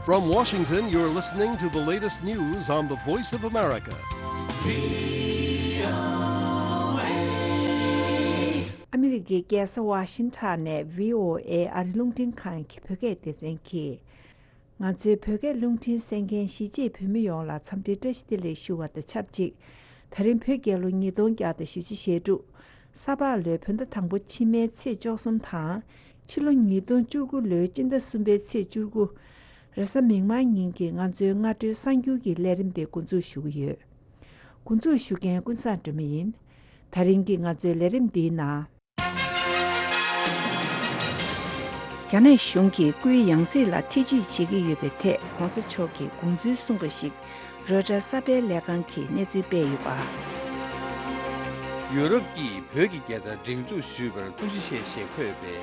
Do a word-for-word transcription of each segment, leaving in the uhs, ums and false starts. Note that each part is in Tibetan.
From Washington, you're listening to the latest news on the Voice of America. ཨ་མི་རི་ཀའི་རྒྱལ་ས་ཝ་ཤིང་ཊོན་ནས་བྷི་ཨོ་ཨེ་ཨ་རི་རླུང་འཕྲིན་ཁང་གི་བོད་སྐད་སྡེ་ཚན་གྱིས། ང་ཚོའི་བོད་སྐད་རླུང་འཕྲིན་གསན་མཁན་གཞིས་བྱེས་བོད་མི་ཡོངས་ལ་འཚམས་འདྲིའི་བཀྲ་ཤིས་བདེ་ལེགས་ཞུ་བ་དང་ཆབས་ཅིག་ད་རིང་བོད་རྒྱལ་ལོ་ཉིས་སྟོང་བརྒྱ་དང་བཞི་བཅུ་ཞེ་དྲུག་ས་ཕག་ལོའི་བོད་ཟླ་དང་པོ་ཕྱི་མའི་ཚེས་བཅུ་གསུམ་དང་། ཕྱི་ལོ་ཉིས་སྟོང་བཅུ་དགུ་ལོའི་སྤྱི་ཟླ་གསུམ་པའི་ཚེས་བཅུ་དགུ། རེས་གཟའ་མིག་དམར་ཉིན་གྱི་ང་ཚོའི་སྔ་དྲོའི་གསར་འགྱུར་གྱི་ལས་རིམ་དེ་འགོ་འཛུགས་ཞུ་གི་ཡོད། འགོ་འཛུགས་ཞུ་མཁན་ཀུན་བཟང་སྒྲོལ་མ་ཡིན། ད་རིང་གི་ང་ཚོའི་ལས་རིམ་འདིའི་ནང་། རྒྱ་ནག་གཞུང་གིས་སྐུའི་ཡང་སྲིད་ལ་ཐེ་ཇུས་བྱེད་ཀྱི་ཡོད་པའི་ཐད་གོང་ས་མཆོག་གིས་དགོངས་ཚུལ་གསུངས་པ་ཞིག་རོའི་ཊར་གསར་སྤེལ་ལས་ཁང་གིས་གནས་ཚུལ་སྤེལ་ཡོད་པ། ཡུ་རོབ་ཀྱིས་བོད་ཀྱི་རྒྱལ་དར་སྒྲེང་འཛུགས་ཞུས་པར་ཐུགས་རྗེ་ཆེ་ཞེས་འཁོད་པའི་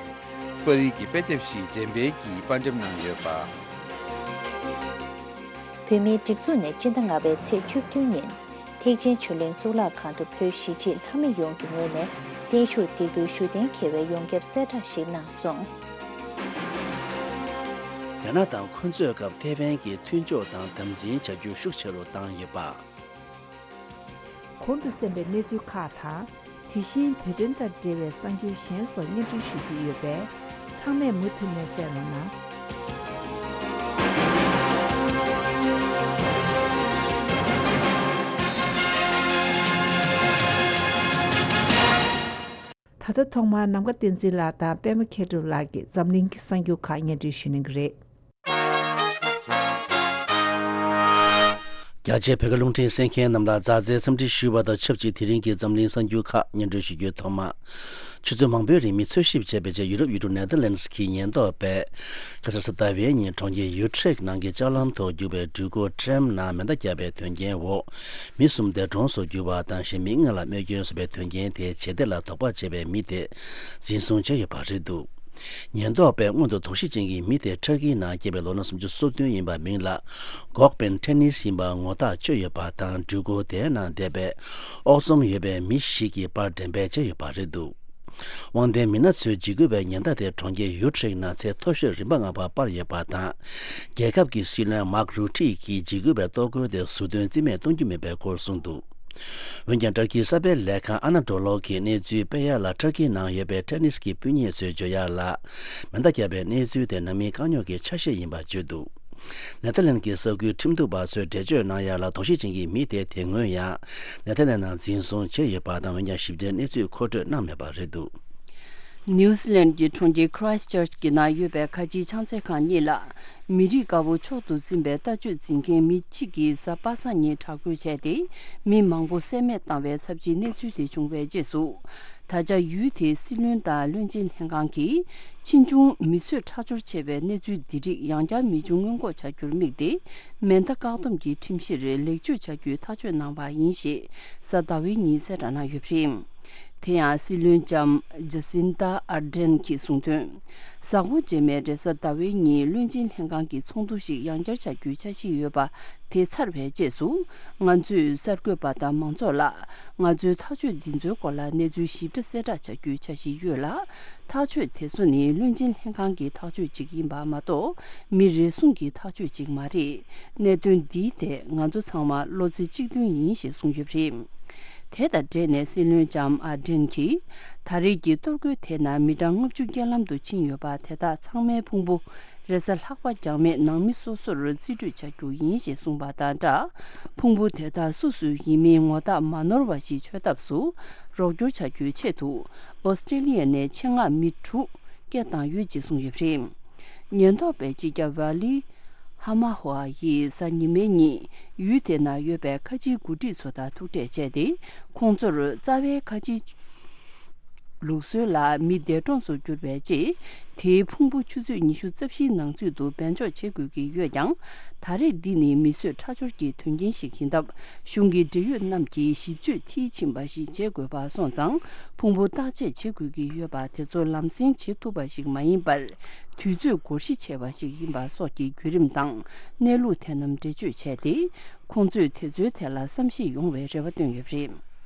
པར་རིས་ཀྱི་དཔེ་དེབ་ཞིག་འགྲེམས་སྤེལ་གྱིས་པར་འགྲེམས་གནང་ཡོད་པ། བོད་མིའི་སྒྲིག་འཛུགས་ནས་སྤྱི་ཟླ་ལྔ་པའི་ཚེས་བཅུ་བདུན་ཉིན། ཐེག་ཆེན་ཆོས་གླིང་གཙུག་ལག་ཁང་དུ་བོད་གཞིས་བྱེས་ལྷ་མི་ཡོངས་ཀྱི་ངོས་ནས་བརྟན་བཞུགས་འདེགས་འབུལ་ཞུ་གཏན་འཁེལ་བའི་ཡོངས་ཁྱབ་གསལ་བསྒྲགས་ཤིག་གནང་སོང་། རྒྱ་ནག་དང་འཁོན་རྩོད་སྐབས་ཐའེ་ཝན་གྱི་མཐུན་ཕྱོགས་དང་དམ་འཛིན་བྱ་རྒྱུ་ཤུགས་ཆེ་རུ་བཏང་ཡོད་པ། གོང་དུ་གསན་པའི་གནས་ཚུལ་ཁག་དང་། དེ་བཞིན་བོད་དོན་དང་འབྲེལ་བའི་གསར་འགྱུར་གཞན་སོགས་སྙན་སྒྲོན་ཞུ་རྒྱུ་ཡོད་པས། ཚང་མས་མུ་མཐུད་ནས་གསན་རོགས་གནང་། ད་ལྟ་ཐོག་མར་ནམ་མཁའ་བསྟན་འཛིན་ལགས་དང་པད་མ་མཁས་གྲུབ་ལགས་ཀྱིས་འཛམ་གླིང་གི་གསར་འགྱུར་ཁག་སྙན་སྒྲོན་ཞུ་གནང་གི་རེད། རྒྱ་ཆེའི་བོད་སྐད་རླུང་འཕྲིན་གསན་མཁན་རྣམས་ལ་མཛའ་བརྩེའི་འཚམས་འདྲི་ཞུ་བ་དང་ཆབས་ཅིག་དེ་རིང་གི་འཛམ་གླིང་གསར་འགྱུར་ཁག་སྙན་སྒྲོན་ཞུ་རྒྱུའི་ཐོག་མ། ཆུ་ཚོད་མང་པོའི་རིང་མི་འཚོལ་ཞིབ་བྱས་པའི་རྗེས་ཡུ་རོབ་ཡུལ་གྲུ་ནེ་ཐར་ལན་སི་གི་ཉེན་རྟོག་པས་ཁ་སང་གཟའ་ཟླ་བའི་ཉིན་གྲོང་ཁྱེར་ཡུ་ཁྲེག་ནང་གི་ལྕགས་ལམ་ཐོག་རྒྱུག་པའི་འགྲུལ་འཁོར་ཊྲེམ་ནང་མེ་མདའ་བརྒྱབ་པའི་དོན་རྐྱེན་འོག་མི་གསུམ་འདས་གྲོངས་སུ་གྱུར་བ་དང་གཞན་མི་ལྔ་ལ་རྨས་སྐྱོན་བཟོས་པའི་དོན་རྐྱེན་དེའི་བྱེད་གཏེ་ལ་དོགས་པ་བྱས་པའི་མི་དེ་འཛིན་བཟུང་བྱས་ཡོད་པ་རེད་འདུག་ཉེན་རྟོག་པས་སྔོན་དུ་དོགས་གཞི་ཅན་གྱི་མི་དེ་ཁྲ་ཀིའི་ནང་སྐྱེས་པའི་ལོ་ན་སུམ་ཅུ་སོ་བདུན་ཡིན་པ་མིང་ལ་གོག་པན་ཊེ་ནིས་ཡིན་པ་ངོ་ཐག་ཆོད་ཡོད་པ་དང་འགྲུལ་འཁོར་དེའི་ནང་བསྡད་པའི་ཨོག་ཚོམ་ཡོད་པའི་མི་ཞིག་གིས་པར་འགྲེམས་སྤེལ་བྱས་ཡོད་པ་རེད་འདུག་དབང་ལྡན་མི་སྣ་ཚོས་འཇིགས་སྐུལ་བའི་ཉེན་བརྡ་དེ་གྲོང་ཁྱེར་ཡུ་ཁྲེག་ནང་ཚེས་མཐོ་ཤོས་རིམ་པ་ལྔ་པ་སྤར་ཡོད་པ་དང་། རྒྱལ་ཁབ་ཀྱི་སྲིད་བློན་མཱག་རུ་ཊི་གིས་འཇིགས་སྐུལ་བའི་གཏོར་རྒོལ་དེ་ཟུར་འདོན་རྩིས་མེད་གཏོང་རྒྱུ་མིན་པའི་སྐོར་གསུངས་འདུག་འོན་ཀྱང་ཏུར་ཀིའི་གསར་སྤེལ་ལས་ཁང་ཨ་ན་ཌོ་ལོ་གིས་གནས་ཚུལ་སྤེལ་ཡག་ལ་ཏུར་ཀིའི་ནང་ཡོད་པའི་ཊེ་ནིས་ཀྱི་སྤུན་ཉེ་ཚོས་བརྗོད་ཡག་ལ། མེ་མདའ་བརྒྱབ་པའི་གནས་ཚུལ་དེ་ནང་མིའི་དཀའ་རྙོག་གི་ཆ་ཤས་ཡིན་པ་བརྗོད་འདུག་ནེ་ཐར་ལན་གྱི་ས་ཁུལ་ཁྲིམས་གཏུག་པ་ཚོས་འགྲེལ་བརྗོད་གནང་ཡག་ལ་དོགས་གཞི་ཅན་གྱི་མི་དེ་དེ་སྔོན་ཡང་ནེ་ཐར་ལན་ནང་འཛིན་བཟུང་བྱས་ཡོད་པ་དང་། འོན་ཀྱང་ཞིབ་ཕྲའི་གནས་ཚུལ་མཁོ་སྤྲོད་གནང་མེད་པ་རེད་འདུག་ནིའུ་ཛི་ལན་གྱི་གྲོང་ཁྱེར་ཁི་རའེ་སི་ཅར་ཅི་གི་ནང་ཡོད་པའི་ཁ་ཆེའི་ཕྱག་འཚལ་ཁང་གཉིས་ལ། མི་རིགས་དཀར་པོ་མཆོག་ཏུ་འཛིན་པའི་ལྟ་སྤྱོད་འཛིན་མཁན་མི་གཅིག་གིས་གཟའ་པ་སངས་ཉིན་དྲག་རྒོལ་བྱས་ཏེ། མི་མང་པོ་བསད་རྨས་བཏང་བའི་ཚབས་ཆེའི་གནས་ཚུལ་དེ་བྱུང་བའི་རྗེས་སུ། ད་ཆ་ཡུལ་དེའི་སྲིད་བློན་དང་བློན་ཆེན་ལྷན་ཁང་གིས། ཕྱིས་འབྱུང་མི་གསོད་ཁྲག་སྦྱོར་ཆེ་བའི་གནས་ཚུལ་འདི་རིགས་ཡང་བསྐྱར་མི་འབྱུང་སྔོན་འགོག་བྱ་རྒྱུར་དམིགས་ཏེ། མེ་མདའ་བཀག་སྡོམ་གྱི་ཁྲིམས་གཞིར་ལེགས་བཅོས་བྱ་རྒྱུའི་ཐག་གཅོད་གནང་བ་ཡིན་ཞེས་གཟའ་ཟླ་བའི་ཉིན་གསལ་བསྒྲགས་གནང་ཡོད་པ་རེད། དེ་ཡང་སྲིད་བློན་ལྕམ་ཇ་སིན་ཏཱ་ཨར་ཌེན་གྱིས་གསུངས་དོན། གཟའ་འཁོར་རྗེས་མའི་རེས་གཟའ་ཟླ་བའི་ཉིན་བློན་ཆེན་ལྷན་ཁང་གི་ཚོགས་འདུ་ཞིག་ཡང་བསྐྱར་བྱ་རྒྱུའི་འཆར་གཞི་ཡོད་པ་དེ་ཚར་བའི་རྗེས་སུ། ང་ཚོས་གསར་འགོད་པ་དང་མང་ཚོགས་ལ་ང་ཚོའི་ཐག་གཅོད་འདི་ཚོའི་སྐོར་ལ་གནས་ཚུལ་ཞིབ་ཕྲ་གསལ་བསྒྲགས་བྱ་རྒྱུའི་འཆར་གཞི་ཡོད་ལ། ཐག་གཅོད་དེ་ཚོ་ནི་བློན་ཆེན་ལྷན་ཁང་གི་ཐག་གཅོད་ཅིག་ཡིན་པ་མ་གཏོགས། མི་རེ་ཟུང་གི་ཐག་གཅོད་ཅིག་མ་རེད། གནད་དོན་འདིའི་ཐད་ང་ཚོ་ཚང་མ་བློ་རྩེ་གཅིག་མཐུན་ཡིན་ཞེས་གསུངས་ཡོད་པ་རེད། དེ་དང་འབྲེལ་ནས་སྲིད་བློན་ལྕམ་ཨར་ཌེན་གྱིས། ད་རེས་ཀྱི་གཏོར་རྒོལ་དེ་ནང་མི་གྲངས་ལྔ་བཅུ་རྐྱེན་ལམ་དུ་ཕྱིན་ཡོད་པ་དེ་དག་ཚང་མའི་ཕུང་པོ། རེས་གཟའ་ལྷག་པ་འགྱངས་མེད་ནང་མི་སོ་སོར་རྩིས་སྤྲོད་བྱ་རྒྱུ་ཡིན་ཞེས་གསུངས་པ་དང་སྦྲགས། ཕུང་པོ་དེ་དག་སུ་སུ་ཡིན་མིན་ངོ་ཐག་མ་ནོར་བ་ཞིག་ཆོད་ཐབས་སུ་རོགས་སྐྱོར་བྱ་རྒྱུའི་ཆེད་དུ། ཨོ་སི་ཀྲེ་ལི་ཡ་ནས་ཆེད་མངགས་མི་དྲུག་སྐད་བཏང་ཡོད་ཅེས་གསུངས་ཡོད་པ་རེད། ཉེན་རྟོག་པས་སྤྱི་ཁྱབ་ཝ་ལི་ཧ་མ་ཧོ་ཨ་ཡིས་གཟའ་ཉི་མའི་ཉིན་ཡུལ་དེ་ནང་ཡོད་པའི་ཁ་ཆེའི་འགོ་ཁྲིད་ཚོ་དང་ཐུག་འཕྲད་བྱས་ཏེ། ཁོང་ཚོར་རྩ་བའི་ཁ་ཆེའི་ལུགས་སྲོལ་ལ་མི་འདས་གྲོངས་སུ་གྱུར་བའི་རྗེས། དེའི་ཕུང་པོ་ཆུ་ཚོད་ཉི་ཤུ་རྩ་བཞིའི་ནང་ཚུད་དུ་སྦས་འཇོག་བྱེད་དགོས་ཀྱི་ཡོད་ཀྱང་། ད་རེས་འདི་ནི་མི་གསོད་ཁྲག་སྦྱོར་གྱི་དོན་རྐྱེན་ཞིག་ཡིན་སྟབས། གཞུང་གི་འབྲེལ་ཡོད་རྣམས་ཀྱིས་ཞིབ་དཔྱོད་མཐིལ་ཕྱིན་པ་ཞིག་བྱེད་དགོས་པ་སོང་ཙང་། ཕུང་པོ་བརྟག་དཔྱད་བྱེད་དགོས་ཀྱི་ཡོད་པ་དེ་ཚོ་ལམ་སེང་བྱེད་ཐུབ་པ་ཞིག་མ་ཡིན་པར། དུས་ཚོད་འགོར་གཞི་ཆེ་བ་ཞིག་ཡིན་པ་སོགས་ཀྱི་བརྒྱུད་རིམ་དང་གནས་ལུགས་དེ་རྣམས་འགྲེལ་བརྗོད་བྱས་ཏེ། ཁོང་ཚོས་དེ་ཚོའི་ཐད་ལ་བསམ་ཤེས་ཡོང་བའི་རེ་བ་བཏོན་ཡོད་པ་རེད།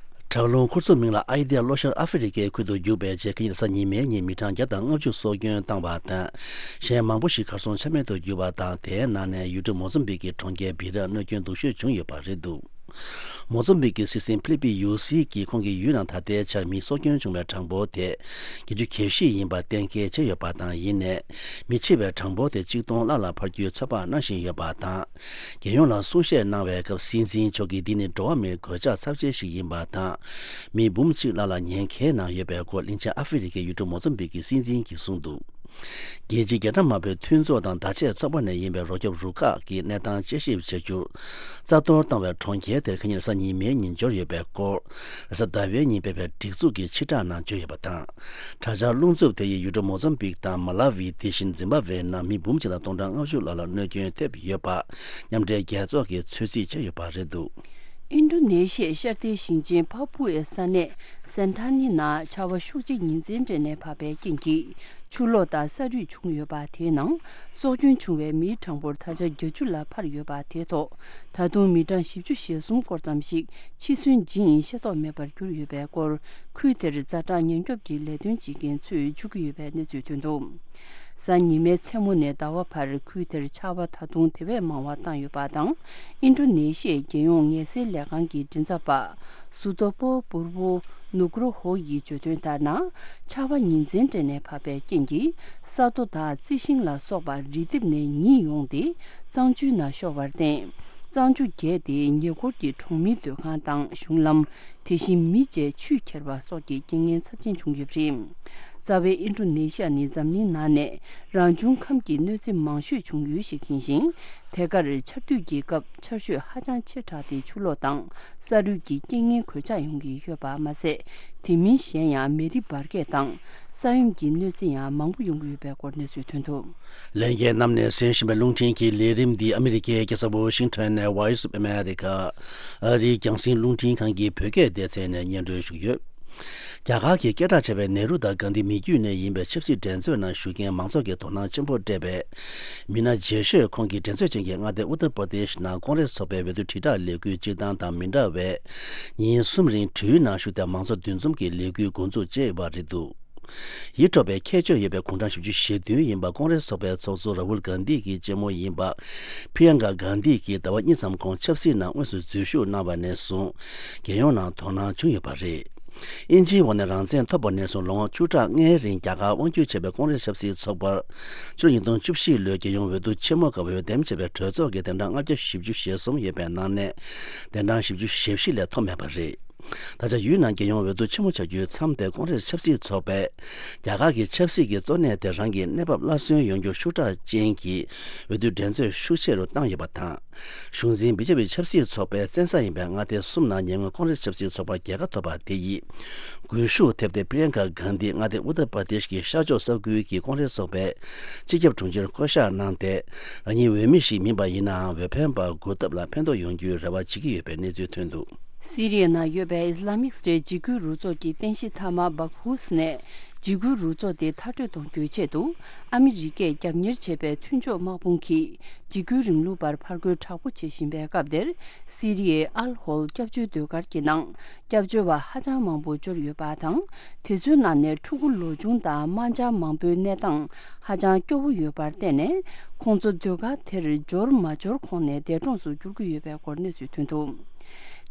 བྲག་ལུང་ཁུར་ཚོ་མིང་ལ་ཨའི་ཌི་ཡ་གློག་ཤར་ཨ་ཧྥེ་རི་ཁའི་ཁུལ་དུ་བརྒྱུགས་པའི་རྗེས། ཁ་ཉིན་གཟའ་ཉི་མའི་ཉིན་མི་གྲངས་བརྒྱ་དང་ལྔ་བཅུ་སྲོག་སྐྱོན་བཏང་བ་དང་། གཞན་མང་པོ་ཞིག་གར་སོང་ཆ་མེད་དུ་གྱུར་བ་དང་། དེའི་ནང་ནས་ཡུལ་གྲུ་མོ་ཙམ་བིག་གི་གྲོང་ཁྱེར་བི་ར་གནོད་སྐྱོན་སྡུག་ཤོས་བྱུང་ཡོད་པ་རེད་འདུག་མོ་ཙམ་བིག་གི་སྲིད་འཛིན་ཕི་ལི་པི་ཡུ་སི་གིས་ཁོང་གི་ཡུལ་ནང་ད་ལྟའི་ཆར་མི་སྲོག་སྐྱོན་བྱུང་བའི་གྲངས་འབོར་དེ་བརྒྱད་ཅུ་གྱ་བཞི་ཡིན་པ་གཏན་འཁེལ་བྱས་ཡོད་པ་དང་། ཡིན་ནའི་མི་འཆི་བའི་གྲངས་འབོར་དེ་གཅིག་སྟོང་ལྷག་ལ་འཕར་རྒྱུའི་ཚོད་དཔག་གནང་བཞིན་ཡོད་པ་དང་། རྒྱལ་ཡོངས་ལ་གསུང་བཤད་གནང་བའི་སྐབས། སྲིད་འཛིན་མཆོག་གིས་འདི་ནི་འགྲོ་བ་མིར་གོད་ཆག་ཚབས་ཆེ་ཞིག་ཡིན་པ་དང་། མི་འབུམ་གཅིག་ལྷག་ལ་ཉེན་ཁའི་ནང་ཡོད་པའི་སྐོར་གླིང་ཆེན་ཨ་ཧྥེ་རི་ཁའི་ཡུལ་གྲུ་མོ་ཙམ་བིག་གི་སྲིད་འཛིན་གྱིས་གསུངས་འདུག་རྒྱལ་སྤྱིའི་རྒྱ་ནག་དམར་པོའི་མཐུན་ཚོགས་དང་བརྡ་ཆད་ཚོགས་པ་ནས་ཡིན་པའི་རོགས་སྐྱོབ་རུ་ཁག་གིས་གནས་སྟངས་དཔྱད་ཞིབ་བྱ་རྒྱུར། རྩ་གཏོར་བཏང་བའི་གྲོང་ཁྱེར་དེར་ཁ་ཉིན་གཟའ་ཉི་མའི་ཉིན་འབྱོར་ཡོད་པའི་སྐོར། རེས་གཟའ་ཟླ་བའི་ཉིན་སྤེལ་བའི་སྒྲིག་འཛུགས་ཀྱི་ཕྱིར་བསྒྲགས་ནང་བརྗོད་ཡོད་པ་དང་། དྲག་ཆར་རླུང་འཚུབ་དེ་ཡིས་ཡུལ་གྲུ་མོ་ཙམ་བིག་དང་མ་ལ་ཝི། དེ་བཞིན་ཛིམ་བྷ་ཝེའི་ནང་མི་འབུམ་གཅིག་དང་སྟོང་ཕྲག་ལྔ་བཅུ་ལྷག་ལ་གནོད་སྐྱོན་ཐེབས་ཡོད་པ། མཉམ་འབྲེལ་རྒྱལ་ཚོགས་ཀྱིས་ཚོད་རྩིས་བྱས་ཡོད་པ་རེད་འདུག་ཨིན་ཌོ་ནེ་ཤི་ཡའི་ཤར་མཐའི་ཞིང་ཆེན་ཕ་པུའེ་ས་གནས་སན་ཐ་ནི་ནང་ཆར་པ་ཤུགས་ཆེ་ཉིན་མཚན་སྤྲད་ནས་བབས་པའི་རྐྱེན་གྱིས། ཆུ་ལོག་དང་ས་རུད་བྱུང་ཡོད་པ། དེའི་ནང་སྲོག་སྐྱོན་བྱུང་བའི་མིའི་གྲངས་འབོར་ད་ཆ་བརྒྱད་ཅུ་ལ་འཕར་ཡོད་པ། དེའི་ཐོག་ད་དུང་མི་གྲངས་བཞི་བཅུ་ཞེ་གསུམ་སྐོར་ཙམ་ཞིག་འཆི་གསོན་ཇི་ཡིན་ཤེས་རྟོགས་མེད་པར་གྱུར་ཡོད་པའི་སྐོར། ཁུལ་དེར་ཛ་དྲག་ཉེན་སྐྱོབ་ཀྱི་ལས་དོན་བྱེད་མཁན་ཚོས་བརྗོད་ཀྱི་ཡོད་པའི་གནས་ཚུལ་ཐོན་འདུག་གཟའ་ཉི་མའི་མཚན་མོ་ནས་ཟླ་བ་བར་ཁུལ་དེར་ཆར་པ་ད་དུང་དེ་བས་མང་བ་བཏང་ཡོད་པ་དང་། ཨིན་ཌོ་ནེ་ཤི་ཡའི་རྒྱལ་ཡོངས་ངལ་སེལ་ལས་ཁང་གི་མགྲིན་ཚབ་པ། སུ་ཏོ་པོ་པུར་བོ་ནུག་རོ་ཧོ་ཡིས་བརྗོད་དོན་ལྟར་ན། ཆར་པ་ཉིན་མཚན་སྤྲད་ནས་བབས་པའི་རྐྱེན་གྱིས། ས་རྡོ་དང་རྩི་ཤིང་ལ་སོགས་པ་རི་ལྡེབས་ནས་ཉིལ་ཡོང་སྟེ། གཙང་ཆུའི་ནང་ཤོར་བར་བརྟེན། གཙང་ཆུ་རྒྱས་ཏེ། ཉེ་འཁོར་གྱི་གྲོང་མིའི་སྡོད་ཁང་དང་གཞུང་ལམ། དེ་བཞིན་མི་བཅས་ཆུས་ཁྱེར་བ་སོགས་ཀྱི་རྐྱེན་ངན་ཚབས་ཆེན་བྱུང་ཡོད་པ་རེད། རྩ་བའི་ཨིན་ཌོ་ནེ་ཤི་ཡ་ནི་འཛམ་གླིང་ནང་ནས་རང་བྱུང་ཁམས་ཀྱི་གནོད་འཚེ་མང་ཤོས་བྱུང་ཡུལ་ཞིག་ཡིན་ཞིང་། དེ་གར་ཆར་དུས་ཀྱི་སྐབས་ཆར་ཞོད་ཧ་ཅང་ཆེ་དྲགས་ཏེ། ཆུ་ལོག་དང་ས་རུད་ཀྱི་རྐྱེན་ངན་གོད་ཆག་ཡོང་གི་ཡོད་པ་མ་ཟད། དེ་མིན་གཞན་ཡང་མེ་རི་འབར་གས་དང་ས་ཡོམ་གྱི་གནོད་འཚེ་ཡང་མང་པོ་ཡོང་གི་ཡོད་པའི་སྐོར་གནས་ཚུལ་ཐོན་འདུག་ལྷན་རྒྱས་རྣམས་ནས་གསན་བཞིན་པའི་རླུང་འཕྲིན་གྱི་ལས་རིམ་འདི་ཨ་མི་རི་ཀའི་རྒྱལ་ས་ཝོ་ཤིང་ཊོན་ནས་Voice of America ཨ་རིའི་རྒྱང་སྲིང་རླུང་འཕྲིན་ཁང་གི་བོད་སྐད་སྡེ་ཚན་ནས་སྙན་སྒྲོན་ཞུས་ཡོད། རྒྱ་གར་གྱིས་སྐད་གྲགས་ཆེ་བའི་ནེ་རུ་དང་གྷན་དྷི་མི་རྒྱུད་ནས་ཡིན་པའི་ཆབ་སྲིད་འགྲན་རྩོད་ནང་ཞུགས་མཁན་མང་ཚོགས་ཀྱིས་དོ་སྣང་ཆེན་པོ་སྤྲད་པའི་མི་སྣ་རྗེས་ཤོས་ཁོང་གིས་འགྲན་རྩོད་ཅན་གྱི་མངའ་སྡེ་ཨུ་ཏར་པར་དེཤ་ནང་ཀོང་རེས་ཚོགས་པའི་འོས་བསྡུ་དྲིལ་བསྒྲགས་ལས་འགུལ་སྤྱིར་བཏང་དང་མི་འདྲ་བའི་ཉིན་གསུམ་རིང་གྲུའི་ནང་ཞུགས་ཏེ་མང་ཚོགས་འདུ་འཛོམས་ཀྱི་ལས་འགུལ་འགོ་འཛུགས་བྱས་ཡོད་པ་རེད་འདུག་ཡིད་འཕྲོག་པའི་ཁྱད་ཆོས་ཡོད་པའི་དགུང་གྲངས་བཞི་བཅུ་ཞེ་བདུན་ཡིན་པ་ཀོང་རེས་ཚོགས་པའི་ཚོགས་གཙོ་ར་ཧུལ་གྷན་དྷི་གི་གཅེན་མོ་ཡིན་པ་པི་ཡང་ཀ་གྷན་དྷི་གིས་ཟླ་བ་གཉིས་ཙམ་གོང་ཆབ་སྲིད་ནང་དངོས་སུ་འཛུལ་ཞུགས་གནང་བ་ནས་བཟུང་རྒྱལ་ཡོངས་ནང་དོ་སྣང་བྱུང་ཡོད་པ་རེད། དབྱིན་ཇིའི་འོག་ནས་རང་བཙན་ཐོབ་པ་ནས་བཟུང་ལོ་ངོ་བཅུ་ཕྲག་ལྔའི་རིང་རྒྱ་གར་དབང་སྒྱུར་བྱས་པའི་ཀོང་རེས་ཆབ་སྲིད་ཚོགས་པར་ཕྱི་ལོ་ཉིས་སྟོང་བཅུ་བཞི་ལོའི་རྒྱལ་ཡོངས་འོས་བསྡུ་ཆེན་མོ་སྐབས་འོས་འདེམས་བྱས་པའི་གྲོས་ཚོགས་ཀྱི་གདན་གྲངས་ལྔ་བརྒྱ་བཞི་བཅུ་ཞེ་གསུམ་ཡོད་པའི་ནང་ནས་གདན་གྲངས་བཞི་བཅུ་ཞེ་བཞི་ལས་ཐོབ་མེད་པ་རེད། ད་ཆ་ཡུལ་ནང་རྒྱལ་ཡོངས་འོས་བསྡུ་ཆེན་མོ་བྱ་རྒྱུའི་མཚམས་དེར་ཀོང་རེས་ཆབ་སྲིད་ཚོགས་པས་རྒྱ་གར་གྱི་ཆབ་སྲིད་ཀྱི་གཙོ་གནད་དེ་རང་གི་གནས་བབ་སླར་གསོའི་ཡོང་རྒྱུར་ཤུགས་དྲག་ཅན་གྱི་འོས་བསྡུ་འགྲན་རྩོད་ཤུགས་ཆེ་རུ་བཏང་ཡོད་པ་དང་། གཞུང་འཛིན་བི་ཇེ་པི་ཆབ་སྲིད་ཚོགས་པའི་བཙན་ས་ཡིན་པའི་མངའ་སྡེ་གསུམ་ནང་ཉེ་སྔོན་ཀོང་རེས་ཆབ་སྲིད་ཚོགས་པར་རྒྱལ་ཁ་ཐོབ་པ་དེ་ཡིས་སྒུལ་ཤུགས་ཐེབས་ཏེ། པི་རིན་ཀ་གྷན་དྷི་མངའ་སྡེ་ཨུ་ཏར་པར་དེཤ་གི་ཤར་ཕྱོགས་ས་ཁུལ་གྱི་ཀོང་རེས་ཚོགས་པའི་སྤྱི་ཁྱབ་དྲུང་ཆེར་བསྐོ་གཞག་གནང་སྟེ། རང་ཉིད་འོས་མི་ཞིག་མིན་པ་ཡིན་ནའང་འོས་འཕེན་པར་སྒུག་ཐབས་ལ་ཕན་ཐོགས་ཡོང་རྒྱུའི་རེ་བ་བྱེད་ཀྱི་ཡོད་པའི་གནས་ཚུལ་ཐོན་འདུག་སི་རི་ཡའི་ནང་ཡོད་པའི་ཨིས་ལ་མིག་སི་ཊེཊ་འཇིགས་སྐུལ་རུ་ཚོགས་ཀྱི་རྟེན་གཞི་མཐའ་མ་བག་ཧུ་སི་ནས། འཇིགས་སྐུལ་རུ་ཚོགས་དེ་མཐར་སྐྲོད་གཏོང་རྒྱུའི་ཆེད་དུ། ཨ་མི་རི་ཀས་རྒྱབ་གཉེར་བྱས་པའི་མཐུན་ཕྱོགས་དམག་དཔུང་གིས། འཇིགས་སྐུལ་རིང་ལུགས་པར་ཕར་རྒོལ་དྲག་པོ་བྱེད་བཞིན་པའི་སྐབས་དེར། སི་རི་ཡའི་ཨལ་ཧོལ་སྐྱབས་བཅོལ་སྡོད་སྒར་གྱི་ནང་། སྐྱབས་བཅོལ་བ་ཧ་ཅང་མང་པོ་འབྱོར་ཡོད་པ་དང་། དེ་ཚོའི་ནང་ནས་ཕྲུ་གུ་ལོ་ཆུང་དང་དམར་འབྱར་མང་པོའི་གནས་སྟངས་ཧ་ཅང་སྐྱོ་བོ་ཡོད་པར་བརྟེན་ནས། ཁོང་ཚོ་སྡོད་སྒར་དེར་འབྱོར་མ་འབྱོར་གོང་ནས་འདས་གྲོངས་སུ་འགྱུར་གྱི་ཡོད་པའི་སྐོར་གནས་ཚུལ་ཐོན་འདུག་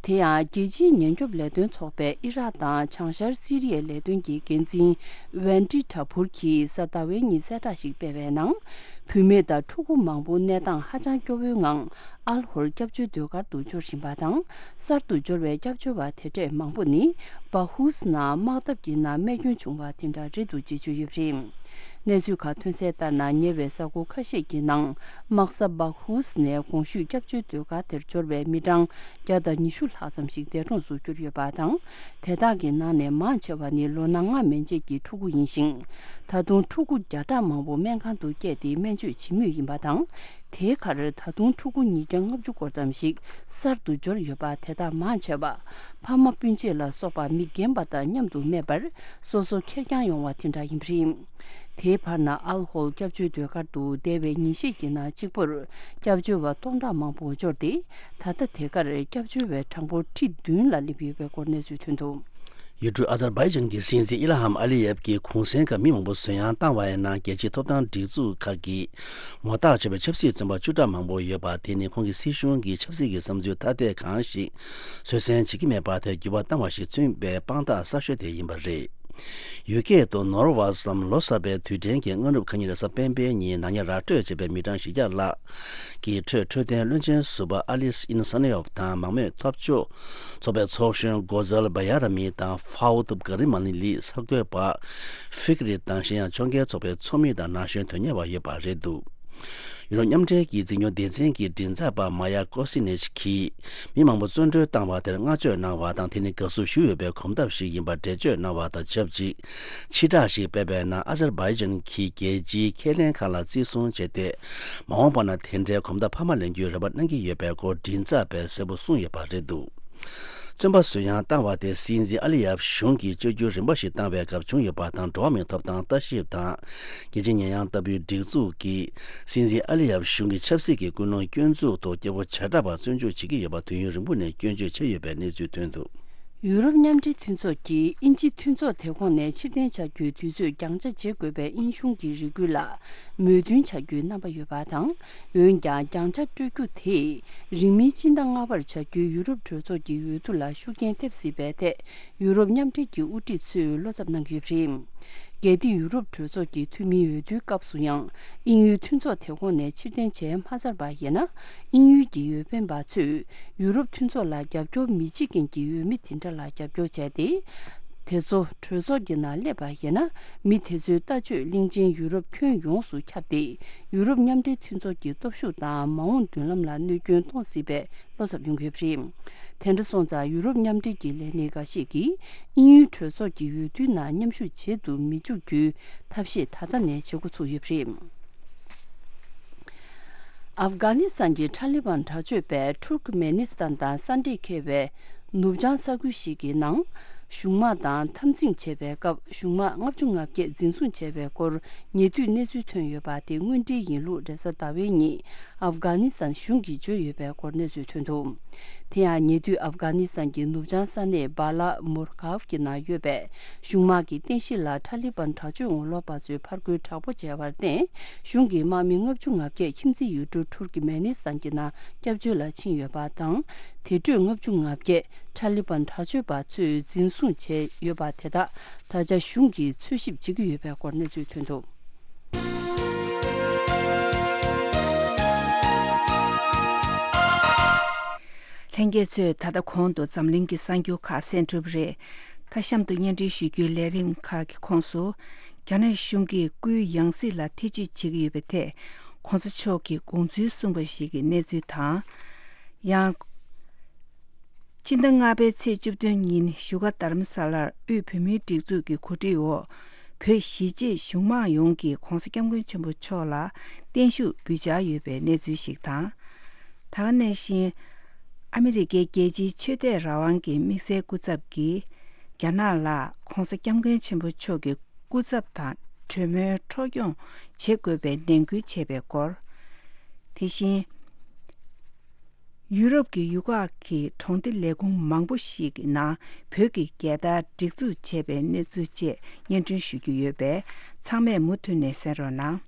དེ་ཡང་རྒྱལ་སྤྱིའི་ཉེན་སྐྱོབ་ལས་དོན་ཚོགས་པའི་ཨི་རག་དང་བྱང་ཤར་སི་རི་ཡའི་ལས་དོན་གྱི་འགན་འཛིན་ཝན་ཏི་ཏྲ་ཕུར་གྱིས་གཟའ་ཟླ་བའི་ཉིན་གསལ་བསྒྲགས་ཤིག་སྤེལ་བའི་ནང་། བུད་མེད་དང་ཕྲུ་གུ་མང་པོ་གནས་སྟངས་ཧ་ཅང་སྐྱོ་བོའི་ངང་། ཨལ་ཧོལ་སྐྱབས་བཅོལ་སྡོད་སྒར་དུ་འབྱོར་བཞིན་པ་དང་། གསར་དུ་འབྱོར་བའི་སྐྱབས་བཅོལ་བ་དེ་གྲས་མང་པོ་ནི། བག་ཧུ་སི་ནང་དམག་འཐབ་ཀྱི་ནང་རྨས་སྐྱོན་བྱུང་བ་དེ་འདྲ་རེད་འདུག་ཅེས་བརྗོད་ཡོད་པ་རེད། གནས་ཚུལ་ཁག་ཐོན་གསལ་ལྟར་ན། ཉེ་བའི་གཟའ་འཁོར་ཁ་ཤས་ཀྱི་ནང་། དམག་ས་བག་ཧུ་སི་ནས་གོང་ཞུས་སྐྱབས་བཅོལ་སྡོད་སྒར་དེར་འབྱོར་བའི་མི་གྲངས་བརྒྱ་དང་ཉི་ཤུ་ལྷག་ཙམ་ཞིག་འདས་གྲོངས་སུ་གྱུར་ཡོད་པ་དང་། དེ་དག་གི་ནང་ནས་མང་ཆེ་བ་ནི་ལོ་ན་ལྔ་མན་ཆད་ཀྱི་ཕྲུ་གུ་ཡིན་ཞིང་། ད་དུང་ཕྲུ་གུ་བརྒྱ་ཕྲག་མང་པོ་སྨན་ཁང་དུ་བསྐྱལ་ཏེ་སྨན་བཅོས་བྱེད་མུས་ཡིན་པ་དང་། དེའི་ཁར་ད་དུང་ཕྲུ་གུ་ཉིས་བརྒྱ་ལྔ་བཅུ་སྐོར་ཙམ་ཞིག་གསར་དུ་འབྱོར་ཡོད་པ། དེ་དག་མང་ཆེ་བ་ཕ་མ་སྤུན་མཆེད་ལ་སོགས་པ་མི་རྒན་པ་དང་མཉམ་དུ་མེད་པར། སོ་སོ་ཁེར་རྐྱང་ཡོང་བ་དེ་འདྲ་ཡིན་པ་རེད། དེའི་བར་ན་ཨལ་ཧོལ་སྐྱབས་བཅོལ་སྡོད་སྒར་དུ་འདས་པའི་ཉིན་ཤས་ཀྱི་ནང་གཅིག་པུར་སྐྱབས་བཅོལ་བ་སྟོང་ཕྲག་མང་པོ་འབྱོར་ཏེ། ད་ལྟ་དེ་གར་སྐྱབས་བཅོལ་བའི་གྲངས་འབོར་ཁྲི་བདུན་ལ་སླེབས་ཡོད་པའི་སྐོར་གནས་ཚུལ་ཐོན་འདུག། ཡུལ་གྲུ་ཨ་ཛར་བྷའི་ཇན་གྱི་སྲིད་འཛིན་ཨི་ལ་ཧམ་ཨ་ལི་ཡེབ་ཀྱི་གུང་སེང་སྐབས་མི་མང་པོ་གསོན་ཡང་བཏང་བ་ཡིན་ན། རྒྱལ་སྤྱིའི་ཐོབ་ཐང་སྒྲིག་འཛུགས་ཁག་གིས་ངོ་རྟགས་ཆོད་པའི་ཆབ་སྲིད་བཙོན་པ་བཅུ་ཕྲག་མང་པོ་ཡོད་པ་དེ་ནི་ཁོང་གི་སྲིད་གཞུང་གིས་ཆབ་སྲིད་ཀྱི་བསམ་ཚུལ་ཐ་དད་གང་ཞིག་སུས་གསན་བྱེད་ཀྱི་མེད་པ་དེར་འགྱུར་བ་བཏང་བ་ཞིག་མཚོན་པའི་དཔང་རྟགས་གསར་ཤོས་དེ་ཡིན་པ་རེད། ཡུ་ཀེ་དང་ནོར་ཝེ་ལམ་ལོ་གསར་པའི་དུས་དྲན་གྱི་སྔ་ནུབ་ཁ་ཉིན་རེས་གཟའ་སྤེན་པའི་ཉིན་ནག་ཉེས་ར་སྤྲོད་བྱས་པའི་མི་གྲངས་བཞི་བརྒྱ་ལྷག་གི་ཁྲོད་འཕྲོད་བསྟེན་བློན་ཆེན་ཟུར་པ་ཨ་ལིས་ཨིན་སན་ཡོབ་དང་མང་མོས་འཐབ་ཕྱོགས་ཚོགས་པའི་ཚོགས་གཞོན་གོ་ཛལ་བ་ཡ་ར་མི་དང་ཧྥའོ་ཏུབ་ག་རི་མ་ལི་ལི་གསར་འགོད་པ་ཧྥིག་རི་དང་གཞན་ཡང་ཕྱོགས་འགལ་ཚོགས་པའི་ཚོགས་མི་དང་ན་གཞོན་དོན་གཉེར་བ་ཡོད་པ་རེད་འདུག། ཡུ་རོབ་མཉམ་འབྲེལ་གྱི་འཛིན་སྐྱོང་སྡེ་ཚན་གྱི་མགྲིན་ཚབ་པ་མ་ཡ་ཀོ་སི་ནེཆ་གིས་མི་མང་པོ་བཙོན་གྲོལ་བཏང་བ་དེར་བསྔགས་བརྗོད་གནང་བ་དང་། དེ་ནི་དགའ་བསུ་ཞུ་འོས་པའི་གོམ་སྟབས་ཤིག་ཡིན་པར་འགྲེལ་བརྗོད་གནང་བ་དང་ཆབས་ཅིག། ཕྱི་བསྒྲགས་ཤིག་སྤེལ་བའི་ནང་ཨ་ཛར་བྷའི་ཇན་གྱིས་རྒྱལ་སྤྱིའི་ཁས་ལེན་ཁག་ལ་བརྩི་སྲུང་བྱས་ཏེ། མ་འོངས་པ་ན་དེ་འདྲའི་གོམ་སྟབས་འཕར་མ་ལེན་རྒྱུའི་རེ་བ་གནང་གི་ཡོད་པའི་སྐོར་མགྲིན་ཚབ་པས་གསལ་པོ་གསུངས་ཡོད་པ་རེད་འདུག། བཙོན་པ་གསོན་ཡང་བཏང་བ་དེ་སྲིད་འཛིན་ཨ་ལི་ཡབ་གཞུང་གིས་བཅོས་བསྒྱུར་རིམ་པ་ཞིག་བཏང་བའི་སྐབས་བྱུང་ཡོད་པ་དང་། འགྲོ་བ་མིའི་ཐོབ་ཐང་ལྟ་ཞིབ་དང་རྒྱལ་སྤྱིའི་ཉེས་ཡངས་ལྟ་བུའི་སྒྲིག་འཛུགས་ཀྱིས་སྲིད་འཛིན་ཨ་ལི་ཡབ་གཞུང་གི་ཆབ་སྲིད་ཀྱི་ཀུན་སློང་སྐྱོན་འཛུགས་ཐོག་སྐྱེ་བོ་བྱེ་བྲག་པ་བཙོན་འཇུག་བྱེད་ཀྱི་ཡོད་པ་དུས་ཡུན་རིང་པོ་ནས་སྐྱོན་བརྗོད་བྱས་ཡོད་པའི་གནས་ཚུལ་ཐོན་འདུག། ཡུ་རོབ་མཉམ་འབྲེལ་མཐུན་ཚོགས་ཀྱིས་དབྱིན་ཇི་མཐུན་ཚོགས་དེ་ཁོངས་ནས་ཕྱིར་འཐེན་བྱ་རྒྱུའི་དུས་ཚོད་འགྱངས་ཆ་བྱེད་དགོས་པའི་དབྱིན་གཞུང་གི་རེ་སྐུལ་ལ་མོས་མཐུན་བྱ་རྒྱུའི་རྣམ་པ་ཡོད་པ་དང་། འོན་ཀྱང་འགྱངས་ཆ་སྤྲོད་རྒྱུ་དེས་རིང་མིན་སྤྱི་ཟླ་ལྔ་པར་བྱ་རྒྱུའི་ཡུ་རོབ་གྲོས་ཚོགས་ཀྱི་འོས་བསྡུ་ལ་ཤུགས་རྐྱེན་ཐེབས་སྲིད་པའི་ཐད། ཡུ་རོབ་མཉམ་འབྲེལ་གྱི་དབུ་ཁྲིད་ཚོས་བློ་འཚབ་གནང་གི་ཡོད་པ་རེད། གལ་ཏེ་ཡུ་རོབ་གྲོས་ཚོགས་ཀྱི་འཐུས་མིའི་འོས་བསྡུའི་སྐབས་སུ་ཡང་དབྱིན་ཡུལ་མཐུན་ཚོགས་དེ་ཁོངས་ནས་ཕྱིར་འཐེན་བྱས་མ་ཚར་བ་ཡིན་ན། དབྱིན་ཡུལ་གྱི་འོས་འཕེན་པ་ཚོས་ཡུ་རོབ་མཐུན་ཚོགས་ལ་རྒྱབ་སྐྱོར་མི་བྱེད་མཁན་གྱི་འོས་མི་དེ་འདྲ་ལ་རྒྱབ་སྐྱོར་བྱས་ཏེ། དེ་ཚོ་གྲོས་ཚོགས་ཀྱི་ནང་སླེབས་པ་ཡིན་ན། མི་དེ་ཚོའི་ལྟ་སྤྱོད་གླིང་ཆེན་ཡུ་རོབ་ཁྱོན་ཡོངས་སུ་ཁྱབ་སྟེ། ཡུ་རོབ་མཉམ་འབྲེལ་མཐུན་ཚོགས་ཀྱི་སྟོབས་ཤུགས་དང་མ་འོངས་མདུན་ལམ་ལ་གནོད་སྐྱོན་གཏོང་སྲིད་པའི་བློ་འཚབ་ཡོང་གི་ཡོད་པ་རེད། དེ་འདྲ་སོང་ཙང་ཡུ་རོབ་མཉམ་འབྲེལ་གྱི་ལས་སྣེ་འགའ་ཤས་ཀྱིས་དབྱིན་ཡུལ་གྲོས་ཚོགས་ཀྱི་འོས་བསྡུའི་ནང་མཉམ་ཞུགས་བྱེད་དུ་མི་འཇུག་རྒྱུའི་ཐབས་ཤེས་ད་ལྟ་ནས་བྱེད་འགོ་ཚུགས་ཡོད་པ་རེད། ཨབ་གྷ་ནི་སི་ཐན་གྱི་ཐ་ལི་བན་དྲག་སྤྱོད་པས་ཐུར་ཀ་མེ་ནི་སི་ཐན་དང་ས་འདྲེས་འཁེལ་བའི་ནུབ་བྱང་ས་ཁུལ་ཞིག་གི་ནང་གཞུང་དམག་དང་འཐབ་འཛིང་བྱེད་པའི་སྐབས། གཞུང་དམག་ལྔ་བཅུ་ང་བརྒྱད་འཛིན་བཟུང་བྱས་པའི་སྐོར་ཉེ་དུས་གནས་ཚུལ་ཐོན་ཡོད་པ་དེ་དངོས་འབྲེལ་ཡིན་ལུགས་རེས་གཟའ་ཟླ་བའི་ཉིན་ཨབ་གྷ་ནི་སི་ཐན་གཞུང་གིས་བརྗོད་ཡོད་པའི་སྐོར་གནས་ཚུལ་ཐོན་འདུག། དེ་ཡང་ཉེ་དུས་ཨབ་གྷ་ནི་སི་ཐན་གྱི་ནུབ་བྱང་ས་གནས་བ་ལ་མུར་ཁཱབ་ཀྱི་ནང་ཡོད་པའི་གཞུང་དམག་གི་རྟེན་གཞི་ལ་ཐ་ལི་བན་དྲག་སྤྱོད་ངོ་ལོག་པ་ཚོས་ཕར་རྒོལ་དྲག་པོ་བྱས་པར་བརྟེན། གཞུང་གི་དམག་མི་ལྔ་བཅུ་ང་བརྒྱད་ཁྱིམ་མཚེས་ཡུལ་གྲུ་ཐུར་ཀི་མེ་ནི་སི་ཐན་གྱི་ནང་སྐྱབས་བཅོལ་ལ་ཕྱིན་ཡོད་པ་དང་། དེ་འཕྲོས་ལྔ་བཅུ་ང་བརྒྱད་ཐ་ལི་བན་དྲག་སྤྱོད་པ་ཚོས་འཛིན་བཟུང་བྱས་ཡོད་པ་དེ་དག་ད་ཆ་གཞུང་གིས་འཚོལ་ཞིབ་བྱེད་ཀྱི་ཡོད་པའི་སྐོར་གནས་ཚུལ་ཐོན་འདུག། ལྷན་རྒྱས་ཚོས་ད་ལྟ་གོང་དུ་འཛམ་གླིང་གི་གསར་འགྱུར་ཁག་གསན་གྲུབ་རེད། ད་གཤམ་དུ་སྙན་སྒྲོན་ཞུ་རྒྱུའི་ལས་རིམ་ཁག་གི་ཁོངས་སུ། རྒྱ་ནག་གཞུང་གིས་སྐུའི་ཡང་སྲིད་ལ་ཐེ་བྱུས་བྱེད་ཀྱི་ཡོད་པའི་ཐད། ྋགོང་ས་མཆོག་གིས་དགོངས་ཚུལ་གསུངས་པ་ཞིག་གི་གནས་ཚུལ་དང་། ཡང་། ཕྱི་ཟླ་ལྔ་པའི་ཚེས་བཅུ་བདུན་ཉིན་བཞུགས་སྒར་རྡ་རམ་ས་ལར་དབུས་བོད་མིའི་སྒྲིག་འཛུགས་ཀྱི་གོ་སྒྲིག་འོག་བོད་གཞིས་བྱེས་གཞུང་མང་ཡོངས་ཀྱིས་ྋགོང་ས་ྋསྐྱབས་མགོན་ཆེན་པོ་མཆོག་ལ་བརྟན་བཞུགས་འབུལ་འཆར་ཡོད་པའི་གནས་ཚུལ་ཞིག་དང་། ད་ག་ནང་བཞིན། ཨ་མི་རི་ཀའི་རྒྱལ་སྤྱིའི་ཆོས་དད་རང་དབང་གི་དམིགས་བསལ་སྐུ་ཚབ་ཀྱིས་རྒྱ་ནག་ལ་ྋགོང་ས་ྋསྐྱབས་མགོན་ཆེན་པོ་མཆོག་གི་སྐུ་ཚབ་དང་གྲོས་མོལ་འཕྲོ་སྐྱོང་བྱེད་དགོས་པའི་ནན་སྐུལ་བྱས་པའི་སྐོར། དེ་བཞིན། ཡུ་རོབ་ཀྱི་ཡུལ་ཁག་གི་གྲོང་སྡེ་ལས་ཁུངས་མང་པོ་ཞིག་གི་ནང་བོད་ཀྱི་རྒྱལ་དར་སྒྲིག་འཛུགས་བྱས་པའི་གནས་ཚུལ་བཅས་སྙན་སྒྲོན་ཞུ་རྒྱུ་ཡོད་པས། ཚང་མས་མུ་མཐུད་ནས་གསན་རོགས་གནང་།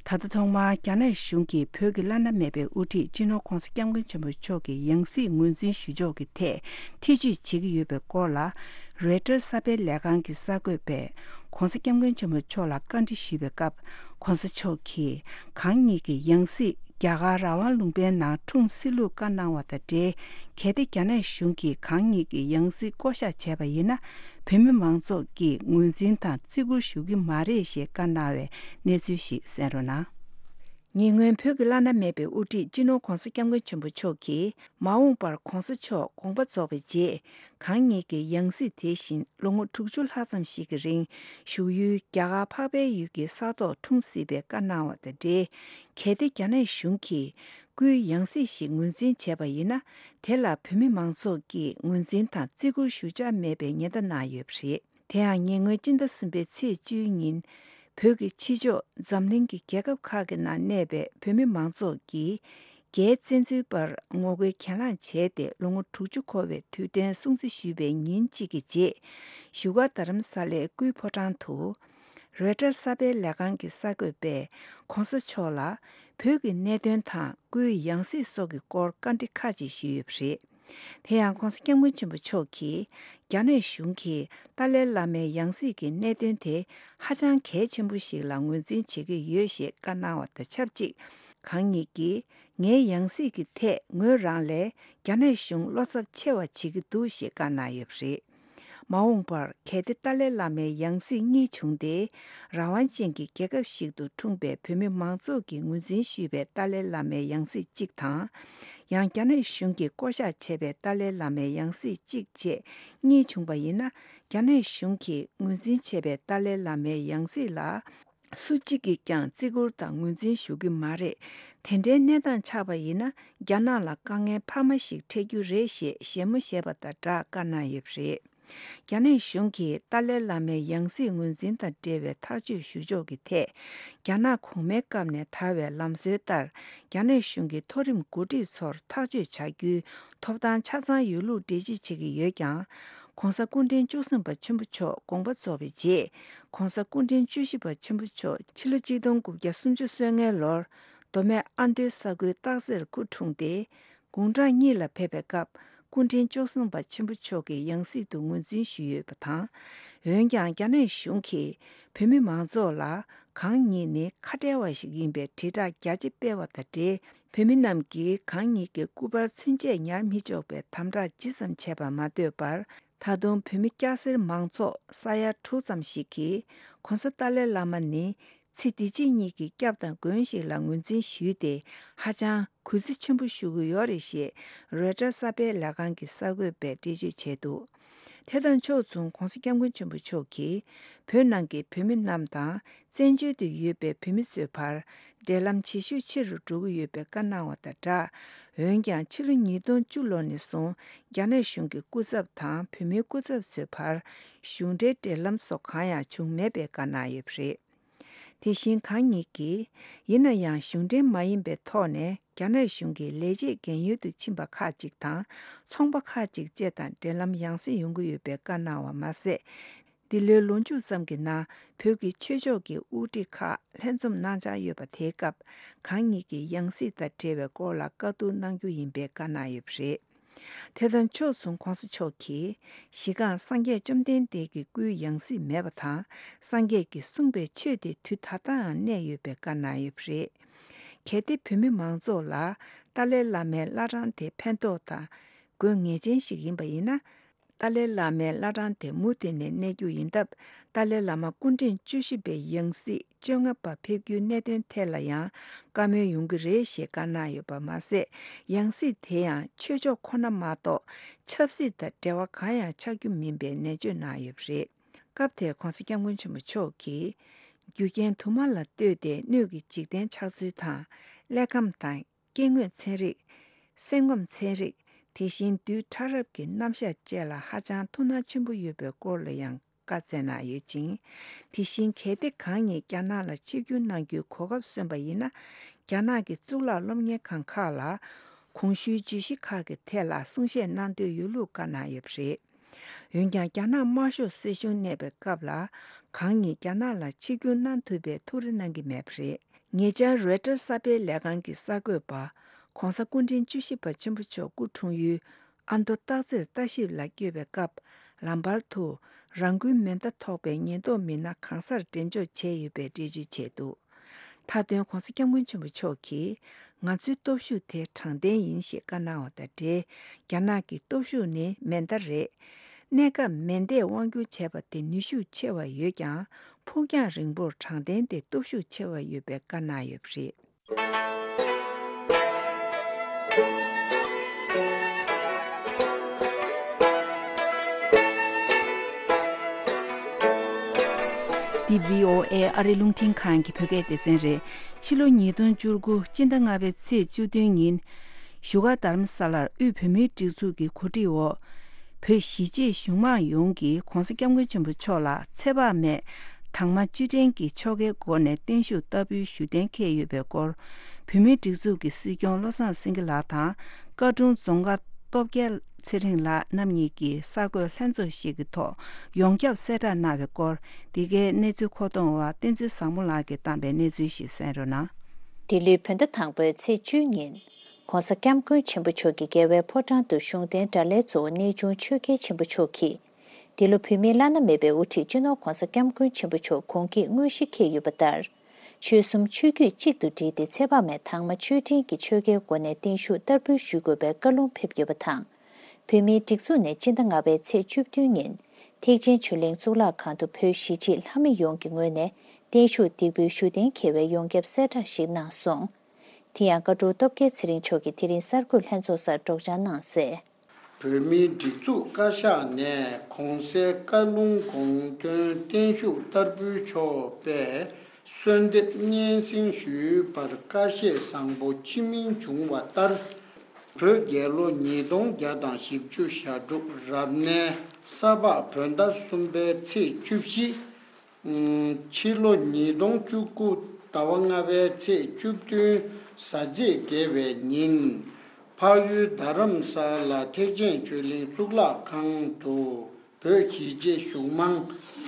ད་ལྟ་ཐོག་མར་རྒྱ་ནག་གཞུང་གིས་བོད་ཀྱི་བླ་ན་མེད་པའི་དབུ་ཁྲིད་སྤྱི་ནོར་ྋགོང་ས་ྋསྐྱབས་མགོན་ཆེན་པོ་མཆོག་གི་ཡང་སྲིད་ངོས་འཛིན་ཞུ་ཕྱོགས་ཀྱི་ཐད་ཐེ་བྱུས་བྱེད་ཀྱི་ཡོད་པའི་སྐོར་ལ། རོའི་ཊར་གསར་སྤེལ་ལས་ཁང་གི་གསར་འགོད་པས་ྋགོང་ས་ྋསྐྱབས་མགོན་ཆེན་པོ་མཆོག་ལ་བཀའ་འདྲི་ཞུས་པའི་སྐབས། ྋགོང་ས་མཆོག་གིས་གང་ཉིད་ཀྱི་ཡང་སྲིད་རྒྱ་གར་རང་དབང་ལུང་པའི་ནང་འཁྲུངས་སྲིད་ལུགས་བཀའ་གནང་བ་དང་འབྲེལ། གལ་ཏེ་རྒྱ་ནག་གཞུང་གིས་གང་ཉིད་ཀྱི་ཡང་སྲིད་བསྐོ་གཞག་བྱས་པ་ཡིན་ན། བོད་མི་མང་ཚོགས་ཀྱིས་ངོས་འཛིན་དང་བརྩི་བཀུར་ཞུ་གི་མ་རེད་ཞེས་བཀའ་གནང་བའི་གནས་ཚུལ་ཞིག་གསན་རོགས་གནང་། ཉེ་སྔོན་བོད་ཀྱི་བླ་ན་མེད་པའི་དབུ་ཁྲིད་སྤྱི་ནོར་༧གོང་ས་༧སྐྱབས་མགོན་ཆེན་པོ་མཆོག་གིས་མ་འོངས་པར་༧གོང་ས་མཆོག་དགོངས་པ་རྫོགས་པའི་རྗེས་གང་ཉིད་ཀྱི་ཡང་སྲིད་དེ་བཞིན་ལོ་ངོ་དྲུག་ཅུ་ལྷག་ཙམ་ཞིག་གི་རིང་བཞུགས་ཡུལ་རྒྱ་གར་འཕགས་པའི་ཡུལ་གྱི་ས་ཐོག་འཁྲུངས་སྲིད་པའི་བཀའ་གནང་བ་དང་འབྲེལ། གལ་ཏེ་རྒྱ་ནག་གཞུང་གིས་སྐུའི་ཡང་སྲིད་ཞིག་ངོས་འཛིན་བྱས་པ་ཡིན་ན། དེ་ལ་བོད་མི་མང་ཚོགས་ཀྱིས་ངོས་འཛིན་དང་བརྩི་བཀུར་ཞུ་འཆར་མེད་པའི་ཉེན་བརྡ་གནང་ཡོད་པ་རེད། དེ་ཡང་ཉེ་སྔོན་སྤྱི་ཟླ་གསུམ་པའི་ཚེས་བཅུའི་ཉིན། བོད་ཀྱི་ཕྱི་ཕྱོགས་འཛམ་གླིང་གི་རྒྱལ་ཁབ་ཁག་གི་ནང་གནས་པའི་བོད་མི་མང་ཚོགས་ཀྱིས་རྒྱའི་བཙན་འཛུལ་པར་ངོ་རྒོལ་གྱེན་ལངས་བྱས་ཏེ་ལོ་ངོ་དྲུག་ཅུ་འཁོར་བའི་དུས་དྲན་སྲུང་བརྩི་ཞུས་པའི་ཉིན་གཅིག་གི་རྗེས། བཞུགས་སྒར་རྡ་རམ་ས་ལའི་སྐུའི་ཕོ་བྲང་དུ། རོའི་ཊར་གསར་སྤེལ་ལས་ཁང་གི་གསར་འགོད་པས་༧གོང་ས་མཆོག་ལ་བོད་ཀྱི་གནད་དོན་དང་སྐུའི་ཡང་སྲིད་སོགས་ཀྱི་སྐོར་བཀའ་འདྲི་ཁག་ཅིག་ཞུས་ཡོད་པ་རེད། དེ་ཡང་༧གོང་ས་༧སྐྱབས་མགོན་ཆེན་པོ་མཆོག་གིས་རྒྱ་ནག་གཞུང་གིས་ཏཱ་ལའི་བླ་མའི་ཡང་སྲིད་ཀྱི་གནད་དོན་དེ་ཧ་ཅང་གལ་ཆེན་པོ་ཞིག་ལ་ངོས་འཛིན་བྱེད་ཀྱི་ཡོད་ཞེས་བཀའ་གནང་བ་དང་ཆབས་ཅིག་གང་ཉིད་ཀྱིས་ངའི་ཡང་སྲིད་ཀྱི་ཐད་ངོས་རང་ལས་རྒྱ་ནག་གཞུང་བློ་འཚབ་ཆེ་བ་བྱེད་ཀྱི་འདུག་ཞེས་བཀའ་གནང་ཡོད་པ་རེད། མ་འོངས་པར་གལ་ཏེ་ཏཱ་ལའི་བླ་མའི་ཡང་སྲིད་གཉིས་བྱུང་སྟེ། རང་དབང་ཅན་གྱི་རྒྱལ་ཁབ་ཞིག་ཏུ་འཁྲུངས་པའི་བོད་མི་མང་ཚོགས་ཀྱིས་ངོས་འཛིན་ཞུས་པའི་ཏཱ་ལའི་བླ་མའི་ཡང་སྲིད་གཅིག་དང་། ཡང་རྒྱ་ནག་གཞུང་གིས་བསྐོ་གཞག་བྱས་པའི་ཏཱ་ལའི་བླ་མའི་ཡང་སྲིད་གཅིག་བཅས་གཉིས་བྱུང་པ་ཡིན་ན། རྒྱ་ནག་གཞུང་གིས་ངོས་འཛིན་བྱས་པའི་ཏཱ་ལའི་བླ་མའི་ཡང་སྲིད་ལ། སུ་གཅིག་གིས་ཀྱང་བརྩི་བཀུར་དང་ངོས་འཛིན་ཞུ་གི་མ་རེད། དེ་འདྲའི་གནས་སྟངས་ཆགས་པ་ཡིན་ན། རྒྱ་ནག་ལ་དཀའ་ངལ་འཕར་མ་ཞིག་འཕྲད་རྒྱུ་རེད་ཞེས་བཞད་མོ་བཞད་པ་དང་སྦྲགས་བཀའ་གནང་ཡོད་པ་རེད། རྒྱ་ནག་གཞུང་གིས་ཏཱ་ལའི་བླ་མའི་ཡང་སྲིད་ངོས་འཛིན་དང་འབྲེལ་བའི་ཐག་གཅོད་ཞུ་ཕྱོགས་ཀྱི་ཐད། རྒྱ་ནག་གོང་མའི་སྐབས་ནས་དར་བའི་ལམ་སྲོལ་ལྟར། རྒྱ་ནག་གཞུང་གི་མཐོ་རིམ་འགོ་ཁྲིད་ཚོར་ཐག་གཅོད་བྱ་རྒྱུའི་ཐོབ་ཐང་ཆ་ཚང་ཡོད་ལུགས་འགྲེལ་བརྗོད་བྱེད་ཀྱི་ཡོད་ཀྱང་། ༸གོང་ས་སྐུ་ཕྲེང་བཅུ་གསུམ་པ་ཆེན་པོ་མཆོག་དགོངས་པ་རྫོགས་པའི་རྗེས། ༸གོང་ས་སྐུ་ཕྲེང་བཅུ་བཞི་པ་ཆེན་པོ་མཆོག་ཕྱི་ལོ་ཆིག་སྟོང་དགུ་བརྒྱ་སུམ་ཅུ་སོ་ལྔའི་ལོར། མདོ་སྨད་ཨ་མདོའི་ས་ཁུལ་སྟག་རྩེར་སྐུ་འཁྲུངས་ཏེ། དགུང་གྲངས་གཉིས་ལ་ཕེབས་པའི་སྐབས། སྐུ་ཕྲེང་བཅུ་གསུམ་པ་ཆེན་པོ་མཆོག་གི་ཡང་སྲིད་དུ་ངོས་འཛིན་ཞུས་ཡོད་པ་དང་། འོན་ཀྱང་རྒྱ་ནག་གཞུང་གིས་བོད་མི་མང་ཚོགས་ལ་གང་ཉིད་ནི་ཁ་བྲལ་བ་ཞིག་ཡིན་པའི་དྲིལ་བསྒྲགས་རྒྱ་ཆེ་སྤེལ་བ་དང་འབྲེལ། བོད་མི་རྣམས་ཀྱིས་གང་ཉིད་ཀྱི་སྐུ་པར་ཚུན་ཆད་ཉར་མི་ཆོག་པའི་དམ་དྲག་ཇི་ཙམ་བྱས་པར་མ་ལྟོས་པར། ད་དུང་བོད་མི་སྐྱ་སེར་མང་ཚོགས་ས་ཡ་དྲུག་ཙམ་ཞིག་གིས་༸གོང་ས་ཏཱ་ལའི་བླ་མ་ནི་ཚེ་འདི་ཕྱི་གཉིས་ཀྱི་སྐྱབས་དང་མགོན་ཞིག་ལ་ངོས་འཛིན་ཞུས་ཏེ། ཧ་ཅང་གུས་བརྩི་ཆེན་པོ་ཞུ་གི་ཡོད་རེད་ཞེས་རོའི་ཊར་གསར་སྤེལ་ལས་ཁང་གི་གསར་འགོད་པས་འགྲེལ་བརྗོད་བྱས་འདུག་དེ་དང་ཕྱོགས་མཚུངས་༸གོང་ས་༸སྐྱབས་མགོན་ཆེན་པོ་མཆོག་གིས་བོད་ནང་གི་བོད་མི་རྣམས་དང་། བཙན་བྱོལ་དུ་ཡོད་པའི་བོད་མི་ཚོའི་བར་འབྲེལ་ལམ་ཇེ་ཤུགས་ཆེ་རུ་འགྲོ་གི་ཡོད་པའི་བཀའ་གནང་བ་དང་སྦྲགས། འོན་ཀྱང་ཕྱི་ལོ་ཉིས་སྟོང་བཅུ་ལོ་ནས་བཟུང་རྒྱ་ནག་གཞུང་གི་སྐུ་ཚབ་དང་བོད་མིའི་སྐུ་ཚབ་ཚོའི་བར་གཞུང་འབྲེལ་འབྲེལ་ལམ་སོགས་གང་ཡང་བྱུང་མེད་པའི་བཀའ་གནང་ཡོད་པ་རེད། དེ་བཞིན་གང་ཉིད་ཀྱིས། ཡིན་ན་ཡང་གཞུང་འབྲེལ་མ་ཡིན་པའི་ཐོག་ནས་རྒྱ་ནག་གཞུང་གི་ལས་བྱེད་རྒན་ཡོལ་དུ་ཕྱིན་པ་ཁག་ཅིག་དང་ཚོང་པ་ཁག་ཅིག་བཅས་དང་འབྲེལ་ལམ་ཡང་སེ་ཡོང་གི་ཡོད་པའི་བཀའ་གནང་བ་མ་ཟད། འདི་ལོའི་ལོ་མཇུག་ཙམ་གྱི་ནང་བོད་ཀྱི་ཆོས་ཕྱོགས་ཀྱི་དབུ་ཁྲིད་ཁག་ལྷན་འཛོམས་གནང་འཆར་ཡོད་པ་དེའི་སྐབས་གང་ཉིད་ཀྱི་ཡང་སྲིད་དང་འབྲེལ་བའི་སྐོར་ལ་བཀའ་བསྡུར་གནང་རྒྱུ་ཡིན་པའི་བཀའ་གནང་ཡོད་པ་རེད། དེ་དང་ཕྱོགས་མཚུངས་༸གོང་ས་མཆོག་གིས་གཞི་རྐང་སངས་རྒྱས་བཅོམ་ལྡན་འདས་ཀྱི་སྐུའི་ཡང་སྲིད་མེད་པ་དང་། སངས་རྒྱས་ཀྱིས་གསུངས་པའི་ཆོས་དེ་དུས་ད་ལྟའང་གནས་ཡོད་པའི་བཀའ་གནང་ཡོད་པ་རེད། གལ་ཏེ་བོད་མི་མང་ཚོགས་ལ་ཏཱ་ལའི་བླ་མའི་བླ་བྲང་དེ་ཕན་ཐོགས་དང་དགོས་ངེས་ཅན་ཞིག་ཡིན་པ་ཡིན་ན། ཏཱ་ལའི་བླ་མའི་བླ་བྲང་དེ་མུ་མཐུད་ནས་གནས་རྒྱུ་ཡིན་སྟབས། ཏཱ་ལའི་བླ་མ་སྐུ་ཕྲེང་བཅུ་བཞི་པའི་ཡང་སྲིད་བཅོ་ལྔ་པ་ཕེབས་རྒྱུའི་གནད་དོན་ཐད་ལ་ཡང་བཀའ་མོལ་ཡོང་གི་རེད་ཞེས་བཀའ་གནང་ཡོད་པ་མ་ཟད། ཡང་སྲིད་དེ་ཡང་ཆོས་ཕྱོགས་ཁོ་ན་མ་གཏོགས་ཆབ་སྲིད་དང་འབྲེལ་བ་གང་ཡང་ཆགས་རྒྱུ་མིན་པའི་ནན་བརྗོད་གནང་ཡོད་པ་རེད། སྐབས་དེར་༸གོང་ས་༸སྐྱབས་མགོན་ཆེན་པོ་མཆོག་གིས། རྒྱུ་རྐྱེན་དུ་མ་ལ་ལྟོས་ཏེ་སྣོད་ཀྱི་འཇིག་རྟེན་ཆགས་ཚུལ་དང་། ཀླད་ཁམས་དང་། སྐྱེ་དངོས་ཚན་རིག་སེམས་ཁམས་ཚན་རིག་དེ་བཞིན་རྡུལ་ཕྲ་རབ་ཀྱི་རྣམ་གཞག་བཅས་ལ་ཧ་ཅང་ཐུགས་སྣང་ཆེན་པོ་ཡོད་པའི་སྐོར་ལ་ཡང་བཀའ་སྩལ་གནང་ཡོད་ཅིང་། དེ་བཞིན་གལ་ཏེ་གང་ཉིད་རྒྱ་ནག་ལ་ཆིབས་བསྒྱུར་གནང་རྒྱུའི་གོ་སྐབས་སོན་པ་ཡིན་ན། རྒྱ་ནག་གི་གཙུག་ལག་སློབ་གཉེར་ཁང་ཁག་ལ་གོང་ཞུས་བརྗོད་གཞི་ཁག་གི་ཐད་ལ་གསུང་བཤད་གནང་འདོད་ཡོད་ལུགས་བཀའ་གནང་ཡོད་པ་རེད། འོན་ཀྱང་རྒྱ་ནག་དམར་ཤོག་སྲིད་གཞུང་གནས་པའི་སྐབས་ལ་གང་ཉིད་རྒྱ་ནག་ལ་ཆིབས་བསྒྱུར་གནང་ཐུབ་པའི་ཐུགས་རེ་གནང་གི་མེད་པ་རེད། ཉེ་ཆར་རོའི་ཊར་གསར་སྤེལ་ལས་ཁང་གི་གསར་འགོད་པ་༸གོང་ས་སྐུ་ཕྲེང་བཅུ་བཞི་པ་ཆེན་པོ་མཆོག་སྐུ་འཁྲུངས་ཡུལ་ཨ་མདོ་སྟག་རྩེར་ལྟ་ཞིབ་ལ་བསྐྱོད་པའི་སྐབས་ལམ་བར་དུ་རང་འགུལ་མེ་མདའ་ཐོགས་པའི་ཉེན་རྟོག་མི་སྣ་གང་སར་འགྲེམས་འཇོག་བྱས་ཡོད་པའི་འགྲེལ་བརྗོད་བྱས་འདུག་མཐའ་དོན་༸གོང་ས་༸སྐྱབས་མགོན་ཆེན་པོ་མཆོག་གིས་ང་ཚོའི་སྟོབས་ཤུགས་དེ་དྲང་བདེན་ཡིན་ཞེས་བཀའ་གནང་བ་དང་འབྲེལ། རྒྱ་ནག་གི་སྟོབས་ཤུགས་ནི་མེ་མདའ་རེད། གནས་སྐབས་མེ་མདས་དབང་སྒྱུར་བྱས་པ་དེ་ནུས་ཤུགས་ཆེ་བ་ཡོད་ཀྱང་ཕུགས་རྒྱང་རིང་པོར་དྲང་བདེན་དེ་སྟོབས་ཤུགས་ཆེ་བ་ཡོད་པའི་བཀའ་གནང་ཡོད་པ་རེད། འདི་བྷི་ཨོ་ཨེ་ཨ་རིའི་རླུང་འཕྲིན་ཁང་གི་བོད་སྐད་སྡེ་ཚན་རེད། ཕྱི་ལོ་ཉིས་སྟོང་བཅུ་དགུ་སྤྱི་ཟླ་ལྔ་པའི་ཚེས་བཅུ་བདུན་ཉིན། བཞུགས་སྒར་རྡ་རམ་ས་ལར་དབུས་བོད་མིའི་སྒྲིག་འཛུགས་ཀྱི་གོ་སྒྲིག་འོག་བོད་གཞིས་བྱེས་གཞུང་མང་ཡོངས་ཀྱིས་༸གོང་ས་༸སྐྱབས་མགོན་ཆེན་པོ་མཆོག་ལ་ཚེ་དཔག་མེད་དྭངས་མ་བཅུད་ལྡན་གྱི་ཆོ་གའི་སྒོ་ནས་བརྟན་བཞུགས་བསྟར་འབུལ་ཞུ་གཏན་འཁེལ་ཡོད་པའི་སྐོར། བོད་མིའི་སྒྲིག་འཛུགས་ཀྱི་སྲིད་སྐྱོང་བློ་བཟང་སེང་གེ་ལགས་དང་། ཀ་ཀྲུང་རྫོང་དགའ་སྟོབས་རྒྱལ་ཚེ་རིང་ལགས་རྣམ་གཉིས་ཀྱིས་གསར་འགོད་ལྷན་ཚོགས་ཤིག་གི་ཐོག་ཡོངས་ཁྱབ་གསལ་བསྒྲགས་གནང་བའི་སྐོར། འདི་གའི་གནས་ཚུལ་མཁོ་གཏོང་བ་བསྟན་འཛིན་བཟང་མོ་ལགས་ཀྱིས་བཏང་པའི་གནས་ཚུལ་ཞིག་གསན་རོགས་གནང་། འདི་ལོའི་བོད་ཟླ་དང་པོའི་ཚེས་བཅུའི་ཉིན། ༸གོང་ས་༸སྐྱབས་མགོན་ཆེན་པོ་མཆོག་གིས་རྒྱལ་བའི་ཕོ་བྲང་དུ་གཞུང་རྟེན་དགྲ་ལྷའི་གཙོ་བོ་གནས་ཆུང་ཆོས་རྒྱལ་ཆེན་པོ་མཆོག་གིས། འདི་ལོ་བོད་མིའི་བླ་ན་མེད་པའི་དབུ་ཁྲིད་སྤྱི་ནོར་༸གོང་ས་༸སྐྱབས་མགོན་ཆེན་པོ་མཆོག་དགུང་སྐྱེས་དངོས་གཞི་འཁེལ་ཡོད་པ་ལྟར། ཆོལ་གསུམ་ཆོས་བརྒྱུད་གཅིག་ཏུ་བསྒྲིལ་ཏེ་ཚེ་དཔག་མེད་དྭངས་མ་བཅུད་ལྡན་གྱི་ཆོ་གའི་སྒོ་ནས་བརྟན་བཞུགས་བསྟར་འབུལ་ཞུ་དགོས་པའི་བཀའ་ལུང་ཕེབས་ཡོད་པ་དང་། བོད་མིའི་སྒྲིག་འཛུགས་ནས་སྤྱི་ཟླ་ལྔ་པའི་ཚེས་བཅུ་བདུན་ཉིན། ཐེག་ཆེན་ཆོས་གླིང་གཙུག་ལག་ཁང་དུ་བོད་གཞིས་བྱེས་ལྷ་མི་ཡོངས་ཀྱི་ངོས་ནས་བརྟན་བཞུགས་འདེགས་འབུལ་ཞུ་གཏན་འཁེལ་བའི་ཡོངས་ཁྱབ་གསལ་བསྒྲགས་ཤིག་གནང་སོང་། དེ་ཡང་ཀ་ཀྲུང་སྟོབས་རྒྱལ་ཚེ་རིང་མཆོག་གིས་དེ་རིང་གསར་འགོད་ལྷན་ཚོགས་སར་སྒྲོག་སྦྱང་གནང་གསལ། བོད་མིའི་སྒྲིག་འཛུགས་བཀའ་ཤག་ནས་གོང་གསལ་བཀའ་ལུང་དགོངས་དོན་བརྟན་བཞུགས་བསྟར་འབུལ་ཆོག་པའི་གསོལ་འདེབས་སྙན་སེང་ཞུས་པར་བཀའ་བཞེས་བཟང་པོ་སྤྱི་མིང་བྱུང་བ་ལྟར། བོད་རྒྱལ་ལོ་ཉིས་སྟོང་བརྒྱ་དང་བཞི་བཅུ་ཞེ་དྲུག་རབ་གནས་ས་ཕག་བོད་ཟླ་གསུམ་པའི་ཚེས་བཅུ་བཞི། ཕྱི་ལོ་ཉིས་སྟོང་བཅུ་དགུ་ཟླ་བ་ལྔ་པའི་ཚེས་བཅུ་བདུན་གཟའ་ཚེས་བརྒྱད་པའི་ཉིན། འཕགས་ཡུལ་རྡ་རམ་ས་ལ་ཐེག་ཆེན་ཆོས་གླིང་གཙུག་ལག་ཁང་དུ་བོད་གཞིས་བྱེས་གཞུང་མང་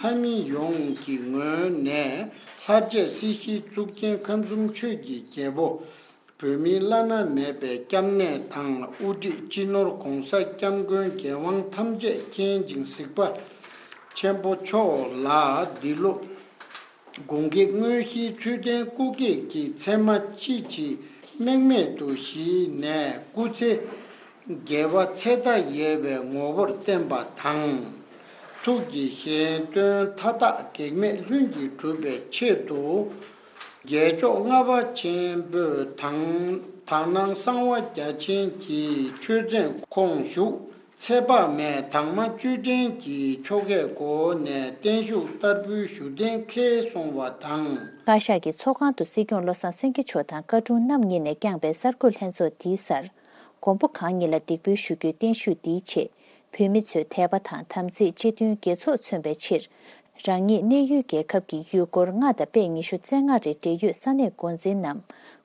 ལྷ་མི་ཡོངས་ཀྱི་ངོས་ནས་ལྷར་བཅས་སྲིད་ཞིའི་གཙུག་རྒྱན་ཁམས་གསུམ་ཆོས་ཀྱི་རྒྱལ་པོ། བོད་མིའི་བླ་ན་མེད་པའི་སྐྱབས་གནས་དང་དབུ་ཁྲིད་སྤྱི་ནོར་༸གོང་ས་༸སྐྱབས་མགོན་རྒྱལ་དབང་ཐམས་ཅད་མཁྱེན་ཅིང་གཟིགས་པ་ཆེན་པོ་མཆོག་ལ་འདི་ལོ་དགུང་སྐེག་དངོས་གཞིའི་ཚུལ་ལྡན་སྐུ་སྐེག་གི་མཚན་མ་ཅི་མཆིས་རྨེག་མེད་དུ་བཞེས་ནས་སྐུ་ཚེ་དགེ་བ་ཚེ་མཐའ་ཡས་པའི་ངོ་བོར་བསྟན་པ་དང་། ཐུགས་ཀྱི་བཞེད་དོན་མཐའ་དག་གེགས་མེད་ལྷུན་གྱིས་གྲུབ་པའི་ཆེད་དུ། རྒྱལ་མཆོག་ལྔ་པ་ཆེན་པོས་དང་དག་སྣང་གསང་བ་རྒྱ་ཆེན་གྱི་ཆོས་མཚན་ཁོངས་ཞུགས་ཚེ་དཔག་མེད་དྭངས་མ་བཅུད་ལྡན་གྱི་ཆོ་གའི་སྒོ་ནས་བརྟན་བཞུགས་བསྟར་འབུལ་ཞུ་གཏན་འཁེལ་སོང་བ་དང་། བཀའ་ཤག་གི་ཚོགས་ཁང་དུ་སྲིད་སྐྱོང་བློ་བཟང་སེང་གེ་མཆོག་དང་བཀའ་དྲུང་རྣམ་གཉིས་ནས་བསྐྱངས་པའི་གསར་འགོད་ལྷན་ཚོགས་འདིའི་སར། མགོན་པོ་གང་ཉིད་ལ་འདེགས་འབུལ་ཞུ་རྒྱུའི་བརྟན་བཞུགས་འདིའི་ཆེད། བོད་མི་ཚོས་དད་པ་དང་དམ་ཚིག་སྤྱི་མཐུན་དགེ་ཚོགས་མཚོན་པའི་ཕྱིར། རང་ཉིད་གནས་ཡུལ་རྒྱལ་ཁབ་ཀྱི་ཡུལ་སྐོར་ལྔ་དང་པད་ཉི་ཤུ་རྩ་ལྔ་རེ་འབྲེལ་ཡོད་ས་གནས་འགོ་འཛིན་ནམ་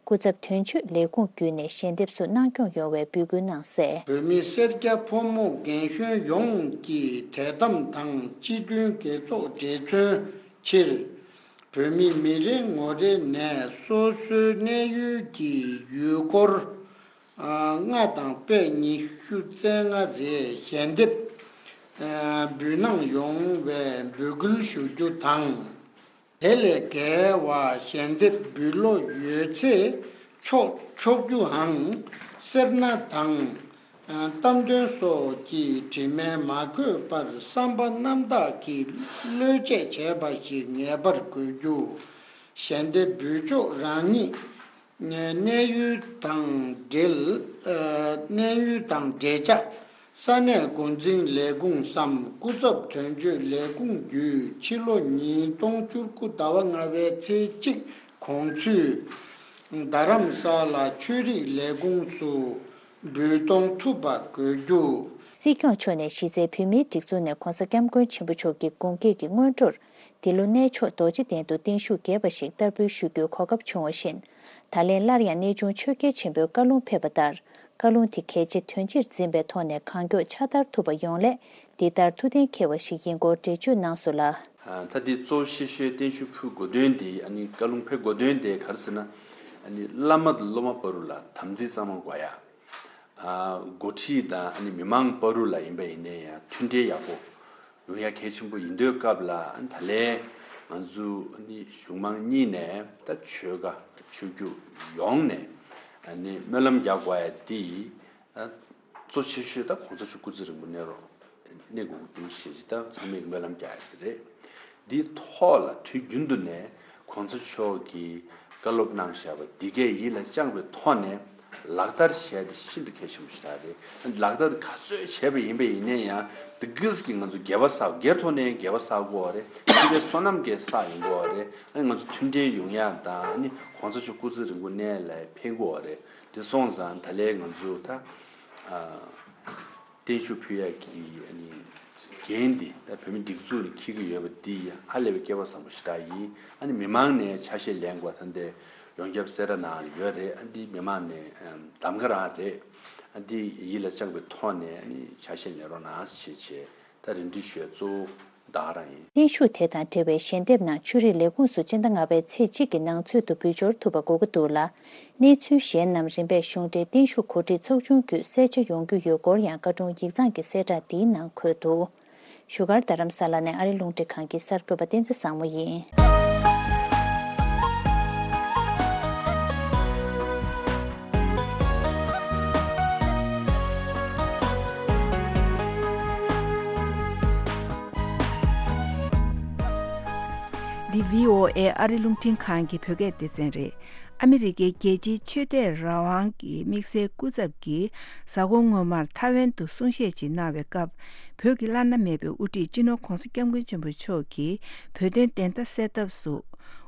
སྐུ་ཚབ་དོན་གཅོད་ལས་ཁུངས་བརྒྱུད་ནས་ཞལ་འདེབས་སུ་གནང་སྐྱོང་ཡོང་བའི་འབོད་སྐུལ་གནང་གསལ། བོད་མི་སེར་སྐྱ་ཕོ་མོ་རྒན་གཞོན་ཡོངས་ཀྱིས་དད་དམ་དང་སྤྱི་མཐུན་དགེ་ཚོགས་བགྲེས་ཚོའི་ཕྱིར། བོད་མི་མི་རེ་ངོ་རེ་ནས་སོ་སོའི་གནས་ཡུལ་གྱི་ཡུལ་སྐོར། ལྔ་དང་པད་ཉི་ཤུ་རྩ་ལྔ་རེ་ཞལ་འདེབས་འབུལ་གནང་ཡོང་བའི་འབོད་སྐུལ་ཞུ་རྒྱུ་དང་། དེ་ལས་བརྒལ་བ་ཞལ་འདེབས་འབུལ་བློ་ཡོད་ཚེ་ཆོག་ཆོག་རྒྱུའང་སེར་སྣ་དང་། གཏམ་དོན་སོགས་ཀྱི་དྲི་མས་མ་གོས་པར་བསམ་པ་རྣམ་དག་གིས་བློས་བཅད་བྱས་པ་ཞིག་ངེས་པར་དགོས་རྒྱུ། ཞལ་འདེབས་འབུལ་ཕྱོགས་རང་ཉིད། གནས་ཡུལ་དང་འབྲེལ། གནས་ཡུལ་དང་འབྲེལ་ཆགས། ས་གནས་འགོ་འཛིན་ལས་ཁུངས་སམ་སྐུ་ཚབ་དོན་གཅོད་ལས་ཁུངས་བརྒྱུད་ཕྱི་ལོ་ཉིས་སྟོང་བཅུ་དགུ་ཟླ་བ་ལྔ་པའི་ཚེས་གཅིག་གོང་ཚུད། རྡ་རམ་ས་ལ་ཆོས་རིག་ལས་ཁུངས་སུ་འབུལ་གཏོང་ཐུབ་པ་དགོས་རྒྱུ། སྲིད་སྐྱོང་མཆོག་ནས་གཞི་རྩའི་བོད་མིའི་སྒྲིག་འཛུགས་ནས་༸གོང་ས་༸སྐྱབས་མགོན་ཆེན་པོ་མཆོག་གི་དགུང་སྐེག་གི་སྔོན་འགྲོར། འདི་ལོ་གནས་མཆོག་རྡོ་རྗེ་གདན་དུ་བརྟན་བཞུགས་རྒྱས་པ་ཞིག་བསྟར་འབུལ་ཞུ་རྒྱུའི་གོ་སྐབས་བྱུང་བ་བཞིན། ད་ལན་སླར་ཡང་གནས་ཆུང་ཆོས་རྒྱལ་ཆེན་པོའི་བཀའ་ལུང་ཕེབས་པ་ལྟར། བཀའ་ལུང་དེ་གལ་ཆེ་དོན་ཆེར་འཛིན་པའི་ཐོག་ནས་གང་མགྱོགས་ཕྱག་བསྟར་ཐུབ་པ་ཡོང་སླད་འདི་ལྟར་ཐུགས་གཏན་འཁེལ་བ་ཞིག་ཡིན་སྐོར་འགྲེལ་བརྗོད་གནང་སོང་ལ། ད་འདི་གཙོ་ཆེ་ཤོས་བརྟན་བཞུགས་ཕུལ་དགོས་དོན་འདི་ཨ་ནི་བཀའ་ལུང་ཕེབས་དགོས་དོན་དེ་ག་རེ་ཟེར་ན། ཨ་ནི་བླ་མ་དང་སློབ་མ་བར་ལ་དམ་ཚིག་གཙང་མ་དགོས་ཡ། འགོ་ཁྲིད་དང་ཨ་ནི་མི་མང་བར་ལ་ཡིན་པ་ཡིན་ནའི་ཡང་མཐུན་འབྲེལ་ཡག་པོ་ཡོང་ཡ་གལ་ཆེན་པོ་ཡིན་དུས་སྐབས་ལ། ད་ལན་ང་ཚོ་ཨ་ནི་གཞུང་མང་གཉིས་ནས་ད་ཆོལ་ཁ་ཆོས་བརྒྱུད་ཡོངས་ནས་ཨ་ནི་སྨོན་ལམ་རྒྱག་དགོས་ཡ་འདི་གཙོ་ཆེ་ཤོས་ད་གོང་ས་མཆོག་སྐུ་ཚེ་རིང་པོ་གནས་རོགས་གནས་དགོས་ཀྱི་འདུག་ཞེས་ད་ཚང་མས་སྨོན་ལམ་རྒྱག་ཡ་དེ་རེད། འདིའི་ཐོག་ལ་དུས་རྒྱུན་དུ་ནས་གོང་ས་མཆོག་གི་བཀའ་སློབ་གནང་བཞག་པ་འདི་གས་ཡིད་ལ་བཅངས་པའི་ཐོག་ནས་ལག་བསྟར་བྱས་ཏེ་ཤིན་ཏུ་གལ་ཆེན་པོ་ཞིག་རེད། ལག་བསྟར་ག་ཚོད་བྱས་པ་ཡིན་པ་ཡིན་ན་ཡང་དེ་གིས་ཀྱི་ང་ཚོ་སྒེར་པ་གསར་སྒེར་ཐོག་ནས་སྒེར་པ་གསར་དགོས་པ་རེད། སྤྱི་པའི་བསོད་ནམས་ཀྱི་གསར་ཡིན་དགོས་པ་རེད། ཨ་ནི་ང་ཚོ་མཐུན་སྒྲིལ་ཡོང་ཡག་དང་ཨ་ནི་གོང་ས་མཆོག་སྐུ་ཚེ་རིང་པོ་གནས་ལ་ཕན་དགོས་པ་རེད། དེ་སོང་ཙང་ད་ལན་ང་ཚོ་ད་ཨ། བརྟན་བཞུགས་ཕུལ་ཡག་གི་ཨ་ནི་འགན་འདི་ད་བོད་མི་སྒྲིག་འཛུགས་ནས་འཁྱེར་གྱི་ཡོད་པ་འདི་ཡང་ཧ་ལས་པའི་སྐལ་བ་བཟང་པོ་ཞེ་དྲག་ཡིན། ཨ་ནི་མི་མང་ནས་ཆ་ཤས་ལེན་དགོས་ད་འདི་ཡོངས་ཁྱབ་གསལ་བསྒྲགས་ནང་ལ་ཡོད་རེད། ཨ་འདི་མི་མང་ནས་ཨམ་གདམ་ག་རང་རེད། ཨ་འདི་ཡིད་ལ་བཅངས་པའི་ཐོག་ནས་ཨ་ནི་ཆ་ཤས་ལེན་རོགས་གནང་ཞེས་བྱས་ད་རེ་འདུན་ཞུ་ཡ་གཙོ་བོ་ད་ག་རང་ཡིན། བརྟན་བཞུགས་དེ་དང་འབྲེལ་བའི་ཞལ་འདེབས་ནང་ཆོས་རིག་ལས་ཁུངས་སུ་སྤྱི་ཟླ་ལྔ་པའི་ཚེས་གཅིག་གི་ནང་ཚུད་དུ་འབུལ་འབྱོར་ཐུབ་པ་དགོས་ཀྱི་འདུག་ལ། གནས་ཚུལ་གཞན་རྣམས་རིམ་པས་གཞུང་འབྲེལ་བརྟན་བཞུགས་གོ་སྒྲིག་ཚོགས་ཆུང་བརྒྱུད་གསལ་ཆ་ཡོང་རྒྱུ་ཡོད་སྐོར་ཡང་བཀའ་དྲུང་ཡིག་ཚང་གི་གསལ་བསྒྲགས་འདིའི་ནང་འཁོད་འདུག་བཞུགས་སྒར་རྡ་རམ་ས་ལ་ནས་ཨ་རི་རླུང་འཕྲིན་ཁང་གི་གསར་འགོད་པ་བསྟན་འཛིན་བཟང་མོ་ཡིན། འདི་བྷི་ཨོ་ཨེ་ཨ་རི་རླུང་འཕྲིན་ཁང་གི་བོད་སྐད་སྡེ་ཚན་རེད། ཨ་མི་རི་ཀའི་རྒྱལ་སྤྱིའི་ཆོས་དད་རང་དབང་གི་དམིགས་བསལ་སྐུ་ཚབ་ཀྱིས་གཟའ་འཁོར་སྔོན་མར་ཐའེ་ཝན་དུ་གསུང་བཤད་ཅིག་གནང་བའི་སྐབས། བོད་ཀྱི་བླ་ན་མེད་པའི་དབུ་ཁྲིད་སྤྱི་ནོར་༧གོང་ས་༧སྐྱབས་མགོན་ཆེན་པོ་མཆོག་གིས་བོད་དོན་བདེན་མཐའ་གསལ་ཐབས་སུ།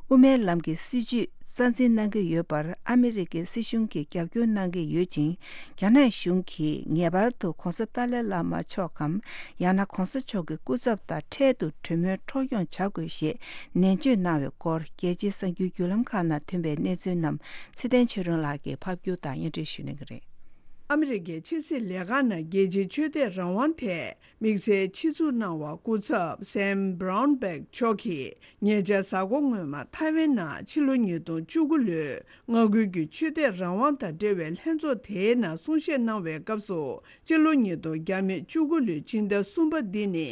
དབུ་མའི་ལམ་གྱི་སྲིད་བྱུས་རྩ་འཛིན་གནང་གི་ཡོད་པར་ཨ་མི་རི་ཀའི་སྲིད་གཞུང་གིས་རྒྱབ་སྐྱོར་གནང་གི་ཡོད་ཅིང་། རྒྱ་ནག་གཞུང་གིས་ངེས་པར་དུ་༧གོང་ས་ཏཱ་ལའི་བླ་མ་མཆོག་གམ། ཡང་ན་༧གོང་ས་མཆོག་གི་སྐུ་ཚབ་དང་འཕྲལ་དུ་གྲོས་མོལ་འཕྲོ་སྐྱོང་བྱ་དགོས་ཞེས་ནན་བརྗོད་གནང་བའི་སྐོར། རྒྱལ་སྤྱིའི་གསར་འགྱུར་བརྒྱུད་ལམ་ཁག་ནང་ཐོན་པའི་གནས་ཚུལ་རྣམས་ཚེ་བརྟན་ཆོས་སྒྲོན་ལགས་ཀྱིས་ཕབ་སྒྱུར་དང་སྙན་སྒྲོན་ཞུ་གནང་གི་རེད། ཨ་མི་རི་ཀའི་ཕྱི་སྲིད་ལས་ཁང་ནང་རྒྱལ་སྤྱིའི་ཆོས་དད་རང་དབང་ཐད་དམིགས་བསལ་ཆེད་འཛུགས་གནང་བ་སྐུ་ཚབ་Sam Brownback་མཆོག་གིས་ཉེ་ཆར་གཟའ་འཁོར་སྔོན་མ་ཐའེ་ཝན་ནང་ཕྱི་ལོ་ཉིས་སྟོང་བཅུ་དགུ་ལོའི་མངའ་ཁུལ་གྱི་ཆོས་དད་རང་དབང་དང་འབྲེལ་བའི་ལྷན་ཚོགས་དེའི་ནང་གསུང་བཤད་གནང་བའི་སྐབས་སུ། སྤྱི་ལོ་ཉིས་སྟོང་བཅུ་དགུ་ལོའི་སྤྱི་ཟླ་གསུམ་པ་འདི་ནི་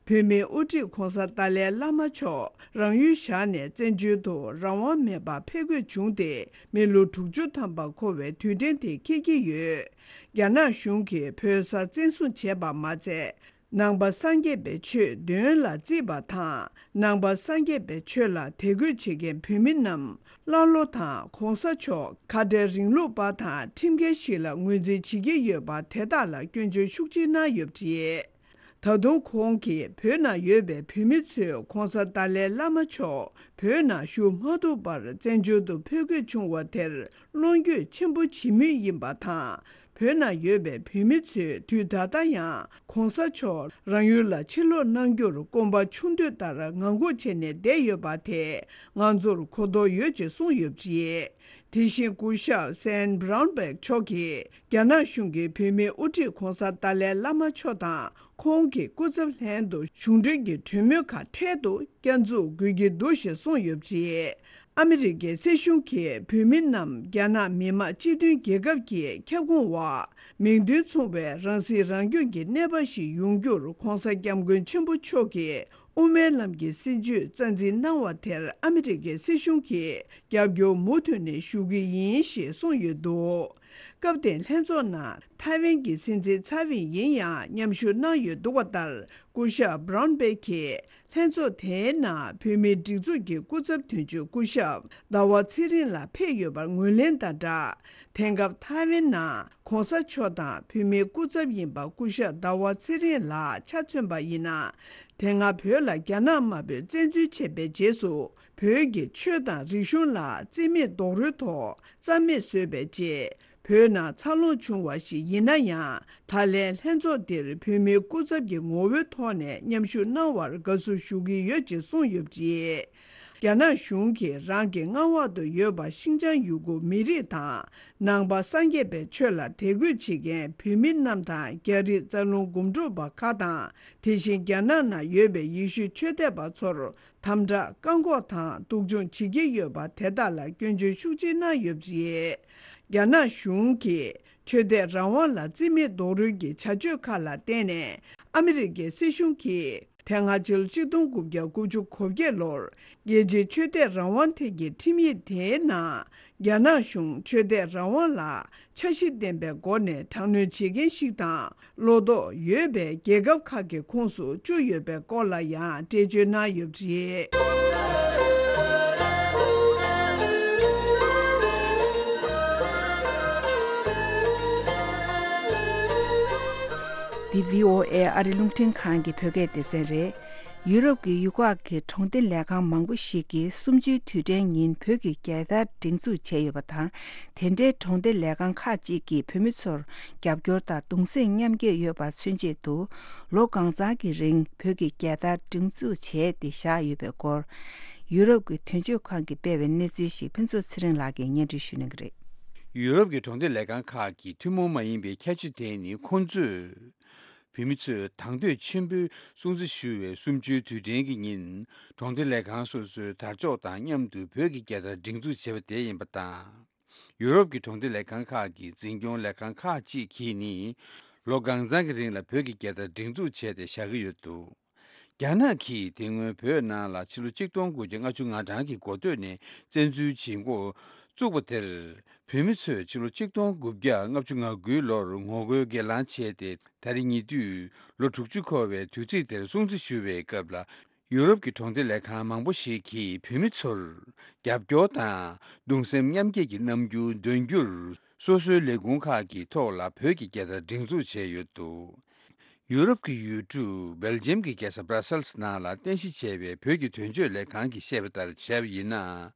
བོད་མིའི་དབུ་ཁྲིད་༧གོང་ས་ཏཱ་ལའི་བླ་མ་མཆོག་རང་ཡུལ་བཞག་ནས་བཙན་བྱོལ་དུ་རང་དབང་མེད་པར་ཕེབས་དགོས་བྱུང་སྟེ། མི་ལོ་དྲུག་ཅུ་ཐམ་པ་འཁོར་བའི་དུས་དྲན་དེ་འཁེལ་གྱི་ཡོད། རྒྱ་ནག་གཞུང་གིས་བོད་ས་བཙན་བཟུང་བྱས་པ་མ་ཚད། ནང་པ་སངས་རྒྱས་པའི་ཆོས་འདོན་ལ་བརྩིས་པ་དང་། ནང་པ་སངས་རྒྱས་པའི་ཆོས་ལ་དད་གུས་བྱེད་མཁན་བོད་མི་རྣམས་ཀླ་ཀློ་དང་གོང་ས་མཆོག་ཁ་བྲལ་རིང་ལུགས་པ་དང་ཁྲིམས་འགལ་ཞིག་ལ་ངོས་འཛིན་བྱེད་ཀྱི་ཡོད་པ་དེ་དག་ལ་སྐྱོན་བརྗོད་ཤུགས་ཆེ་གནང་ཡོད་པ་རེད། ད་དུང་ཁོང་གིས་བོད་ནང་ཡོད་པའི་བོད་མི་ཚོས་གོང་ས་ཏཱ་ལའི་བླ་མ་མཆོག་བོད་ནང་བཞུགས་མ་ཐུབ་པར་བཙན་བྱོལ་དུ་ཕེབས་དགོས་བྱུང་བ་དེར་བློ་འགྱོད་ཆེན་པོ་བྱེད་མུས་ཡིན་པ་དང་། བོད་ནང་ཡོད་པའི་བོད་མི་ཚོས་དུས་ད་ལྟ་ཡང་གོང་ས་མཆོག་རང་ཡུལ་ལ་ཕྱིར་ལོག་གནང་རྒྱུར་དགོངས་པ་ཆུང་དུས་ལྟར་ངང་སྒུག་བྱས་ནས་བསྡད་ཡོད་པ་དེས་ང་ཚོར་གོ་རྟོགས་ཡོད་ཅེས་གསུངས་ཡོད་པ་རེད། དེ་བཞིན་སྐུ་ཞབས་Sam Brownback་མཆོག་གིས་རྒྱ་ནག་གཞུང་གིས་བོད་མིའི་དབུ་ཁྲིད་གོང་ས་ཏཱ་ལའི་བླ་མ་མཆོག་དང་ཁོང་གི་སྐུ་ཚབ་ལྷན་དུ་གཞུང་འབྲེལ་གྱི་གྲོས་མོལ་ཁག་འཕྲལ་དུ་བསྐྱར་འཛུགས་དགོས་ཀྱི་འདུག་ཞེས་གསུངས་ཡོད་པ་རེད། ཨ་མི་རི་ཀའི་སྲིད་གཞུང་གིས་བོད་མི་རྣམས་རྒྱ་ནག་མི་དམངས་སྤྱི་མཐུན་རྒྱལ་ཁབ་ཀྱི་ཁྱབ་ཁོངས་འོག་མིང་དོན་མཚུངས་པའི་རང་སྲིད་རང་སྐྱོང་གི་གནས་བབ་ཞིག་ཡོང་རྒྱུར་གོང་ས་སྐྱབས་མགོན་ཆེན་པོ་མཆོག་གིས་དབུ་མའི་ལམ་གྱི་སྲིད་བྱུས་རྩ་འཛིན་གནང་བ་དེར་ཨ་མི་རི་ཀའི་སྲིད་གཞུང་གིས་རྒྱབ་སྐྱོར་མུ་མཐུད་ནས་ཞུ་གི་ཡིན་ཞེས་གསུངས་ཡོད་འདུག་སྐབས་དེའི་ལྷན་ཚོགས་ནང་ཐའེ་ཝན་གྱི་སྲིད་འཛིན་ཚའེ་ཝེན་ཡིན་ཡང་མཉམ་ཞུགས་གནང་ཡོད་འདུག་པ་ལྟར། སྐུ་ཞབས་Brownback་གིས་ལྷན་ཚོགས་དེའི་ནང་བོད་མིའི་སྒྲིག་འཛུགས་ཀྱི་སྐུ་ཚབ་དོན་གཅོད་སྐུ་ཞབས་ཟླ་བ་ཚེ་རིང་ལགས་ཕེབས་ཡོད་པར་ངོས་ལེན་དང་སྦྲགས། དེང་སྐབས་ཐའེ་ཝན་ནང་གོང་ས་མཆོག་དང་བོད་མིའི་སྐུ་ཚབ་ཡིན་པ་སྐུ་ཞབས་ཟླ་བ་ཚེ་རིང་ལགས་ཆ་མཚོན་པ་ཡིན་ན། དེ་སྔ་བོད་ལ་རྒྱ་ནག་དམར་པོས་བཙན་འཛུལ་བྱས་པའི་རྗེས་སུ། བོད་ཀྱི་ཆོས་དང་རིག་གཞུང་ལ་རྩིས་མེད་རྡོག་རོལ་ཐོག་རྩ་མེད་བཟོས་པའི་རྗེས། བོད་ནང་འཚར་ལོངས་བྱུང་བ་ཞིག་ཡིན་ན་ཡང་། ད་ལན་ལྷན་ཚོགས་འདིར་བོད་མིའི་སྐུ་ཚབ་ཀྱི་ངོ་བོའི་ཐོག་ནས་མཉམ་ཞུགས་གནང་བར་དགའ་བསུ་ཞུ་གི་ཡོད་ཅེས་གསུངས་ཡོད་པ་རེད། རྒྱ་ནག་གཞུང་གིས་རང་གི་མངའ་འོག་ཏུ་ཡོད་པ་ཤིན་ཅང་ཡུ་གུར་མི་རིགས་དང་། ནང་པ་སངས་རྒྱས་པའི་ཆོས་ལ་དད་གུས་བྱེད་མཁན་བོད་མི་རྣམས་དང་། རྒྱ་རིགས་རྩ་རླུང་སྒོམ་སྒྲུབ་པ་ཁག་དང་། དེ་བཞིན་རྒྱ་ནག་ནང་ཡོད་པའི་ཡེ་ཤུ་ཆོས་དད་པ་ཚོར། དམ་དྲག་བཀག་འགོག་དང་སྡུག་སྦྱོང་བྱེད་ཀྱི་ཡོད་པ་དེ་དག་ལ་སྐྱོན་བརྗོད་ཤུགས་ཆེ་གནང་ཡོད་པ་རེད། རྒྱ་ནག་གཞུང་གིས་ཆོས་དད་རང་དབང་ལ་རྩིས་མེད་རྡོག་རོལ་གྱི་བྱ་སྤྱོད་ཁག་ལ་བརྟེན་ནས། ཨ་མི་རི་ཀའི་སྲིད་གཞུང་གིས་དེ་སྔ་ཕྱི་ལོ་ཆིག་སྟོང་དགུ་བརྒྱ་དགུ་བཅུ་གོ་བརྒྱད་ལོར་རྒྱལ་སྤྱིའི་ཆོས་དད་རང་དབང་ཐད་ཀྱི་ཁྲིམས་ཡིག་དེའི་ནང་། རྒྱ་ནག་གཞུང་ཆོས་དད་རང་དབང་ལ་འཆར་གཞི་ལྡན་པའི་སྒོ་ནས་དྲག་གནོན་བྱེད་མཁན་ཞིག་དང་། བློ་དོགས་ཡོད་པའི་རྒྱལ་ཁབ་ཁག་གི་ཁོངས་སུ་བཅུག་ཡོད་པའི་སྐོར་ལ་ཡང་འགྲེལ་བརྗོད་གནང་ཡོད་པ་རེད། འདི་བྷི་ཨོ་ཨེ་ཨ་རི་རླུང་འཕྲིན་ཁང་གི་བོད་སྐད་སྡེ་ཚན་རེད། ཡུ་རོབ་ཀྱི་ཡུལ་ཁག་གི་གྲོང་སྡེ་ལས་ཁང་མང་པོ་ཞིག་གིས་གསུམ་བཅུའི་དུས་དྲན་ཉིན་བོད་ཀྱི་རྒྱལ་དར་སྒྲེང་འཛུགས་བྱས་ཡོད་པ་དང་། དེ་འདྲའི་གྲོང་སྡེ་ལས་ཁང་ཁག་ཅིག་གིས་བོད་མི་ཚོར་རྒྱབ་སྐྱོར་དང་གདུང་སེམས་མཉམ་སྐྱེད་ཡོད་པ་མཚོན་ཆེད་དུ། ལོ་གང་ཚང་གི་རིང་བོད་ཀྱི་རྒྱལ་དར་སྒྲེང་འཛུགས་བྱས་ཏེ་བཞག་ཡོད་པའི་སྐོར། ཡུ་རོབ་ཀྱི་དོན་གཅོད་ཁང་གིས་སྤེལ་བའི་གནས་ཚུལ་ཞིག་ཕུན་ཚོགས་ཚེ་རིང་ལགས་ཀྱིས་སྙན་སྒྲོན་ཞུ་གནང་གི་རེད། ཡུ་རོབ་ཀྱི་གྲོང་སྡེ་ལས་ཁང་ཁག་གི་ཐུན་མོང་མ་ཡིན་པའི་ཁྱད་ཆོས་དེ་ནི། ཁོང་ཚོས་བོད་མི་ཚོས་དང་དོད་ཆེན་པོས་སྲུང་བརྩི་ཞུ་བའི་གསུམ་བཅུའི་དུས་དྲན་གྱི་ཉིན། གྲོང་སྡེ་ལས་ཁང་སོ་སོའི་དར་ལྕོག་དང་མཉམ་དུ་བོད་ཀྱི་རྒྱལ་དར་སྒྲེང་འཛུགས་བྱས་པ་དེ་ཡིན་པ་དང་། ཡུ་རོབ་ཀྱི་གྲོང་སྡེ་ལས་ཁང་ཁག་གི་འཛིན་སྐྱོང་ལས་ཁང་ཁག་ཅིག་གིས་ནི། ལོ་གང་ཚང་གི་རིང་ལ་བོད་ཀྱི་རྒྱལ་དར་སྒྲེང་འཛུགས་བྱས་ཏེ་བཞག་གི་ཡོད་འདུག། རྒྱ་ནག་གིས་དེ་སྔོན་བོད་ནང་ལ་ཕྱི་ལོ་ཆིག་སྟོང་དགུ་བརྒྱ་ལྔ་བཅུ་ང་གྲངས་ཀྱི་འགོ་སྟོད་ནས་བཙན་འཛུལ་བྱེད་འགོ་བཙུགས་པ་དེར། བོད་མི་ཚོས་ཕྱི་ལོ་ཆིག་སྟོང་དགུ་བརྒྱ་ལྔ་བཅུ་ང་དགུའི་ལོར་ངོ་རྒོལ་སྒེར་ལངས་བྱས་ཏེ། ད་རེས་ཉེ་དུས་ལོ་དྲུག་ཅུ་འཁོར་བའི་དུས་ཚིགས་དེར་སྲུང་བརྩི་ཞུ་བའི་སྐབས་ལ། ཡུ་རོབ་ཀྱི་གྲོང་སྡེ་ལས་ཁང་མང་པོ་ཞིག་གིས་བོད་མི་ཚོར་རྒྱབ་སྐྱོར་དང་གདུང་སེམས་མཉམ་སྐྱེད་ཀྱི་རྣམ་འགྱུར་འདོན་རྒྱུར། སོ་སོའི་ལས་ཁུངས་ཁག་གི་ཐོག་ལ་བོད་ཀྱི་རྒྱལ་དར་སྒྲེང་འཛུགས་བྱས་ཡོད་འདུག། ཡུ་རོབ་ཀྱི་ཡུལ་གྲུ་སྦེལ་ཇམ་གྱི་རྒྱལ་ས་བྷ་ར་སེལ་སི་ནང་ལ་རྟེན་གཞི་བྱས་པའི་བོད་ཀྱི་དོན་གཅོད་ལས་ཁང་གིས་བཤད་པ་ལྟར་བྱས་པ་ཡིན་ན།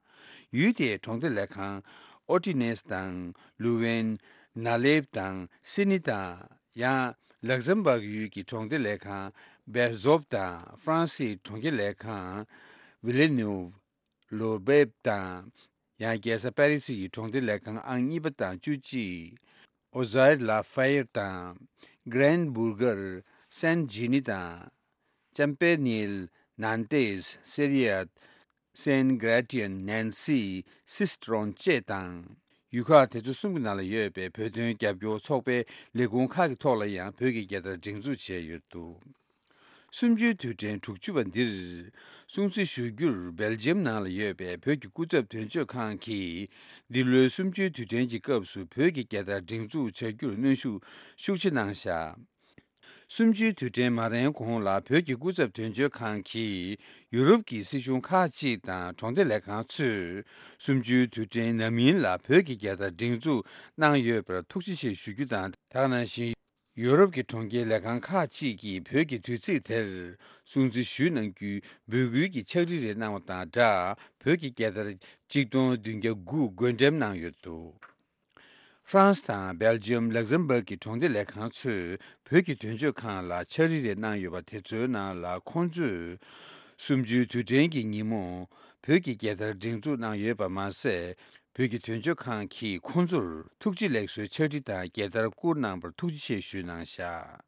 ཡུལ་དེའི་གྲོང་སྡེ་ལས་ཁང་ཨོ་ཏི་ནེས་དང་། ལུ་ཝེན། ན་ལེབ་དང་། སི་ནི་དང་། ཡང་ལག་ཟམ་བག་ཡུལ་གྱི་གྲོང་སྡེ་ལས་ཁང་བེར་ཟོབ་དང་། ཧྥ་རན་སིའི་གྲོང་ཁྱེར་ལས་ཁང་ཝི་ལེ་ནུབ། ལོ་བེབ་དང་། ཡང་རྒྱལ་ས་པེ་རི་སི་ཡི་གྲོང་སྡེ་ལས་ཁང་ཨང་གཉིས་པ་དང་བཅུ་གཅིག། ཨོ་ཟེར་ལ་ཕེར་དང་། གྲན་བྷུར་གར། སན་ཇི་ནི་དང་། ཅམ་པེ་ནིལ། ནན་ཏེས། སེ་རི་ཡ། སན་གྲེ་ཏི་ཡན། ནན་སི། སིས་ཏྲོན་བཅས་དང་། ཡུལ་ཁག་དེ་ཚོ་གསུམ་གྱི་ནང་ལ་ཡོད་པའི་བོད་དོན་རྒྱབ་སྐྱོར་ཚོགས་པའི་ལས་ཁུངས་ཁག་གི་ཐོག་ལ་ཡང་བོད་ཀྱི་རྒྱལ་དར་སྒྲེང་འཛུགས་བྱས་ཡོད་འདུག། གསུམ་བཅུའི་དུས་དྲན་དྲུག་ཅུ་པ་འདིར་སྲུང་བརྩི་ཞུ་རྒྱུར་སྦེལ་ཇམ་ནང་ལ་ཡོད་པའི་བོད་ཀྱི་སྐུ་ཚབ་དོན་གཅོད་ཁང་གིས། འདི་ལོའི་གསུམ་བཅུའི་དུས་དྲན་གྱི་སྐབས་སུ་བོད་ཀྱི་རྒྱལ་དར་སྒྲེང་འཛུགས་བྱ་རྒྱུར་གནོན་ཤུགས་ཤུགས་ཆེ་གནང་བཞག། གསུམ་བཅུའི་དུས་དྲན་མ་རན་གོང་ལ་བོད་ཀྱི་སྐུ་ཚབ་དོན་གཅོད་ཁང་གིས་ཡུ་རོབ་ཀྱི་སྲིད་གཞུང་ཁག་ཅིག་དང་གྲོང་སྡེ་ལས་ཁང་ཚོས་གསུམ་བཅུའི་དུས་དྲན་ནམ་ཡིན་ལ་བོད་ཀྱི་རྒྱལ་དར་སྒྲེང་འཛུགས་གནང་ཡོད་པར་ཐུགས་རྗེ་ཆེ་ཞུ་རྒྱུ་དང་། ད་ག་ནང་བཞིན་ཡུ་རོབ་ཀྱི་གྲོང་ཁྱེར་ལས་ཁང་ཁག་ཅིག་གིས་བོད་ཀྱི་དུས་ཚིགས་དེར་སྲུང་བརྩི་ཞུ་གནང་རྒྱུའི་འབོད་སྐུལ་གྱི་ཕྱག་བྲིས་རེ་གནང་བ་དང་སྦྲགས། བོད་ཀྱི་རྒྱལ་དར་གཅིག་སྟོང་བདུན་བརྒྱ་དགུ་བགོ་འགྲེམས་གནང་ཡོད་འདུག། ཧྥ་རན་སི་དང་སྦེལ་ཇམ། ལག་ཟམ་བྷག་གི་གྲོང་སྡེ་ལས་ཁང་ཚོས་བོད་ཀྱི་དོན་གཅོད་ཁང་ལ་ཕྱག་བྲིས་རེ་གནང་ཡོད་པ་དེ་ཚོའི་ནང་ལ། ཁོང་ཚོས་གསུམ་བཅུའི་དུས་དྲན་གྱི་ཉིན་མོ་བོད་ཀྱི་རྒྱལ་དར་སྒྲེང་འཛུགས་གནང་ཡོད་པ་མ་ཟད། བོད་ཀྱི་དོན་གཅོད་ཁང་གིས་ཁོང་ཚོར་ཐུགས་རྗེ་ལེགས་གསོའི་ཕྱག་བྲིས་དང་རྒྱལ་དར་བསྐུར་གནང་བར་ཐུགས་རྗེ་ཆེ་ཞུས་གནང་བཞག།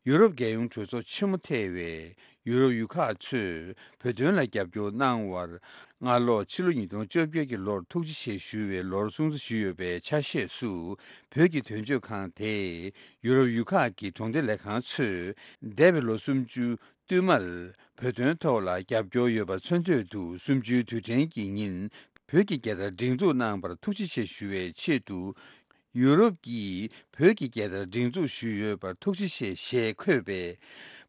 ཡུ་རོབ་རྒྱལ་ཡོངས་གྲོས་ཚོགས་ཆེན་མོ་ཐེ་བའི་ཡུ་རོབ་ཡུལ་ཁག་ཚོས་བོད་དོན་ལ་རྒྱབ་སྐྱོར་གནང་བར། སྔ་ལོ་ཕྱི་ལོ་ཉིས་སྟོང་བཅོ་བརྒྱད་ཀྱི་ལོར་ཐུགས་རྗེ་ཆེ་ཞུ་བའི་ལོར་སྲུང་བརྩི་ཞུས་ཡོད་པའི་ཆ་ཤས་སུ། བོད་ཀྱི་དོན་གཅོད་ཁང་དེས་ཡུ་རོབ་ཡུལ་ཁག་གི་གྲོང་སྡེ་ལས་ཁང་ཚོས་འདས་པའི་ལོ་སུམ་ཅུ་བསྟུད་མར་བོད་དོན་ཐོག་ལ་རྒྱབ་སྐྱོར་ཡོད་པ་མཚོན་དོད་དུ། གསུམ་བཅུའི་དུས་དྲན་གྱི་ཉིན་བོད་ཀྱི་རྒྱལ་དར་སྒྲེང་འཛུགས་གནང་བར་ཐུགས་རྗེ་ཆེ་ཞུ་བའི་ཆེད་དུ། ཡུ་རོབ་ཀྱིས་བོད་ཀྱི་རྒྱལ་དར་སྒྲེང་འཛུགས་ཞུས་ཡོད་པར་ཐུགས་རྗེ་ཆེ་ཞེས་འཁོད་པའི་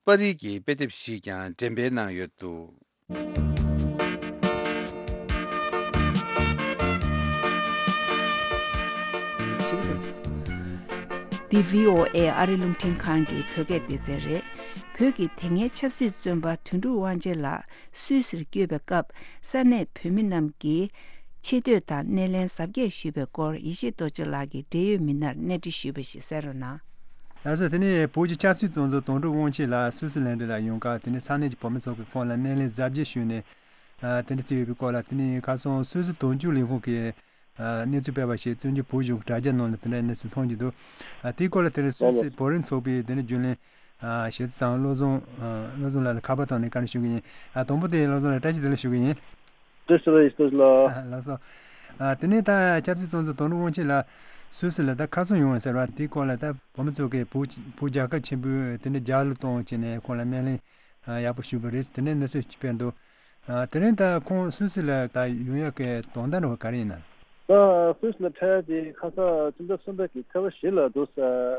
པར་རིས་ཀྱི་དཔེ་དེབ་ཞིག་ཀྱང་འགྲེམས་སྤེལ་གནང་ཡོད་འདུག། འདི་བྷི་ཨོ་ཨེ་ཨ་རི་རླུང་འཕྲིན་ཁང་གི་བོད་སྐད་སྡེ་ཚན་རེད། བོད་ཀྱི་དེ་སྔའི་ཆབ་སྲིད་བཙོན་པ་དོན་གྲུབ་དབང་ཆེན་ལགས། སུད་སིར་བསྐྱོད་པའི་སྐབས། ས་གནས་བོད་མི་རྣམས་ཀྱིས་ཆེ་བསྟོད་དང་སྣེ་ལེན་གཟབ་རྒྱས་ཞུས་པའི་སྐོར། ཡེ་ཤེས་རྡོ་རྗེ་ལགས་ཀྱིས་འབྲེལ་ཡོད་མི་སྣར་གནས་འདྲི་ཞུས་པ་ཞིག་གསན་རོགས་གནང་། ལགས་སོ། དེ་ནས་བོད་ཀྱི་ཆབ་སྲིད་བཙོན་ཟུར་དོན་གྲུབ་དབང་ཆེན་ལགས་སུད་སི་ལན་ཌན་ལ་ཡོང་སྐབས། དེ་ནས་ས་གནས་ཀྱི་བོད་མི་ཚོ་གིས་ཁོང་ལ་སྣེ་ལེན་གཟབ་རྒྱས་ཞུས་ནས། ཨ། དེ་འདྲ་བྱས་ཡོད་པའི་སྐོར་ལ། དེ་ནས་ཁ་སང་སུད་སི་དོན་གཅོད་ལས་ཁུངས་ཀྱིས། ཨ། གནས་ཚུལ་སྤེལ་བ་ཞིག་བཙན་བྱོལ་བོད་གཞུང་གི་དྲ་རྒྱ་ནང་ལ་དེ་འདྲའི་གནས་ཚུལ་མཐོང་རྒྱུ་འདུག། ཨ། དེའི་སྐོར་ལ་དེ་རིང་སུད་སི་བོད་རིགས་ཚོགས་པའི་དེ་འདྲའི་རྒྱུན་ལས། ཨ། གཞི་རྩ་བཟང་བློ་བཟང་། ཨ། བློ་བཟང་ལགས་ལ་ཁ་པར་ཐོག་ནས་བཀའ་འདྲི་ཞུ་གི་ཡིན། ཨ། དང་པོ་དེ་བློ་བཟང་ལགས་བཀྲ་ཤིས་བདེ་ལེགས་ཞུ་གི་ཡིན། བཀྲ་ཤིས་བདེ་ལེགས་ལགས། ལགས་སོ། ཨ། དེ་ནས་ད་ཆབ་སྲིད་བཙོན་ཟུར་དོན་གྲུབ་དབང་ཆེན་ལགས་སུད་སི་ལ་ད་ཁ་སང་ཡོང་བ་ཟེར་བ་དེའི་སྐོར་ལ། ད་བོད་མི་ཚོ་གིས་བོད་བོད་རྒྱལ་ཁབ་ཆེན་པོའི་དེ་འདྲ་རྒྱབ་ལོག་གཏོང་བྱས་ནས་ཁོང་ལ་སྣེ་ལེན། ཨ། ཡག་པོ་ཞུས་པ་རེད། དེ་ནས་གནས་ཚུལ་སྤེལ་འདུག། ཨ། དེ་རིང་ད་ཁོང་སུད་སི་ལ་ད་ཡོང་ཡག་གི་དོན་དག་འདྲ་བ་ག་རེ་ཡིན་ན། ད་སུད་སི་ལ་ཕེབས་ཡག་དེ་ཁ་སང་སྤྱི་ཟླ་གསུམ་པའི་གི་ཚེས་པ་བཞི་ལ་འདུག་ཟེར།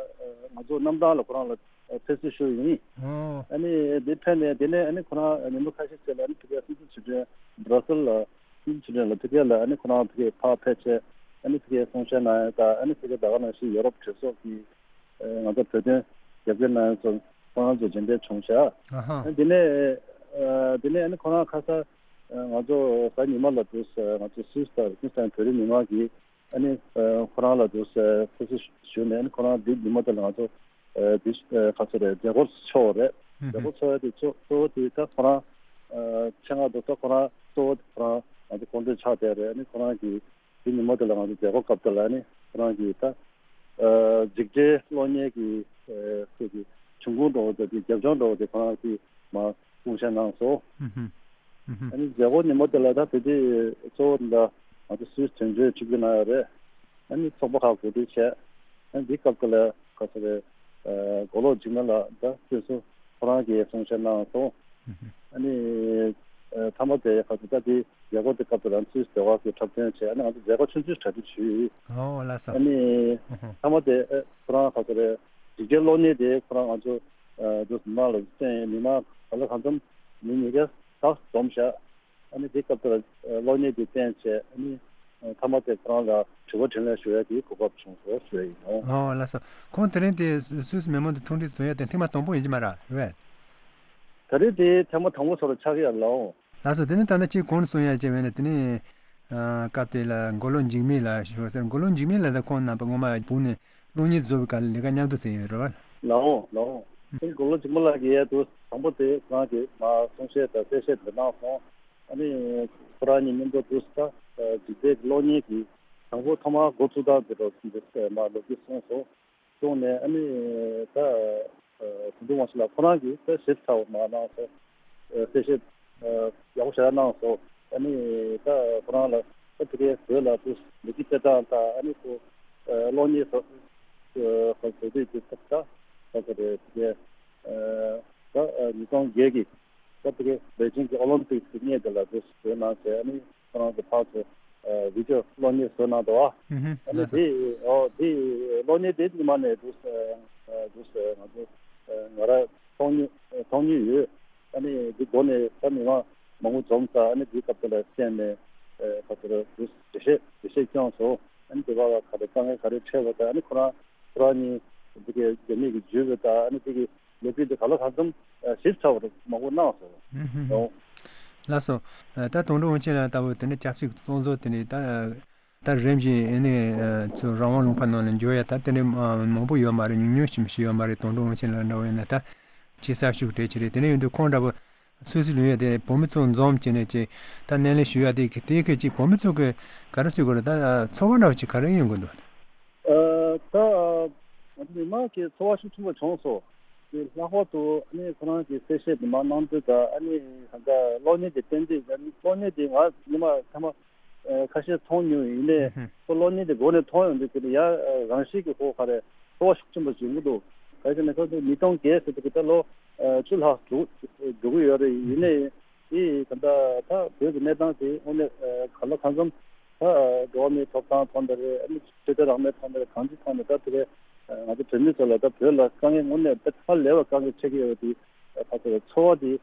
ང་ཚོ་གནམ་ཐང་ལ་ཁོ་རང་ལ་ཕེབས་བསུ་ཞུ་ཡིན། ཨོ། ཨ་ནི་དེ་ཕེབས་ནས་དེ་ནས་ཨ་ནི་ཁོ་རང་ཉིན་མོ་ཁ་ཤས་ཙམ་ལ་ཨ་ནི་ཕ་གིའི་སྲིད་འཛིན་ཚུལ་ཁྲིམས་སྦྲ་སེལ་ལ། སྲིད་འཛིན་ཚུལ་ཁྲིམས་ལ་ཕ་གི་ལ་ཨ་ནི་ཁོ་རང་ཕ་གིར་ཕར་ཕེབས་བྱས། ཨ་ནི་ཕ་གིར་གསུང་བཤད་གནང་ཡག་དང་། ཨ་ནི་ཕ་གིར་ད་ག་ནང་བཞིན་ཡོ་རོབ་གྲོས་ཚོགས་ཀྱི། ཨ། ང་ཚོ་བོད་དོན་ རྒྱབ་སྐྱོར་གནང་སོང་། ཁོ་རང་ཚོ་མཇལ་འཕྲད་བྱུང་ཤག་ཨ་ཧ། དེ་ནས་ཨ་དེ་ནས་ཨ་ནི་ཁོ་རང་ཁ་ས་ཨ་ང་ཚོ་གཟའ་ཉི་མ་ལ་དུས་ང་ཚོ་སུད་སི་དང་ཧིན་སི་ཐན་བོད་རིགས་མི་མང་གིས་ཨ་ནི་ཨ་ཁོ་རང་ལ་དུས་ཨ་ཕེབས་བསུ་ཞུས་ནས། ཨ་ནི་ཁོ་རང་འདི་ཉི་མ་དེ་ལ་ང་ཚོ་ཨ་འདི་ཨ་ཁ་ས་རེད། མཛད་སྒོ་ཚོགས་རེད། མཛད་སྒོ་ཚོགས་ཡ་དེ་གཙོ་གཙོ་བོ་དེ་ད་ཁོ་རང་ཨ་ཆེད་མངགས་འདུག་ད་ཁོ་རང་གཙོ་བོ་དེ་ཁོ་རང་ང་ཚོ་སྐུ་མགྲོན་ཆགས་བསྡད་རེད། ཨ་ནི་ཁོ་རང་གིས་དེ་ཉིན་མོ་དེ་ལ་ང་ཚོ་མཛད་སྒོ་སྐབས་དེ་ལ་ནི་ཁོ་རང་གིས་ད་ཨ་འཇིགས་བྲལ་གློག་བརྙན་གྱི་ཨ་ཁོས་ཀྱི་འབྱུང་ཁུངས་འདྲ་བོ་དང་དེ་རྒྱབ་ལྗོངས་འདྲ་བོ་དེ་ཁོ་རང་གིས་མར་གསུང་བཤད་གནང་སོང་། ཨ་ནི་མཛད་སྒོ་ཉིན་མོ་དེ་ལ་ད་དེ་དུས་གཙོ་བོ་འདི་ང་ཚོ་སུད་སི་དོན་གཅོད་ཆིབས་བསྒྱུར་གནང་ཡོད་རེད། ཨ་ནི་ཚོགས་པ་ཁག་གོ་སྒྲིག་བྱས། ཨ་ནི་འདི་སྐབས་དེ་ལ་ག་ཚོད་རེད། ཨ་མགོ་ལོག་འཇིགས་མེད་ལགས་ད་སོ་སོ་ཁོ་རང་གིས་གསུང་བཤད་གནང་སོང་། ཨ་ནི་ཨ་མཐའ་མ་དེ་ག་ཚོད་ད་དེ་མཛད་སྒོ་དེ་སྐབས་དེ་ལ་སུད་སི་ཟློས་གར་གྱི་འཁྲབ་སྟོན་བྱས། ཨ་ནི་ང་ཚོ་མཛད་སྒོ་ཆུང་ཆུང་གྲ་སྒྲིག་ཞུས། ཨོ་ལགས་སོ། ཨ་ནི་ཨ་ཧ། མཐའ་མ་དེ་ཨ་ཁོ་རང་ག་ཚོད་རེད། འཇིགས་བྲལ་གློག་བརྙན་དེ་ཁོ་རང་ང་ཚོ་ཨ་དུ་མི་མང་ལ་བསྟན། མི་མང་ག་ལ་གང་འཚམ་མི་ཉིས་བརྒྱ་ལྷག་འཛོམས་ཤག་ཨ་ནི་དེ་སྐབས་དེ་ལ་གློག་བརྙན་དེ་བསྟན་བྱས། ཨ་ནི་མཐའ་མ་དེ་ཁོ་རང་ལ་དྲི་བ་དྲིས་ལན་ཞུ་ཡ་དེ་གོ་སྐབས་བྱུང་སོང་ཞུ་ཡ་ཡིན་ནོ། ཨོ་ལགས་སོ། ཁོང་དེ་རིང་དེ་སུད་སི་མི་མང་དང་ཐུག་འཕྲད་བཟོ་ཡ་དེ་ཐེངས་མ་དང་པོ་ཡིན་གྱི་མ་རེད། རེད། ད་རེས་དེ་ཐེངས་མ་དང་པོ་ཚོ་ལ་ཆགས་ཀྱི་ཡ་ལའོ། ལགས་སོ། དེ་ནི་ད་ནི་གཅིག་གོང་ནས་གསུང་ཡ་བྱས་པས་ན། དེ་ནི་ཨ་སྐབས་དེ་ལ་མགོ་ལོག་འཇིགས་མེད་ལགས་ཞུ་བ་ཟེར། མགོ་ལོག་འཇིགས་མེད་ལགས་དང་ཁོང་རྣམ་པ་སྔོན་མ་བུ་ནས་གློག་བརྙན་བཟོ་བའི་སྐབས་ལ་ལས་ཀ་མཉམ་དུ་བྱས་ཡོད་རེད་བ། ལའོ་ལའོ། དེ་མགོ་ལོག་འཇིགས་མེད་ལགས་ཀྱིས་ཡ་དུ་དང་པོ་དེ་ཁོ་རང་གིས་མར་གསུང་བཤད་དང་གསལ་བཤད་དེ་གནང་སོང་། ཨ་ནི་ཁོ་རང་གཉིས་མཉམ་དུ་དུ་ས་འཇིགས་བྲལ་གློག་བརྙན་གྱི་དང་པོ་ཐོག་མར་འགོ་བཙུགས་སྟངས་དེ་རུ་འདི་མར་ལོ་རྒྱུས་གསུངས་སོང་། སོང་ནས་ཨ་ནི་ད་ཨ་དོན་གྲུབ་དབང་ཕྱུག་ལགས་ཁོ་རང་གིས་ད་ཞིབ་ཚགས་པོ་མར་གནང་སོང་། ཨ་གསལ་བཤད་ཨ་ཡག་པོ་ཞེ་དྲག་གནང་སོང་། ཨ་ནི་ད་ཁོ་རང་ལ་ད་དེ་གའི་བོད་ལ་དུ་ལོ་རྒྱུས་དཔེ་དྲངས་དང་། ཨ་ནི་ཁོ་ཨ་གློག་བརྙན་བཟོ་ཨ་བཟོ་དུས་དེ་ད་ད་ད་ག་རེ་དེ་གའི་ཨ་ད་ཨ་ཉིས་སྟོང་བརྒྱད་ཀྱི་ད་དེ་གའི་པེ་ཅིང་གི་ཨོ་ལིམ་པིག་གི་སྔོན་དེ་ལ་དུ་བཟོས་གནང་བྱས། ཨ་ནི་ཁོ་རང་གི་ཕར་ཚུར་ཨ་བི་ཌི་ཡོ་གློག་བརྙན་བཟོས་གནང་འདུག་ཨ། ཨ་ནི་ལགས་སོ། དེ་ཨོ་དེ་གློག་བརྙན་དེ་ཉི་མ་ནས་འདུག་ཨ་འདུག་ང་ཚོ་ཨ་ང་རང་མཐོང་མྱོང་མཐོང་མྱོང་ཡོད། ཨ་ནི་འདི་སྒོ་ནས་ད་མི་མང་མང་པོ་འཛོམས་ཙང་། ཨ་ནི་དེའི་སྐབས་དེ་ལ་བརྟེན་ནས་ཨ་ཁ་ཐོར་འདུག་འགྲེལ་བཤད་འགྲེལ་བཤད་བསྐྱངས་སོང་། ཨ་ནི་དེ་བར་ལ་ག་རེ་དཀའ་ངལ་ག་རེ་འཕྲད་པ་དང་། ཨ་ནི་ཁོ་རང་ཁོ་རང་གཉིས་འདི་གའི་རྒྱ་མི་གི་བརྒྱུད་པ་དང་། ཨ་ནི་དེ་གི་ལོ་རྒྱུས་འདི་ག་ལ་གང་འཚམ་ཞིབ་ཚགས་པར་མང་པོ་གནང་སོང་། ཨུ་ཧུམ། ཨོ། ལགས་སོ། ད་དོན་གྲུབ་དབང་ཆེན་ལགས་ལྟ་བུ་དེ་ནི་སྐྱབས་གཅིག་གཙོ་འཛོལ་དེ་ནི་ད་ད་རིམ་བཞིན་ཨ་ནི་ཚུར་རང་དབང་ལུང་པ་ནང་ལ་འབྱོར་ཡ་ད་དེ་ནི་མང་པོ་ཡོད་མ་རེད། ཉུང་ཉུང་ཞིག་ཞིག་ཡོད་མ་རེད། དོན་གྲུབ་དབང་ཆེན་ལགས་འདྲ་བོ་ཡིན་ན་ད་ཆེ་ས་ཤུགས་གྲས་ཅིག་རེད། དེ་ནི་ཡོད་དུས་ཁོང་འདྲ་བོ་སུད་སི་ལུས་ཡ་དེ་བོད་མི་ཚོ་འཛོམས་བྱས་ནས་ཅིག་ད་སྣེ་ལེན་ཞུ་ཡ་དེ་གི་དེ་གི་ཅིག་བོད་མི་ཚོ་གི་ག་རེ་ཟེར་དགོས་རེད། ད་ཚོར་བ་འདྲ་བོ་ཅིག་ག་རེ་ཡོང་གི་འདུག་ཨ་ད་ང་ཚོ་མི་མང་གི་ཚོར་བ་ཤུགས་ཆེན་པོ་བྱུང་སོང་། དེ་ལྷག་པར་དུ་ཨ་ནི་ཁོ་རང་གི་གསལ་བཤད་དེ་མར་གནང་དུས་དང་། ཨ་ནི་ད་ལྟ་གློག་བརྙན་དེ་བསྟན་དུས། ཨ་ནི་གློག་བརྙན་དེ་ང་ཉི་མ་ཐ་མ་ཨ་ཁ་ཤས་མཐོང་མྱོང་། ཡིན་ནའི་ཁོ་གློག་བརྙན་དེ་སྒོ་ནས་མཐོང་ཡོང་དུས་དེ་ནི་ཡང་རང་བཞིན་གྱི་ཁོ་ག་རེ་ཚོར་བ་ཤུགས་ཆེན་པོ་བྱུང་གི་འདུག་ག་རེ་ཟེར་ན་ཁོ་ཚོ་ཉིས་སྟོང་བརྒྱད་ཟེར་དུས་ད་ལོ་ཨ་བཅུ་ལྷག་འགྲོ་འགྲོ་གི་ཡོད་རེད། ཡིན་ནའི་དེ་ད་ལྟ་ད་བོད་ཀྱི་གནས་སྟངས་དེ་དངོས་གནས་ཨ་གང་ལ་གང་འཚམ་ད་འགྲོ་བ་མིའི་ཐོབ་ཐང་ཐོག་ནས་རེད། ཨ་ནི་ཆོས་དད་རང་མོས་ཐོག་ནས་རེད། གང་ཅིའི་ཐོག་ནས་ད་དེ་གའི་ང་ཚོ་བོད་མི་ཚོ་ལ་ད་བོད་ལ་དཀའ་ངལ་དངོས་གནས་ད་ཧ་ལས་པ་དཀའ་ངལ་འཕྲད་ཀྱི་ཡོད་པའི་ད་ཚོར་བ་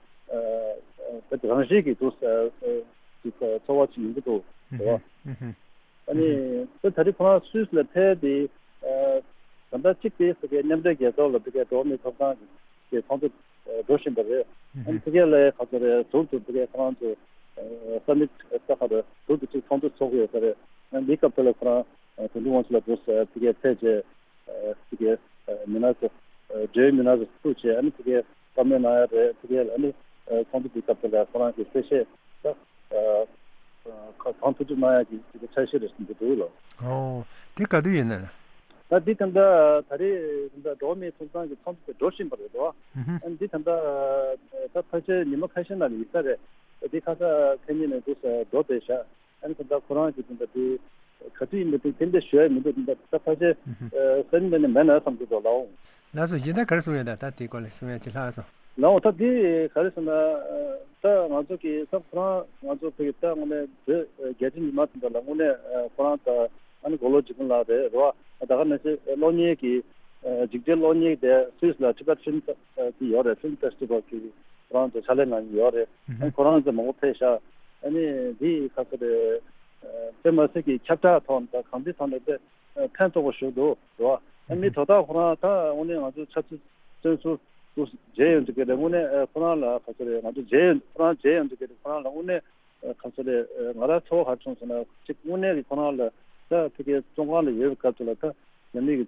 དེ་ད་རང་བཞིན་གྱིས་འདུག་ཅིག་ཚོར་བ་ཅིག་ཡོང་གི་འདུག་རེད་བ། ཨ་ནི་ད་ད་རེས་ཁོ་རང་སུད་སི་ལ་ཕེབས་ཏེ་ད་ལྟ་གཅིག་དེ་ཕ་གིའི་མཉམ་འབྲེལ་རྒྱལ་ཚོགས་ལ་ཕ་གིའི་འགྲོ་བ་མིའི་ཐོབ་ཐང་གི་ཚོགས་འདུ་འགྲོ་བཞིན་པ་རེད། ཨ་ནི་ཕ་གི་ལ་ག་ཚོད་རེད། ཟུར་དུ་ཕ་གིའི་ཁོ་རང་ཚོ་ས་མིཊ་ས་ཁ་རེད། ཟུར་དུ་གཅིག་ཚོགས་འདུ་ཚོགས་ཀྱི་ཡོད་ས་རེད། ཨ་ནི་འདིའི་སྐབས་དེ་ལ་ཁོ་རང་དོན་གྲུབ་དབང་ཕྱུག་ལགས་འདུག་ཕ་གིར་ཕེབས་རྗེས་ཕ་གིའི་མི་སྣ་ཚོ་འབྲེལ་ཡོད་མི་སྣ་ཚོ་ཐུག་བྱས། ཨ་ནི་ཕ་གིར་བཀའ་མོལ་གནང་ཡ་རེད། ཕ་གིར་ཨ་ནི་ཚོགས་འདུ་འདིའི་སྐབས་དེ་ལ་ཁོ་རང་གི་གསལ་བཤད་ད་གང་ཐུབ་ཐུབ་གནང་ཡ་གི་འཆར་གཞི་རེད་ཟེར་འདུག་ལོ། ཨོ། དེ་ག་དུས་ཡིན་ན། ད་འདི་ད་ལྟ་ད་རེས་ད་ལྟ་འགྲོ་བ་མིའི་ཐོབ་ཐང་གི་ཚོགས་འདུ་དེ་འགྲོ་བཞིན་པ་རེད་དོ། ཨ་ནི་འདི་ད་ལྟ་ད་ཕལ་ཆེར་ཉི་མ་ཁ་ཤས་ནང་ལ་ཡིན་ས་རེད། འདི་ཁ་ས་ཁ་ཉིན་ནས་འདུག་ས་འགྲོ་བསྡད་ཤག་ཨ་ནི་ད་ལྟ་ཁོ་རང་གི་ད་ལྟ་དེ་ག་དུས་ཡིན་པ་དེ་ཏན་ཏན་ཞུ་ཡ་མི་འདུག་ད་ལྟ་ཕལ་ཆེར་ཨ་སེམས་ནང་ནས་མེད་ན་བསམ་གྱི་འདུག་ལགས། ལགས་སོ། གཞན་དག་ག་རེ་གསུང་ཡོད་ད། ད་དེའི་སྐོར་ལ་གསུང་ཡ་ཅིག་ལྷག་སོང་། ལགས་འོ། ད་དེ་ག་རེ་ཟེར་ན་ད་ང་ཚོ་གི་ད་ཁོ་རང་ང་ཚོ་ཕ་གི་ད་དངོས་གནས་བོད་རྒྱལ་སྤྱི་ཉི་མ་དེ་འདྲ་ལ་དངོས་གནས་ཁོ་རང་ད་ཨ་ནི་མགོ་ལོག་འཇིགས་མེད་ལགས་རེད་རོ། ད་ག་ནང་བཞིན་གློག་བརྙན་གྱི་འཇིགས་བྲལ་གློག་བརྙན་དེ་སུད་སི་ལ་Tibet Film Fest་གི་ཡོད་རེད། Film Festival་གི་ཁོ་རང་ཚོ་ཕྱག་ལས་གནང་གི་ཡོད་རེད། ཨ་ནི་ཁོ་རང་ཚོ་མང་པོ་ཕེབས་ཤག་ཨ་ནི་འདི་ག་ཚོད་རེད། དཔེ་མ་སྲིད་ཀྱི་ཁྱབ་བསྒྲགས་ཐོག་ད་གང་ཅིའི་ཐོག་ནས་དཔེ་ཕན་ཐོགས་པ་ཞིག་འདུག་རོ། ཨ་ནི་དོ་བདག་ཁོ་རང་ད་དངོས་གནས་ང་ཚོ་ཆབ་སྲིད་ བཙོན་ཟུར་དུ་མཇལ་ཡོང་དུས་ཀྱི་རེད། དངོས་གནས་ཨ་ཁོ་རང་ལ་ག་ཚོད་རེད། ང་ཚོ་མཇལ་ཡོང་ཁོ་རང་མཇལ་ཡོང་དུས་ཀྱི་རེད། ཁོ་རང་ལ་དངོས་གནས་ཨ་ག་ཚོད་རེད། ཨ་ང་རང་ཚོར་བ་ག་རེ་བྱུང་ཟེར་ན། གཅིག་དངོས་གནས་ཀྱི་ཁོ་རང་ལ་ད་ཕ་གིའི་བཙོན་ཁང་ལ་ཡོད་པའི་སྐབས་དེ་ལ་ད་ཉམས་ལེན་གྱི་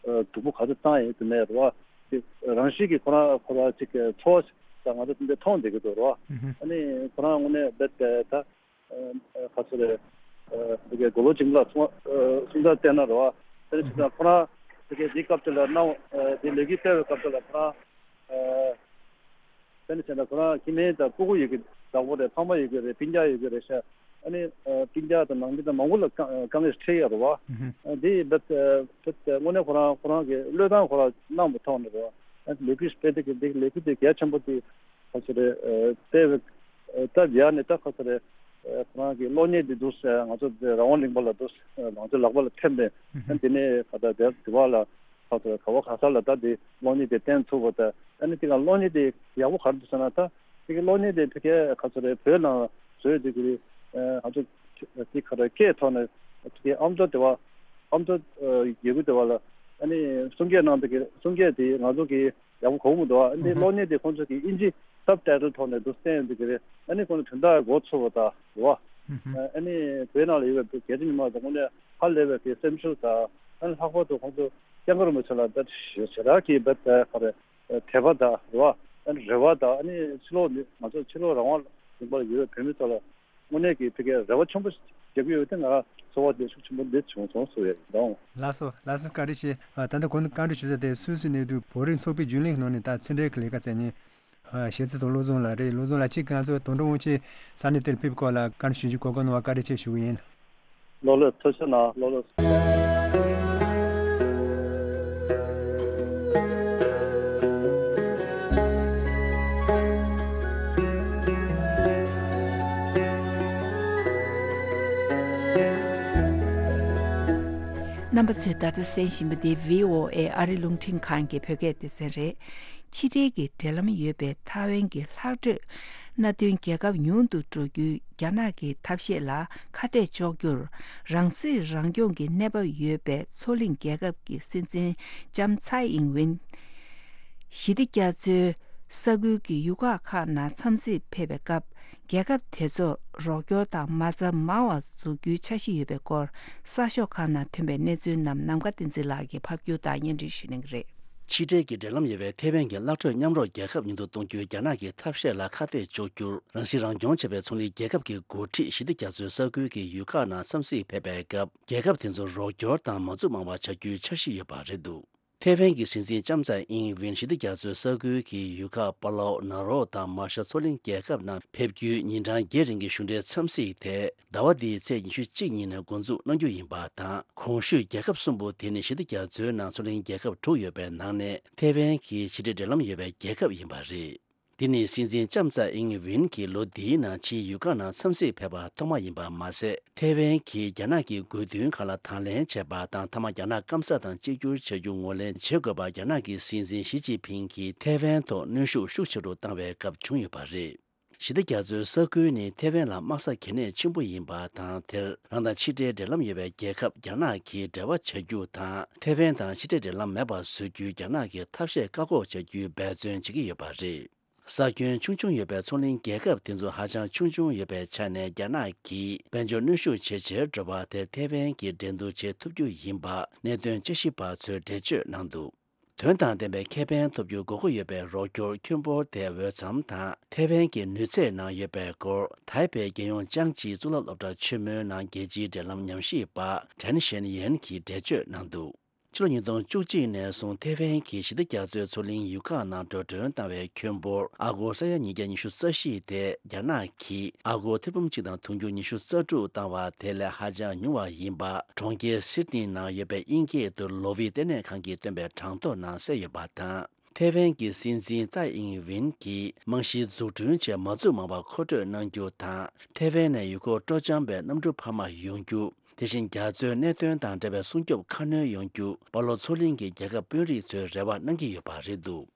ཨ་སྡུག་པོ་ག་ཚོད་བཏང་ཡོད་དེ་མེད་རེད་བ། དེ་རང་བཞིན་གྱིས་ཁོ་རང་ཁོ་རང་གཅིག་གི་ཚོར་བ་ཞིག་ད་ང་ཚོ་དེ་འདྲ་མཐོང་བསྡད་ཀྱི་འདུག་རེད་བ། ཨ་ནི་ཁོ་རང་དངོས་གནས་རྦད་དེ་ད་ཨ་ཨ་ག་ཚོད་རེད། ཨ་ཕ་གིའི་མགོ་ལོག་སྦྱིན་པ་ལགས་གསུང་ཨ་གསུང་སྟངས་བལྟས་ན་རེད་བ། དེ་ནི་བྱས་ཙང་ཁོ་རང་ཕ་གིའི་འདི་སྐབས་དེ་ལ་གནང་ཨ་འདི་ལས་འགུལ་སྤེལ་བའི་སྐབས་དེ་ལ་ཁོ་རང་ཨ་དེ་ནི་བྱས་ཙང་ཁོ་རང་ཁྱིམ་མི་དང་སྤུ་གུ་ཡོད་ཀྱི་བདག་པོ་རེད། ཕ་མ་ཡོད་ཀྱི་རེད། སྤུན་ཀྱག་ཡོད་ཀྱི་རེད་ཤག་ཨ་ནི་ཨ་སྤུན་ཀྱག་དང་ནང་མི་དང་མང་པོ་ལ་དཀའ་དཀའ་ངལ་འཕྲད་ཡོད་རེད་བ། ཨ་འདི་རྦད་དེ་རྦད་དེ་དངོས་གནས་ཁོ་རང་ཁོ་རང་གི་བློས་བཏང་ཁོ་རང་གནང་བའི་ཐོག་ནས་རེད་བ། ཨ་ལས་འགུལ་སྤེལ་དེ་གི་འདི་ལས་འགུལ་དེ་གལ་ཆེན་པོ་དེ་ཁ་ཚོད་རེད། ཨ་དེ་བས་ཨ་ད་ཡ་ནས་ད་ཁ་ཚོད་རེད། ཨ་ཁོ་རང་གི་གློག་བརྙན་དེ་འདུག་ཟེར། ང་ཚོ་དེ་རང་དབང་གླིང་པ་ལ་འདུག་ཟེར། ང་ཚོ་ལག་པ་ལ་ཐེབས་ནས་ཨ་དེ་ནས་ཁ་ད་དེ་དེ་བ་ལ་ཁ་ཚོད་རེད། ག་བ་ག་ས་ལ་ད་དེ་གློག་བརྙན་དེ་བསྟན་ཐུབ་པ། ད་ཨ་ནི་དེ་ག་གློག་བརྙན་དེ་ཡག་པོ་ག་རེ་འདུག་ཟེར་ན། ད་དེ་གི་གློག་བརྙན་དེ་ཕ་གིའི་ཁ་ཚོད་རེད། བོད་ནང་བཟོས་དེ་གི་ཨ་ང་ཚོ་དེ་ག་རེ་སྐད་ཐོག་ནས་དེ་གི་ཨ་མདོ་དེ་བ་ཨ་མདོ་ཨ་རྒྱལ་ཁབ་དེ་བ་ལ་ཨ་ནི་གསུང་སྐད་གནང་དེ་གི་གསུང་སྐད་དེ་ང་ཚོ་གི་ཡག་པོ་གོ་གི་མི་འདུག་བ། འདི་ཨ་ཧ། གློག་བརྙན་དེ་ཁོང་ཚོ་གིས་དབྱིན་ཇི་སབ་ཊའི་ཊལ་ཐོག་ནས་འདུག་བསྟན་ཡོང་དུས་ཀྱི་རེད། ཨ་ནི་ཁོང་ཚོ་དོན་དག་མགོ་ཚོས་པ་དང་རེད་བ། ཨ་ནི་བོད་ནང་ལ་ཡོད་པའི་རྒྱ་ཆེ་མི་མང་དང་དངོས་གནས་ཧ་ལས་པའི་གི་སེམས་ཤུགས་དང་། ཨ་ནི་ལྷག་པར་དུ་ཁོང་ཚོ་སྐྱབས་མགོན་རིན་པོ་ཆེ་ལ་ད་ཞེ་དྲག་གི་བེད་པའི་ག་རེ་དད་པ་དང་རེད་བ། ཨ་ནི་རེ་བ་དང་། ཨ་ནི་ཕྱི་ལོགས་ནི་ང་ཚོ་ཕྱི་ལོགས་རང་དབང་ལུང་པར་ཡོད་པའི་བོད་མི་ཚོ་ལ་དངོས་གནས་ཀྱི་ཕ་གིའི་རེ་བ་ཆེན་པོ་རྒྱག་གི་ཡོད་དེ། ང་རང་ཚོར་བ་དེ་ཤུགས་ཆེན་པོ་འདི་བྱུང་སོང་ཟེར་ཡ་ཡིན། ལགས་སོ། ལགས་སོ། བཀའ་དྲིན་ཆེ། ཨ་ད་ལྟ་གོང་དུ་བཀའ་འདྲི་ཞུ་ས་དེ་སུད་སི་གནས་སྡོད་བོད་རིགས་ཚོགས་པའི་རྒྱུན་ལས་ནང་ནས་ད་ཕྱི་འབྲེལ་གྱི་ལས་ཀ་བྱེད་མཁན་ཨ་ཞེ་ཚེ་དང་བློ་བཟང་ལགས་རེད། བློ་བཟང་ལགས་གཅིག་ང་ཚོ་དོན་གྲུབ་དབང་ཆེན་ས་གནས་དེར་ཕེབས་སྐོར་ལ་བཀའ་འདྲི་ཞུ་རྒྱུ་གོ་སྐབས་གནང་བར་བཀའ་དྲིན་ཆེ་ཞུ་གི་ཡིན། ལོ་ལོ་ཐུགས་རྗེ་གནང་། ལོ་ལོ། རྣམ་པ་ཚོས་ད་ལྟ་གསན་བཞིན་པ་འདི་བྷི་ཨོ་ཨེ་ཨ་རི་རླུང་འཕྲིན་ཁང་གི་བོད་སྐད་སྡེ་ཚན་རེད། ཕྱི་འབྲེལ་གྱི་འབྲེལ་ལམ་ཡོད་པའི་ཐའེ་ཝན་གྱི་ལྷག་འཕྲོས་མནའ་མཐུན་རྒྱལ་ཁབ་ཉུང་དུ་འགྲོ་རྒྱུའི་རྒྱ་ནག་གི་ཐབས་ཤེས་ལ་ཁ་གཏད་གཅོག་རྒྱུར། རང་སྲིད་རང་སྐྱོང་གི་གནས་བབ་ཡོད་པའི་མཚོ་གླིང་རྒྱལ་ཁབ་ཀྱི་སྲིད་འཛིན་ལྕམ་ཚའེ་ཨིང་ཝེན་ཞི་བདེ་རྒྱ་མཚོའི་ས་ཁུལ་གྱི་ཡུལ་ཁག་ཁག་ནང་འཚམས་གཟིགས་ཕེབས་པའི་སྐབས། རྒྱལ་ཁབ་དེ་ཚོར་རོགས་སྐྱོར་དང་མ་རྩ་མང་བ་འཛུགས་རྒྱུའི་འཆར་གཞི་ཡོད་པའི་སྐོར་གསར་ཤོག་ཁག་ནང་ཐོན་པའི་གནས་ཚུལ་རྣམས་ནམ་མཁའ་བསྟན་འཛིན་ལགས་ཀྱིས་ཕབ་སྒྱུར་དང་སྙན་སྒྲོན་ཞུ་གནང་གི་རེད། ཕྱི་འབྲེལ་གྱི་འབྲེལ་ལམ་ཡོད་པའི་ཐེ་ཝན་གྱི་གླ་སྤྲོད་མཉམ་རོགས་རྒྱལ་ཁབ་ཉིད་དུ་གཏོང་རྒྱུའི་རྒྱ་ནག་གི་ཐབས་ཤེས་ལ་ཁ་གཏད་གཅོག་རྒྱུར། རང་སྲིད་རང་སྐྱོང་བྱས་པའི་མཚོ་གླིང་རྒྱལ་ཁབ་ཀྱི་འགོ་ཁྲིད་ཞི་བདེ་རྒྱ་མཚོའི་ས་ཁུལ་གྱི་ཡུལ་ཁག་ནང་འཚམས་གཟིགས་ཕེབས་པའི་སྐབས། རྒྱལ་ཁབ་དེ་ཚོར་རོགས་སྐྱོར་དང་མ་འཛུགས་མང་བ་བྱ་རྒྱུའི་འཆར་གཞི་ཡོད་པ་རེད་འདུག་ཐེ་ཝན་གྱི་སྲིད་འཛིན་ལྕམ་ཚའེ་ཨིང་ཝེན་ཞི་བདེ་རྒྱ་མཚོའི་ས་ཁུལ་གྱི་ཡུལ་ཁག་པ་ལའོ། ནཱ་རོ་དང་མར་ཤལ་མཚོ་གླིང་རྒྱལ་ཁབ་ནང་ཕེབས་རྒྱུའི་ཉིན་གྲངས་བརྒྱད་རིང་གི་གཞུང་འབྲེལ་འཚམས་གཟིགས་དེ་ཟླ་བ་འདིའི་ཚེས་ཉི་ཤུ་གཅིག་ཉིན་ནས་འགོ་འཛུགས་གནང་རྒྱུ་ཡིན་པ་དང་། གོང་ཞུས་རྒྱལ་ཁབ་གསུམ་པོ་དེ་ནི་ཞི་བདེ་རྒྱ་མཚོའི་ནང་མཚོ་གླིང་རྒྱལ་ཁབ་དྲུག་ཡོད་པའི་ནང་ནས་ཐེ་ཝན་གྱི་ཕྱི་འབྲེལ་འབྲེལ་ལམ་ཡོད་པའི་རྒྱལ་ཁབ་ཡིན་པ་རེད། འདི་ནི་སྲིད་འཛིན་ལྕམ་ཚའེ་ཨིང་ཝེན་གྱིས་ལོ་འདིའི་ནང་ཕྱིའི་ཡུལ་ཁག་ནང་འཚམས་གཟིགས་ཕེབས་པ་ཐོག་མ་ཡིན་པ་མ་ཟད། ཐེ་ཝན་གྱིས་རྒྱ་ནག་གི་དགོས་འདུན་ཁག་ལ་དང་ལེན་བྱས་པ་དང་། མཐའ་མ་རྒྱ་ནག་སྐམ་ས་དང་གཅིག་གྱུར་བྱ་རྒྱུ་ངོས་ལེན་བྱེད་དགོས་པ་རྒྱ་ནག་གི་སྲིད་འཛིན་ཞི་ཅིན་ཕིང་གིས་ཐེ་ཝན་ཐོག་གནོན་ཤུགས་ཤུགས་ཆེ་རུ་བཏང་བའི་སྐབས་བྱུང་ཡོད་པ་རེད། ཞི་བདེ་རྒྱ་མཚོའི་ས་ཁུལ་ནི་ཐེ་ཝན་ལ་དམག་ས་གལ་གནད་ཆེན་པོ་ཡིན་པ་དང་། དེར་རང་དང་ཕྱི་འབྲེལ་འབྲེལ་ལམ་ཡོད་པའི་རྒྱལ་ཁབ་རྒྱ་ནག་གིས་འབྲེལ་བ་བྱ་རྒྱུ་དང་། ཐེ་ཝན་དང་ཕྱི་འབྲེལ་འབྲེལ་ལམ་མེད་པར་བཟོ་རྒྱུའི་རྒྱ་ནག་གི་ཐབས་ཤེས་བཀག་འགོག་བྱ་རྒྱུའི་འབད་བརྩོན་བྱེད་ཀྱི་ཡོད་པ་རེད། ས་ཁྱོན་ཆུང་ཆུང་ཡོད་པའི་མཚོ་གླིང་རྒྱལ་ཁབ་དེ་ཚོ་ཧ་ཅང་ཆུང་ཆུང་ཡོད་པའི་ཆ་ནས། རྒྱ་ནག་གིས་དཔལ་འབྱོར་གནོན་ཤུགས་ཇེ་ཆེར་འགྲོ་བ་དེ་ཐེ་ཝན་གྱིས་འགྲན་བསྡུར་བྱེད་ཐུབ་རྒྱུ་ཡིན་པ་གནད་དོན་དཔྱད་ཞིབ་པ་ཚོས་འགྲེལ་བརྗོད་གནང་འདུག་དོན་དང་ལྡན་པའི་ཁེ་ཕན་ཐོབ་རྒྱུའི་དགོས་མཁོ་ཡོད་པའི་རོགས་སྐྱོར་ཁྱོན་འབོར་དེ་འོས་འཚམ་དང་། ཐེ་ཝན་གྱི་ནུས་ཚད་ནང་ཡོད་པའི་སྐོར། ཐའེ་པེ་རྒྱལ་ཡོངས་ཅང་ཅིའི་གཙུག་ལག་སློབ་གྲྭ་ཆེན་མོའི་ནང་རྒྱལ་སྤྱིའི་འབྲེལ་ལམ་ཉམས་ཞིབ་པ་ཁྲེན་ཞན་ཡན་གྱིས་འགྲེལ་བརྗོད་གནང་འདུག་ཕྱི་ལོ་ཉིས་སྟོང་བཅུ་གཅིག་ནས་བཟུང་ཐེ་ཝན་གྱིས་ཞི་བདེ་རྒྱ་མཚོའི་མཚོ་གླིང་ཡུལ་ཁག་ནང་འགྲོ་གྲོན་བཏང་བའི་ཁྱོན་འབོར་ཨ་སྒོར་ས་ཡ་ཉིས་བརྒྱ་ཉི་ཤུ་རྩ་བཞི་དེ་རྒྱ་ནག་གིས་ཨ་སྒོར་ཐེར་འབུམ་གཅིག་དང་དུང་ཕྱུར་ཉི་ཤུ་རྩ་དྲུག་བཏང་བ་དེ་ལས་ཧ་ཅང་ཉུང་བ་ཡིན་པ། གྲོང་ཁྱེར་སིད་ནི་ནང་ཡོད་པའི་དབྱིན་སྐད་དུ་ལོ་ཝི་ལྟེ་གནས་ཁང་གིས་བཏོན་པའི་གྲངས་ཐོ་ནང་གསལ་ཡོད་པ་དང་། ཐེ་ཝན་གྱི་སྲིད་འཛིན་ཙའེ་ཨིང་ཝིན་གྱིས་རྨང་གཞི་འཛུགས་སྐྲུན་བྱས་མ་འཛུགས་མང་བ་མཁོ་སྤྲོད་གནང་རྒྱུ་དང་། ཐེ་ཝན་ནས་ཡུལ་སྐོར་སྤྲོ་འཆམ་པའི་གནམ་གྲུ་འཕར་མ་ཡོང་རྒྱུ། དེ་བཞིན་རྒྱ་མཚོའི་གནད་དོན་དང་འབྲེལ་བའི་སྲུང་སྐྱོབ་ཁ་སྣོན་ཡོང་རྒྱུ། སྤ་ལོ་མཚོ་གླིང་གི་རྒྱལ་ཁབ་དཔོན་རིགས་ཚོས་རེ་བ་གནང་གི་ཡོད་པ་རེད་འདུག་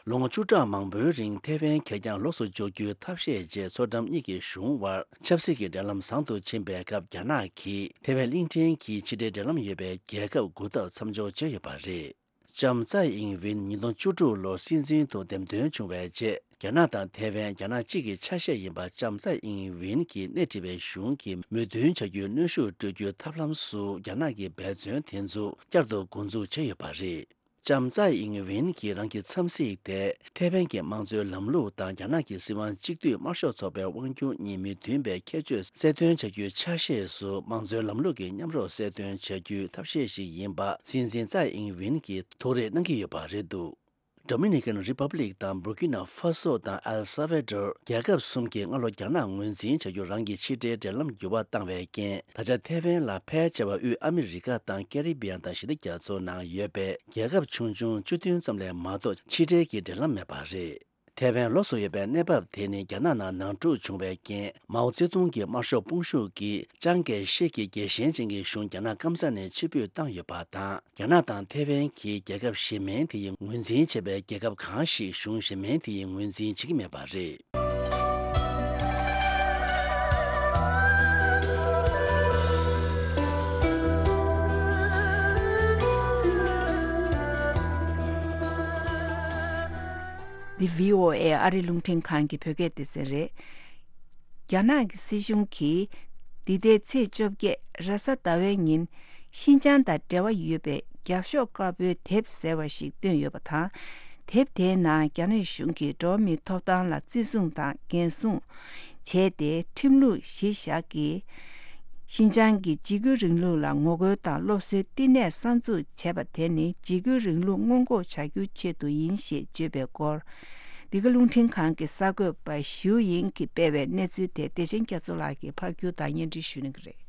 ལོ་ངོ་བཅུ་ཕྲག་མང་པོའི་རིང་ཐེ་ཝན་ཁེར་རྐྱང་ལོགས་སུ་འཇོག་རྒྱུའི་ཐབས་ཤེས་རྗེས། མཚོ་འགྲམ་གཉིས་ཀྱི་གཞུང་དབར་ཆབ་སྲིད་ཀྱི་འབྲེལ་ལམ་བཟང་དུ་ཕྱིན་པའི་སྐབས། རྒྱ་ནག་གིས་ཐེ་ཝན་གླིང་ཕྲན་གྱི་ཕྱི་འབྲེལ་འབྲེལ་ལམ་ཡོད་པའི་རྒྱལ་ཁབ་དགུ་ཐབ་མཚམས་འཇོག་བྱས་ཡོད་པ་རེད། ལྕམ་ཙའེ་ཨིང་ཝིན་ཉིས་སྟོང་བཅུ་དྲུག་ལོར་སྲིད་འཛིན་དུ་འདེམས་ཐོན་བྱུང་བའི་རྗེས། རྒྱ་ནག་དང་ཐའེ་ཝན་རྒྱ་ནག་གཅིག་གི་ཆ་ཤས་ཡིན་པ་ལྕམ་ཙའེ་ཨིང་ཝིན་གྱིས་སྣེ་ཁྲིད་པའི་གཞུང་གིས་མོས་མཐུན་བྱ་རྒྱུའི་གནོན་ཤུགས་སྤྲོད་རྒྱུའི་ཐབས་ལམ་སུ་རྒྱ་ནག་གི་འབད་བརྩོན་དེ་ཚོ་བསྐྱར་དུ་འགོ་འཛུགས་བྱས་ཡོད་པ་རེད། ལྕམ་ཙའེ་ཨིང་ཝིན་གྱིས་རང་གི་འཚམས་གཟིགས་དེ་ཐའེ་ཝན་གྱི་དམངས་གཙོའི་ལམ་ལུགས་དང་རྒྱ་ནག་གི་སྲིད་དབང་གཅིག་སྡུད་དམར་ཤོག་ཚོགས་པའི་དབང་སྒྱུར་གཉིས་མོས་མཐུན་པའི་ཁྱད་ཆོས་གསལ་སྟོན་བྱ་རྒྱུའི་ཆ་ཤས་སུ་དམངས་གཙོའི་ལམ་ལུགས་ཀྱི་མཉམ་རོགས་གསལ་སྟོན་བྱ་རྒྱུའི་ཐབས་ཤེས་ཤིག་ཡིན་པ་སྲིད་འཛིན་ཙའེ་ཨིང་ཝིན་གྱིས་ཐུགས་རེ་གནང་གི་ཡོད་པ་རེད་འདུག། Dominican Republic དང་Burkina Faso དང་El Salvador རྒྱལ་ཁབ་གསུམ་གྱིས་སྔ་ལོ་རྒྱ་ནག་ངོས་འཛིན་བྱ་རྒྱུ་རང་གི་ཕྱི་འབྲེལ་འབྲེལ་ལམ་འགྱུར་བ་བཏང་བའི་རྐྱེན། ད་ཆ་ཐའེ་ཝན་ལ་ཕལ་ཆེ་བ་དབུས་ཨ་མི་རི་ཀ་དང་ཀེ་རི་བི་ཡན་དང་ཞི་བདེ་རྒྱ་མཚོ་ནང་ཡོད་པའི་རྒྱལ་ཁབ་ཆུང་ཆུང་བཅུ་བདུན་ཙམ་ལས་མ་གཏོགས་ཕྱི་འབྲེལ་གྱི་འབྲེལ་ལམ་མེད་པ་རེད། ཐའེ་ཝན་ལོགས་སུ་ཡོད་པའི་གནས་བབ་དེ་ནི་རྒྱ་ནག་ནང་ནང་འཁྲུག་བྱུང་བའི་རྐྱེན། མའོ་ཙེ་ཏུང་གི་དམར་ཤོག་དཔུང་ཤུགས་ཀྱིས་ཅང་ཀེ་ཤེ་གྱི་རྒྱལ་ཞེན་ཅན་གྱི་གཞུང་རྒྱ་ནག་སྐམ་ས་ནས་ཕྱིར་འབུད་བཏང་ཡོད་པ་དང་། རྒྱ་ནག་དང་ཐའེ་ཝན་གྱིས་རྒྱལ་ཁབ་གཞན་མིན་དེ་ཡི་ངོས་འཛིན་བྱེད་པའི་རྒྱལ་ཁབ་གང་ཞིག་གཞུང་གཞན་མིན་དེ་ཡི་ངོས་འཛིན་བྱེད་ཀྱི་མེད་པ་རེད། འདི་བྷི་ཨོ་ཨེ་ཨ་རི་རླུང་འཕྲིན་ཁང་གི་བོད་སྐད་སྡེ་ཚན་རེད། རྒྱ་ནག་གི་སྲིད་གཞུང་གིས་འདི་ཟླའི་ཚེས་བཅོ་བརྒྱད་རེས་གཟའ་ཟླ་བའི་ཉིན་ཤིན་ཅང་དང་འབྲེལ་བ་ཡོད་པའི་རྒྱབ་ཤོག་དཀར་པོའི་དེབ་ཟེར་བ་ཞིག་བཏོན་ཡོད་པ་དང་། དེབ་དེའི་ནང་རྒྱ་ནག་གཞུང་གིས་འགྲོ་བ་མིའི་ཐོབ་ཐང་ལ་བརྩི་སྲུང་དང་འགན་སྲུང་བྱས་ཏེ། ཁྲིམས་ལུགས་གཞི་བཞག་གིས་ཤིན་ཅང་གི་འཇིགས་སྐུལ་རིང་ལུགས་ལ་ངོ་རྒོལ་དང་སློབ་གསོའི་བསྟི་གནས་གསར་འཛུགས་བྱས་པ་དེ་ནི་འཇིགས་སྐུལ་རིང་ལུགས་སྔོན་འགོག་བྱ་རྒྱུ་ཆེད་དུ་ཡིན་ཞེས་བརྗོད་པའི་སྐོར། འདི་ག་རླུང་འཕྲིན་ཁང་གི་གསར་འགོད་པ་ཞུ་ཡིན་གྱིས་སྤེལ་བའི་གནས་ཚུལ་དེ་བདེ་ཆེན་རྒྱ་མཚོ་ལགས་ཀྱིས་ཕབ་སྒྱུར་དང་སྙན་སྒྲོན་ཞུ་གནང་གི་རེད།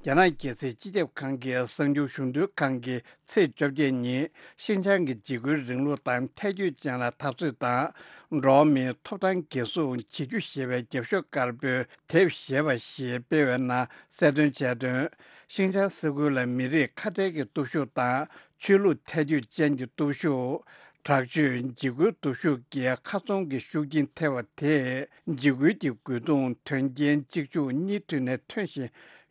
རྒྱ་ནག་རྒྱལ་སྲིད་སྤྱི་ཁྱབ་ཁང་གི་གསར་འགྱུར་གཞུང་དོན་ཁང་གིས་ཚེས་བཅོ་བརྒྱད་ཉིན་ཤིན་ཅང་གི་འཇིགས་སྐུལ་རིང་ལུགས་དང་ཐལ་འགྱུར་ཅན་ལ་འཐབ་རྩོད་དང་། འགྲོ་བ་མིའི་ཐོབ་ཐང་འགན་སྲུང་བྱེད་རྒྱུ་ཞེས་པའི་རྒྱབ་ཤོག་དཀར་པོའི་དེབ་ཞེས་པ་ཞིག་སྤེལ་བའི་ནང་གསལ་སྟོན་བྱས་དོན། ཤིན་ཅང་ས་ཁུལ་ལ་མི་རིགས་ཁ་བྲལ་གྱི་སྟོབས་ཤུགས་དང་ཆོས་ལུགས་ཐལ་འགྱུར་ཅན་གྱི་སྟོབས་ཤུགས། དྲག་སྤྱོད་འཇིགས་སྐུལ་སྟོབས་ཤུགས་ཀྱིས་ཁ་ཚོན་གྱི་ཤུགས་རྐྱེན་ཐེབས་པ་དེས་འཇིགས་སྐུལ་གྱི་རྒོལ་རྡུང་དོན་རྐྱེན་གཅིག་མཇུག་གཉིས་མཐུད་ནས་ཐོན་བཞིན་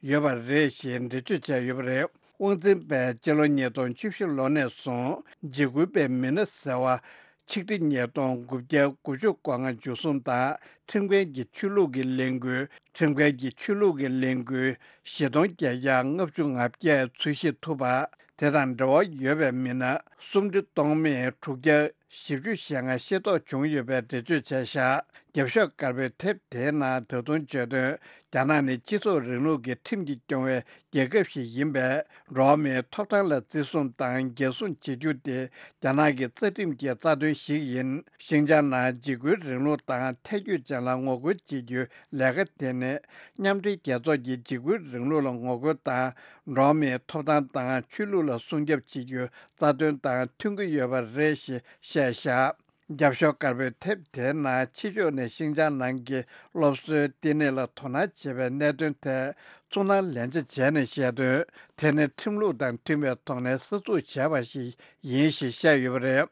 ཡོད་པ་རེད་ཞེས་འགྲེལ་བརྗོད་བྱས་ཡོད་པ་རེད། དབང་འཛིན་པས་སྤྱི་ལོ་ཉིས་སྟོང་བཅུ་བཞི་ལོ་ནས་བཟུང་འཇིགས་སྐུལ་པའི་མི་སྣ་ཟེར་བ། ཆིག་ཁྲི་ཉིས་སྟོང་དགུ་བརྒྱ་དགུ་བཅུ་གོ་ལྔ་འཇུ་བཟུང་དང་ཁྲིམས་འགལ་གྱི་ཆོས་ལུགས་ཀྱི་ལས་འགུལ། ཁྲིམས་འགལ་གྱི་ཆོས་ལུགས་ཀྱི་ལས་འགུལ། བཞི་སྟོང་བརྒྱད་བརྒྱ་ལྔ་བཅུ་ང་བརྒྱད་འཚོལ་ཞིབ་ཐུབ་པ། དེ་དང་འབྲེལ་བ་ཡོད་པའི་མི་སྣ་སུམ་ཁྲི་སྟོང་མེད་དྲུག་བརྒྱ་བཞི་བཅུ་ཞེ་ལྔ་ཤེས་རྟོགས་བྱུང་ཡོད་པའི་འགྲེལ་བརྗོད་བྱས་བཞག་རྒྱབ་ཤོག་དཀར་པོའི་དེབ་དེའི་ནང་ད་དུང་བརྗོད་དོན། རྒྱ་ནག་ནི་སྤྱི་ཚོགས་རིང་ལུགས་ཀྱི་ཁྲིམས་ཀྱིས་སྐྱོང་བའི་རྒྱལ་ཁབ་ཞིག་ཡིན་པས། འགྲོ་བ་མིའི་ཐོབ་ཐང་ལ་བརྩི་སྲུང་དང་འགན་སྲུང་བྱེད་རྒྱུ་དེ་རྒྱ་ནག་གི་རྩ་ཁྲིམས་ཀྱི་རྩ་དོན་ཞིག་ཡིན། ཤིན་ཅང་ནང་འཇིགས་སྐུལ་རིང་ལུགས་དང་ཐལ་འགྱུར་ཅན་ལ་ངོ་རྒོལ་བྱེད་རྒྱུའི་ལས་ཀ་དེ་ནི་མཉམ་འབྲེལ་རྒྱལ་ཚོགས་ཀྱི་འཇིགས་སྐུལ་རིང་ལུགས་ལ་ངོ་རྒོལ་དང་། འགྲོ་བ་མིའི་ཐོབ་ཐང་དང་ཆོས་ལུགས་ལ་སྲུང་སྐྱོབ་བྱེད་རྒྱུའི་རྩ་དོན་དང་མཐུན་གྱི་ཡོད་པ་རེད་ཞེས་བཤད་བཞག་རྒྱབ་ཤོག་དཀར་པོའི་དེབ་དེའི་ནང་ཕྱི་ཕྱོགས་ནས་ཤིན་ཅང་ནང་གི་སློབ་གསོའི་བསྟི་གནས་ལ་དོ་སྣང་བྱེད་པའི་གནད་དོན་ཐད་ཚུར་སྣང་ལན་ཆ་བྱས་ནས་བཤད་དོན། དེ་ནི་ཁྲིམས་ལུགས་དང་མཐུན་པའི་ཐོག་ནས་གསར་འཛུགས་བྱས་པ་ཞིག་ཡིན་ཞེས་བཤད་ཡོད་པ་རེད།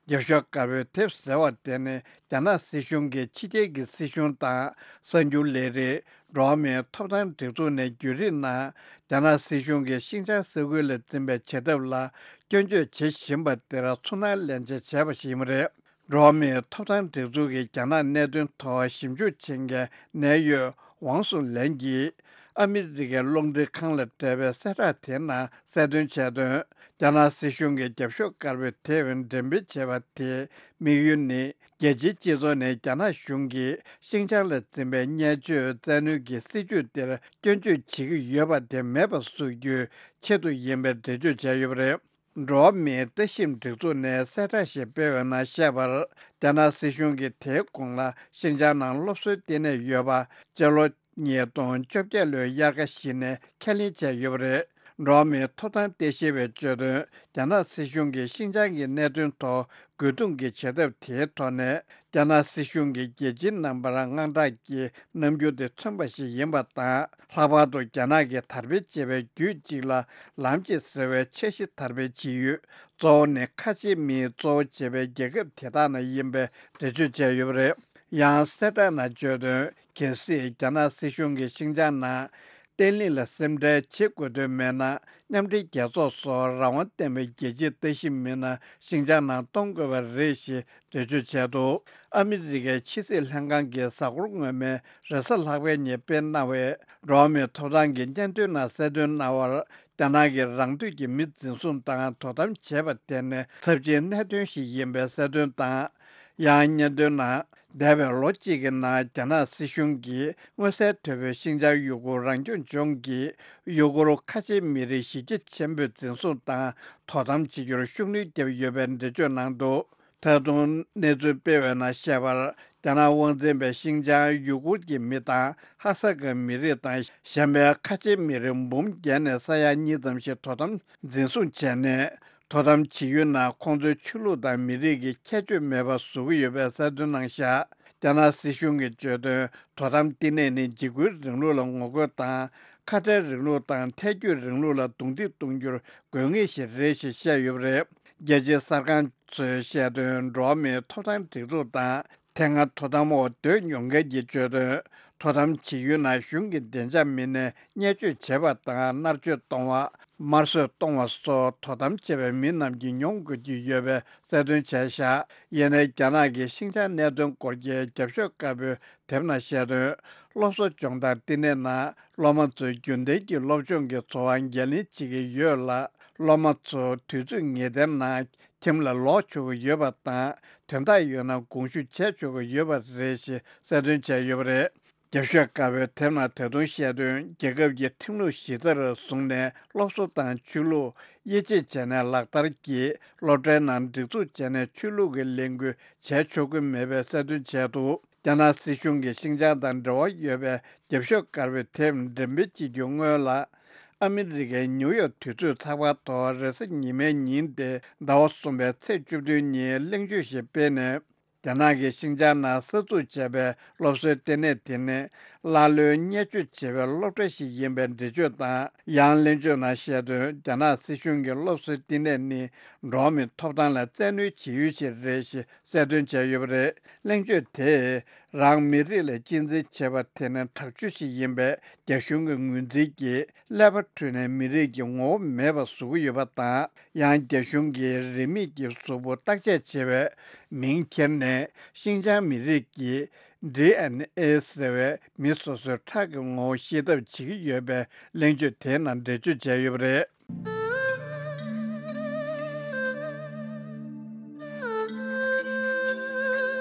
རྒྱབ་ཤོག་དཀར་པོའི་དེབ་ཟེར་བ་དེ་ནི་རྒྱ་ནག་སྲིད་གཞུང་གིས་ཕྱི་རྒྱལ་གྱི་སྲིད་གཞུང་དང་གསར་འགྱུར་ལས་རིགས། འགྲོ་བ་མིའི་ཐོབ་ཐང་སྒྲིག་འཛུགས་ནས་བརྒྱུད་རིམ་ནང་རྒྱ་ནག་སྲིད་གཞུང་གིས་ཤིན་ཅང་ས་ཁུལ་ལ་འཛིན་པའི་བྱེད་ཐབས་ལ་སྐྱོན་བརྗོད་བྱེད་བཞིན་པ་དེར་ཚུར་སྣང་ལན་ཆ་བྱས་པ་ཞིག་ཡིན་པ་རེད། འགྲོ་བ་མིའི་ཐོབ་ཐང་སྒྲིག་འཛུགས་ཀྱིས་རྒྱ་ནག་གནད་དོན་ཐོག་ཞིབ་འཇུག་བྱེད་མཁན་གནད་ཡོད་ཝང་སུང་ལན་གྱིས་ཨ་མི་རི་ཀའི་རླུང་འཕྲིན་ཁང་ལ་སྤྲད་པའི་གསལ་བསྒྲགས་དེའི་ནང་གསལ་སྟོན་བྱས་དོན། རྒྱ་ནག་སྲིད་གཞུང་གིས་རྒྱབ་ཤོག་དཀར་པོའི་དེབ་འགྲེམས་སྤེལ་བྱས་པ་དེའི་དམིགས་ཡུལ་ནི། རྒྱལ་སྤྱིའི་སྤྱི་ཚོགས་ནས་རྒྱ་ནག་གཞུང་གིས་ཤིན་ཅང་ལ་འཛིན་པའི་བརྙས་བཅོས་བཙན་གནོན་གྱི་སྲིད་བྱུས་དེར་སྐྱོན་བརྗོད་བྱེད་ཀྱི་ཡོད་པ་དེ་མེད་པ་བཟོ་རྒྱུའི་ཆེད་དུ་ཡིན་པའི་འགྲེལ་བརྗོད་བྱས་ཡོད་པ་རེད། འགྲོ་བ་མིའི་ལྟ་ཞིབ་སྒྲིག་འཛུགས་ནས་གསལ་བསྒྲགས་ཤིག་སྤེལ་བའི་ནང་བཤད་པར། རྒྱ་ནག་སྲིད་གཞུང་གིས་དེའི་གོང་ལ་ཤིན་ཅང་ནང་སློབ་གསོའི་ལྟེ་གནས་ཡོད་པ་སྤྱི་ལོ་ཉིས་སྟོང་བཅོ་བརྒྱད་ལོའི་དབྱར་ཁ་ཞིག་ནས་ཁས་ལེན་བྱས་ཡོད་པ་རེད། འགྲོ་བ་མིའི་ཐོབ་ཐང་ལྟ་ཞིབ་པས་བརྗོད་དོན། རྒྱ་ནག་སྲིད་གཞུང་གིས་ཤིན་ཅང་གི་གནད་དོན་ཐོག་རྒོལ་རྡུང་གི་བྱེད་ཐབས་དེའི་ཐོག་ནས། རྒྱ་ནག་སྲིད་གཞུང་གིས་རྒྱལ་སྤྱིའི་རྣམ་པར་དངངས་སྐྲག་གི་རྣམ་འགྱུར་དེ་མཚོན་པ་ཞིག་ཡིན་པ་དང་། ལྷག་པར་དུ་རྒྱ་ནག་གིས་དར་སྤེལ་བྱེད་པའི་རྒྱུད་གཅིག་ལ་ལམ་གཅིག་ཟེར་བའི་འཆར་གཞི་དར་སྤེལ་བྱེད་ཡུལ་གཙོ་བོ་ནི་ཁ་ཆེ་མིའི་གཙོ་བོ་བྱེད་པའི་རྒྱལ་ཁབ་དེ་དག་ནང་ཡིན་པའི་འགྲེལ་བརྗོད་བྱས་ཡོད་པ་རེད། ཡང་གསལ་བསྒྲགས་ནང་བརྗོད་དོན། གལ་སྲིད་རྒྱ་ནག་སྲིད་གཞུང་གིས་ཤིན་ཅང་ནང་ བརྟན་ལྷིང་ལ་སེམས་ཁྲལ་བྱེད་དགོས་དོན་མེད་ན། མཉམ་འབྲེལ་རྒྱལ་ཚོགས་སོགས་རང་དབང་ལྡན་པའི་རྒྱལ་སྤྱིའི་ལྟ་ཞིབ་མི་སྣ་ཤིན་ཅང་ནང་གཏོང་དགོས་པ་རེད་ཞེས་འགྲེལ་བརྗོད་བྱས་འདུག་ཨ་མི་རི་ཀའི་ཕྱི་སྲིད་ལྷན་ཁང་གི་གཟའ་འཁོར་སྔོན་མའི་རེས་གཟའ་ལྷག་པའི་ཉིན་སྤེལ་གནང་བའི་འགྲོ་བ་མིའི་ཐོབ་ཐང་གི་སྙན་ཐོའི་ནང་གསལ་སྟོན་གནང་བར། རྒྱ་ནག་གིས་རང་འདོད་ཀྱིས་མི་འཛིན་བཟུང་དང་དོ་དམ་བྱས་པ་དེ་ནི་ཚབས་ཆེའི་གནད་དོན་ཞིག་ཡིན་པའི་གསལ་སྟོན་དང་། ཡང་སྙན་ཐོའི་ནང་། འདས་པའི་ལོ་གཅིག་གི་ནང་རྒྱ་ནག་སྲིད་གཞུང་གིས་མངོན་གསལ་དོད་པོའི་ཤིན་ཅང་ཡུ་གུར་རང་སྐྱོང་ལྗོངས་ཀྱི་ཡུ་གུར་ཁ་ཆེའི་མི་རིགས་གཞི་རྒྱ་ཆེན་པོས་འཛིན་བཟུང་དང་དོ་དམ་བྱེད་རྒྱུར་ཤུགས་སྣོན་བརྒྱབ་ཡོད་པའི་འགྲེལ་བརྗོད་གནང་འདུག་ད་དུང་གནས་ཚུལ་སྤེལ་བའི་ནང་བཤད་པར། རྒྱ་ནག་དབང་འཛིན་པའི་ཤིན་ཅང་ཡུ་གུར་གྱི་མི་དང་ཧ་ས་གི་མི་རིགས་དང་གཞན་པའི་ཁ་ཆེའི་མི་རིགས་འབུམ་བརྒྱད་ནས་ས་ཡ་གཉིས་ཙམ་ཞིག་དོ་དམ་འཛིན་བཟུང་བྱས་ནས། དོ་དམ་བྱེད་ཡུལ་ནང་ཁོང་ཚོའི་ཆོས་ལུགས་དང་མི་རིགས་ཀྱི་ཁྱད་ཆོས་མེད་པ་བཟོ་གི་ཡོད་པའི་གསལ་སྟོན་གནང་བཞག་རྒྱ་ནག་སྲིད་གཞུང་གིས་བརྗོད་དོན། དོ་དམ་བསྟི་གནས་ནི་འཇིགས་སྐུལ་རིང་ལུགས་ལ་ངོ་རྒོལ་དང་། ཁ་བྲལ་རིང་ལུགས་དང་ཐལ་འགྱུར་རིང་ལུགས་ལ་རྡུང་རྡེག་གཏོང་རྒྱུར་དགོས་ངེས་ཤིག་རེད་ཞེས་བཤད་ཡོད་པ་རེད། རྒྱལ་སྤྱིའི་གསར་ཁང་ཚོས་བཤད་དོན། འགྲོ་བ་མིའི་ཐོབ་ཐང་སྒྲིག་འཛུགས་དང་། དེ་སྔ་དོ་དམ་འོག་སྡོད་མྱོང་མཁན་གྱིས་བརྗོད་དོན། དོ་དམ་བྱེད་ཡུལ་ནང་གཞུང་གི་བདེ་འཇགས་མི་སྣས་བརྙས་བཅོས་བྱེད་པ་དང་མནར་གཅོད་གཏོང་བ། དམར་གསོད་གཏོང་བ་སོགས་དོ་དམ་བྱས་པའི་མི་རྣམས་ཀྱིས་མྱོང་དགོས་ཀྱི་ཡོད་པའི་གསལ་སྟོན་བྱས་བཞག་ཡིན་ནའི་རྒྱ་ནག་གི་ཤིན་ཅང་གནད་དོན་སྐོར་གྱི་རྒྱབ་ཤོག་དཀར་པོའི་དེབ་ནང་བཤད་དོན། སློབ་གསོ་སྦྱོང་བརྡར་བསྟི་གནས་ནང་སློབ་མ་ཚོས་རྒྱུན་ལྡན་གྱི་སློབ་སྦྱོང་གི་འཚོ་བ་འགན་ལེན་བྱེད་ཀྱི་ཡོད་ལ། སློབ་མ་ཚོ་དུས་ཚོད་ངེས་གཏན་ནང་ཁྱིམ་ལ་ལོག་ཆོག་གི་ཡོད་པ་དང་། དོན་དག་ཡོད་ན་དགོངས་ཞུ་བྱས་ཆོག་གི་ཡོད་པ་རེད་ཞེས་གསལ་སྟོན་བྱས་ཡོད་པ་རེད། རྒྱབ་ཤོག་དཀར་པོའི་དེབ་ནང་ད་དུང་བཤད་དོན། རྒྱལ་ཁབ་ཀྱི་ཁྲིམས་ལུགས་གཞི་རྩར་བཟུང་ནས་སློབ་གསོ་དང་ཆོས་ལུགས་དབྱེ་འབྱེད་བྱས་ནས་ལག་བསྟར་གྱིས་སློབ་གྲྭའི་ནང་སྒྲིག་འཛུགས་བྱས་ནས་ཆོས་ལུགས་ཀྱི་ལས་འགུལ་བྱས་ཆོག་གི་མེད་པའི་གསལ་སྟོན་བྱས་འདུག་རྒྱ་ནག་སྲིད་གཞུང་གིས་ཤིན་ཅང་དང་འབྲེལ་བ་ཡོད་པའི་རྒྱབ་ཤོག་དཀར་པོའི་དེབ་འགྲེམས་སྤེལ་བྱེད་རྒྱུ་སྔོན་ལ། ཨ་མི་རི་ཀའི་ནིའུ་ཡོག་དུས་ཚོད་ཚགས་པར་ཐོག་རེས་གཟའ་ཉི་མའི་ཉིན་ཏེ་ཟླ་བ་གསུམ་པའི་ཚེས་བཅུ་བདུན་ཉིན་གླེང་བརྗོད་ཞིག་སྤེལ་ནས། རྒྱ་ནག་གིས་ཤིན་ཅང་ནང་གསར་འཛུགས་བྱས་པའི་སློབ་གསོའི་ལྟེ་གནས་དེ་ནི་ཀླ་ཀློའི་བརྙས་བཅོས་བྱེད་པའི་སློབ་གྲྭ་ཞིག་ཡིན་པའི་འགྲེལ་བརྗོད་དང་། ཡང་གླེང་བརྗོད་ནང་བཤད་དོན། རྒྱ་ནག་སྲིད་གཞུང་གིས་སློབ་གསོའི་ལྟེ་གནས་ནི་འགྲོ་བ་མིའི་ཐོབ་ཐང་ལ་བཙན་གནོན་བྱེད་ཡུལ་ཞིག་རེད་ཞེས་གསལ་སྟོན་བྱས་ཡོད་པ་རེད། གླེང་བརྗོད་དེས་རང་མི་རིགས་ལ་གཅེས་འཛིན་བྱེད་པ་དེ་ནི་དྲག་སྤྱོད་ཞིག་ཡིན་པས། རྒྱ་གཞུང་གི་ངོས་འཛིན་གྱིས་ཀླད་པ་འཁྲུད་ནས་མི་རིགས་ཀྱི་ངོ་བོ་མེད་པ་བཟོ་གི་ཡོད་པ་དང་། ཡང་རྒྱ་གཞུང་གིས་རིས་མེད་ཀྱི་གཟུགས་པོ་བརྟག་དཔྱད་བྱེད་པའི་མིང་ཁྱེར་ནས་ཤིན་ཅང་མི་རིགས་ཀྱི་ཌི་ཨེན་ཨེ་ཟེར་བའི་མི་སོ་སོའི་ཁྲག་གི་ངོ་བོ་ཤེས་ཐབས་བྱེད་ཀྱི་ཡོད་པའི་གླེང་བརྗོད་དེའི་ནང་འགྲེལ་བརྗོད་བྱས་ཡོད་པ་རེད།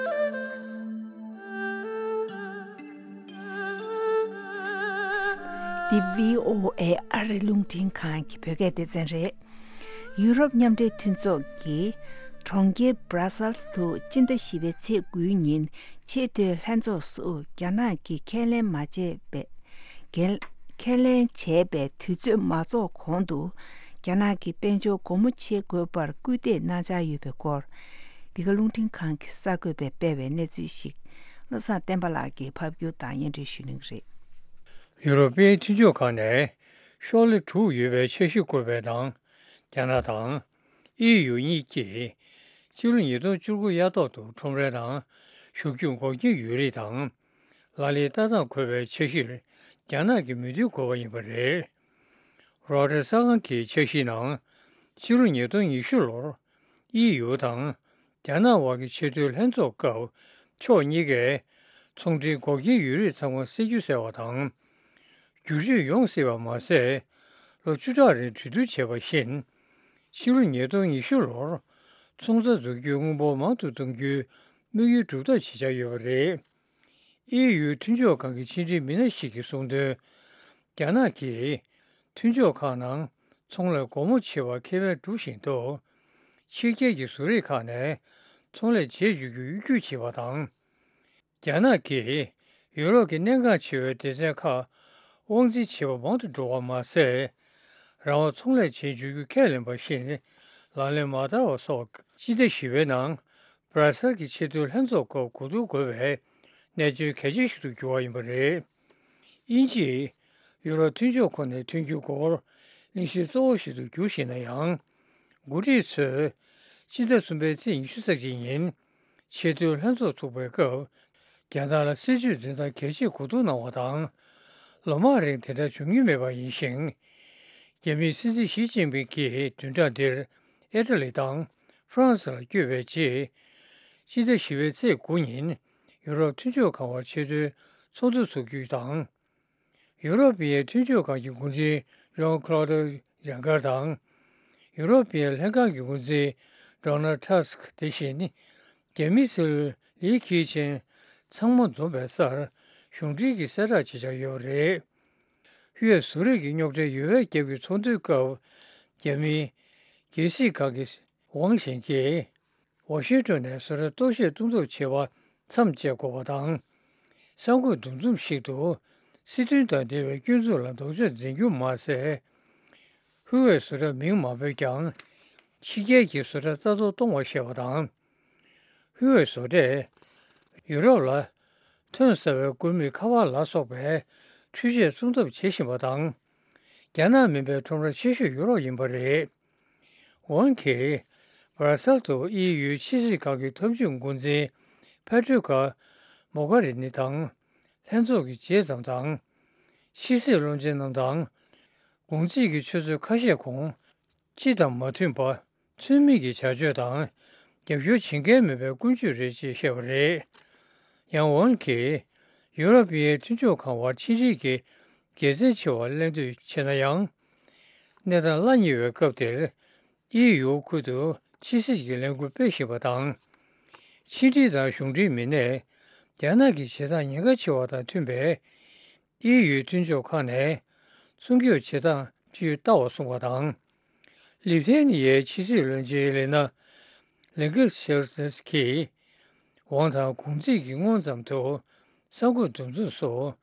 འདི་བྷི་ཨོ་ཨེ་ཨ་རི་རླུང་འཕྲིན་ཁང་གི་བོད་སྐད་སྡེ་ཚན་རེད། ཡུ་རོབ་མཉམ་འབྲེལ་མཐུན་ཚོགས་ཀྱིས་གྲོང་ཁྱེར་Brussels་དུ་སྤྱི་ཟླ་བཞི་པའི་ཚེས་དགུའི་ཉིན་ཆེས་མཐོའི་ལྷན་ཚོགས་སུ་རྒྱ་ནག་གིས་ཁས་ལེན་མ་བྱས་པའི། ཁས་ལེན་བྱས་པའི་དུས་ཚོད་མ་རྫོགས་གོང་དུ། རྒྱ་ནག་གི་དཔལ་འབྱོར་སྒོ་མོ་ཕྱེ་དགོས་པར་སྐུལ་འདེད་གནང་འཆར་ཡོད་པའི་སྐོར། འདི་ག་རླུང་འཕྲིན་ཁང་གི་གསར་འགོད་པས་སྤེལ་བའི་གནས་ཚུལ་ཞིག་བློ་བཟང་བསྟན་པ་ལགས་ཀྱིས་ཕབ་སྒྱུར་དང་སྙན་སྒྲོན་ཞུ་གནང་གི་རེད། ཡུ་རོབ་པའི་མཐུན་ཕྱོགས་ཁག་ནས་ཤོག་ལྷེ་དྲུག་ཡོད་པའི་འཆར་གཞི་བཀོད་པའི་ནང་། རྒྱ་ནག་དང་། ཨི་ཡུ་གཉིས་ཀྱིས་ཕྱི་ལོ་ཉིས་སྟོང་བཅུ་དགུ་དབྱར་ཐོག་ཏུ་ཁྲོམ་རའི་ནང་ཞུགས་རྒྱུ་འགོག་རྐྱེན་ཡོད་རིགས་དང་། ལག་ལེན་ལྟ་སྟངས་འཁོད་པའི་འཆར་གཞིར་རྒྱ་ནག་གིས་མོས་མཐུན་དགོས་པ་ཡིན་པ་རེད། རོའི་ཊར་གསར་ཁང་གི་འཆར་གཞིའི་ནང་། ཕྱི་ལོ་ཉིས་སྟོང་ཉི་ཤུ་ལོར་ཨི་ཡུ་དང་རྒྱ་ནག་དབར་གྱི་ཆེས་མཐོའི་ལྷན་ཚོགས་སྐབས་ཕྱོགས་གཉིས་ཀས་ཚོང་འབྲེལ་འགོག་རྐྱེན་ཡོད་རིགས་ཚང་མ་སེལ་རྒྱུ་ཟེར་བ་དང་། བསྒྱུར་བཅོས་ཡོང་སྲིད་པ་མ་ཟད། ལོ་བཅུ་ཕྲག་རིང་གྲོས་བསྡུར་བྱས་པ་བཞིན། ཕྱི་ལོ་ཉིས་སྟོང་ཉི་ཤུ་ལོར་ཚོང་རྩ་འཛུགས་རྒྱུའི་དངོས་པོ་མང་དུ་གཏོང་རྒྱུའི་དམིགས་ཡུལ་སྒྲུབ་ཐབས་བྱེད་འཆར་ཡོད་པ་རེད། ཨི་ཡུའི་མཐུན་ཕྱོགས་ཁང་གི་ཕྱི་འབྲེལ་མི་སྣ་ཞིག་གིས་གསུངས་དོན། རྒྱ་ནག་གིས་མཐུན་ཕྱོགས་ཁག་ནང་ཚོང་ལས་སྒོ་མོ་ཕྱེ་བར་ཁེ་ཕན་སྒྲུབ་བཞིན་འདུག་ཕྱི་རྒྱལ་གྱི་བཟོ་རིགས་ཁག་ནས་ཚོང་ལས་བྱེད་འཇུག་རྒྱུར་གཡོ་སྒྱུ་བྱེད་པ་དང་། རྒྱ་ནག་གིས་ཡུ་རོབ་ཀྱི་གནད་འགག་ཆེ་བའི་སྡེ་ཚན་ཁག་དབང་འཛིན་བྱེད་པ་མང་དུ་འགྲོ་བ་མ་ཟད། རང་དབང་ཚོང་ལས་བྱེད་འཇུག་རྒྱུ་ཁས་ལེན་པ་བཞིན་ལག་ལེན་མ་བསྟར་བ་སོགས། སྤྱི་ཟླ་བཞི་པའི་ནང་བྷ་ར་སལ་གྱི་ཆེས་མཐོའི་ལྷན་ཚོགས་སྐབས་གོ་བསྡུར་དགོས་པའི་གནད་དོན་གལ་ཆེ་ཞིག་ཏུ་གྱུར་བ་ཡིན་པ་རེད། དབྱིན་ཇིས་ཡུ་རོབ་མཐུན་ཕྱོགས་ཁོ་ནས་ཐོན་རྒྱུའི་སྐོར་གླེང་གཞིའི་གཙོ་བོ་ཞིག་ཏུ་གྱུར་བཞིན་ན་ཡང་། འགོ་ཁྲིད་ཚོས་སྤྱི་ཟླ་གསུམ་པའི་ཚེས་ཉི་ཤུ་རྩ་གཅིག་ཉིན་ཆེས་མཐོའི་ལྷན་ཚོགས་ཚུགས་པའི་སྐབས། རྒྱ་ནག་ལ་སྲིད་ཇུས་འཛིན་སྟངས་གལ་ཆེ་གོ་བསྡུར་གནང་བ་དང་། ལོ་མང་རིང་དེ་འདྲ་བྱུང་མྱོང་མེད་པ་ཡིན་ཞིང་། རྒྱ་མིའི་སྲིད་འཛིན་ཞི་ཅིན་ཕིང་གིས་བདུན་ཕྲག་འདིར་ཨི་ཊ་ལི་དང་ཧྥ་རན་སི་ལ་བསྐྱོད་པའི་རྗེས། སྤྱི་ཟླ་བཞི་པའི་ཚེས་དགུ་ཉིན་ཡུ་རོབ་མཐུན་ཕྱོགས་ཁང་བར་ཆེས་མཐོའི་ཚོགས་འདུ་འཚོགས་རྒྱུ་དང་། ཡུ་རོབ་པའི་མཐུན་ཕྱོགས་ཁང་གི་འགོ་ཁྲིད་ཇོན་ཁ་ལོ་ཌི་ཇང་ཀར་དང་། ཡུ་རོབ་པའི་ལྷན་ཁང་གི་འགོ་འཛིན་ཌོ་ནལ་ཌི་ཊ་སི་ཀི་དེ་བཞིན། རྒྱ་མིའི་སྲིད་བློན་ལི་ཁེ་ཆང་ཚང་མ་འཛོམས་པའི་སར་གཞུང་འབྲེལ་གྱི་གསལ་བསྒྲགས་བྱེད་འཆར་ཡོད་པ་རེད། ཧུའེ་བཟོ་རིག་གི་རྙོག་དྲའི་ཡོལ་བའི་རྒྱབ་ཀྱི་ཚོགས་འདུའི་སྐབས། རྒྱ་མིའི་རྒྱལ་སྲིད་ཁང་གི་ཝང་ཞན་གྱིས་ཝ་ཤིང་ཏོན་ནས་བཟོ་གྲྭ་གཏོར་བཤིག་གཏོང་ཐབས་བྱེད་པ་མཚམས་བཅད་དགོས་པ་དང་། གསར་འགོད་འདུ་འཛོམས་ཤིག་ཏུ་སྲིད་དོན་དང་འབྲེལ་བའི་སྐྱོན་འཛུགས་ལ་ལྡོག་ཕྱོགས་འཛིན་རྒྱུ་མ་ཟད། ཧུའེ་བཟོ་གྲྭ་མིང་མ་འབོད་ཀྱང་། ཕྱི་རྒྱལ་གྱི་བཟོ་གྲྭ་རྩ་གཏོར་གཏོང་བ་ཞེས་པ་དང་། ཧུའེ་བཟོ་གྲས་ཡུ་རོབ་ལ་ཐོན་གསར་བའི་ཀུ་མུད་ཁ་པར་ལ་སོགས་པའི་འཕྲུལ་ཆས་བཙོང་ཐབས་བྱེད་བཞིན་པ་དང་། རྒྱ་ནག་མིན་པའི་ཁྲོམ་ར་ཆེ་ཤོས་ཡུ་རོབ་ཡིན་པ་རེད། ཝང་གིས་བར་སལ་དུ་ཨི་ཡུའི་ཕྱི་སྲིད་ཁང་གི་འཐབ་ཇུས་འགོ་འཛིན་ཕ་ཏྲུ་ཀ་མོ་གྷ་རི་ནི་དང་ལྷན་ཚོགས་ཀྱི་རྗེས་ཙམ་དང་། ཕྱི་སྲིད་བློན་ཆེན་རྣམས་དང་། དགོང་ཚིགས་ཀྱི་ཆུ་ཚོད་ཁ་ཤས་གོང་སྤྱི་དང་མ་མཐུན་པ། ཚུལ་མིན་གྱི་བྱ་སྤྱོད་དང་། རྒྱབ་སྐྱོར་བྱེད་མཁན་མེད་པའི་ཀུན་སྤྱོད་རེད་ཅེས་བཤད་པ་རེད། ཡང་ཝང་གིས་ཡུ་རོབ་པའི་མཐུན་ཕྱོགས་ཁང་བར་ཕྱི་འབྲེལ་གྱི་དགེ་མཚན་ཆེ་བ་གླེང་འདོད་ཆེ་ན་ཡང་། གནས་སྟངས་གླ་ཉེ་བའི་སྐབས་དེར། ཨི་ཡུ་ཁུལ་དུ་ཕྱི་སྲིད་ཀྱི་ལས་འགུལ་སྤེལ་བཞིན་པ་དང་། ཕྱི་འབྲེལ་དང་གཞུང་འབྲེལ་མི་སྣས་རྒྱ་ནག་གི་བྱེད་སྟངས་ཉེན་ཁ་ཆེ་བ་དང་མཐུན་པས། ཨི་ཡུའི་མཐུན་ཕྱོགས་ཁག་ནས་སྲུང་སྐྱོབ་བྱེད་སྟངས་ཅིག་ལྟ་བར་གསུངས་པ་དང་། ལི་ཐེ་ནི་ཡའི་ཕྱི་སྲིད་བློན་ཆེན་ལི་ན་ལེ་གེ་ཤེར་ཏེ་སི་ཀིས་ཝང་དང་གུང་ཚིགས་ཀྱི་སྔོན་ཙམ་དུ་གསར་འགོད་འདུ་འཛོམས་སུ།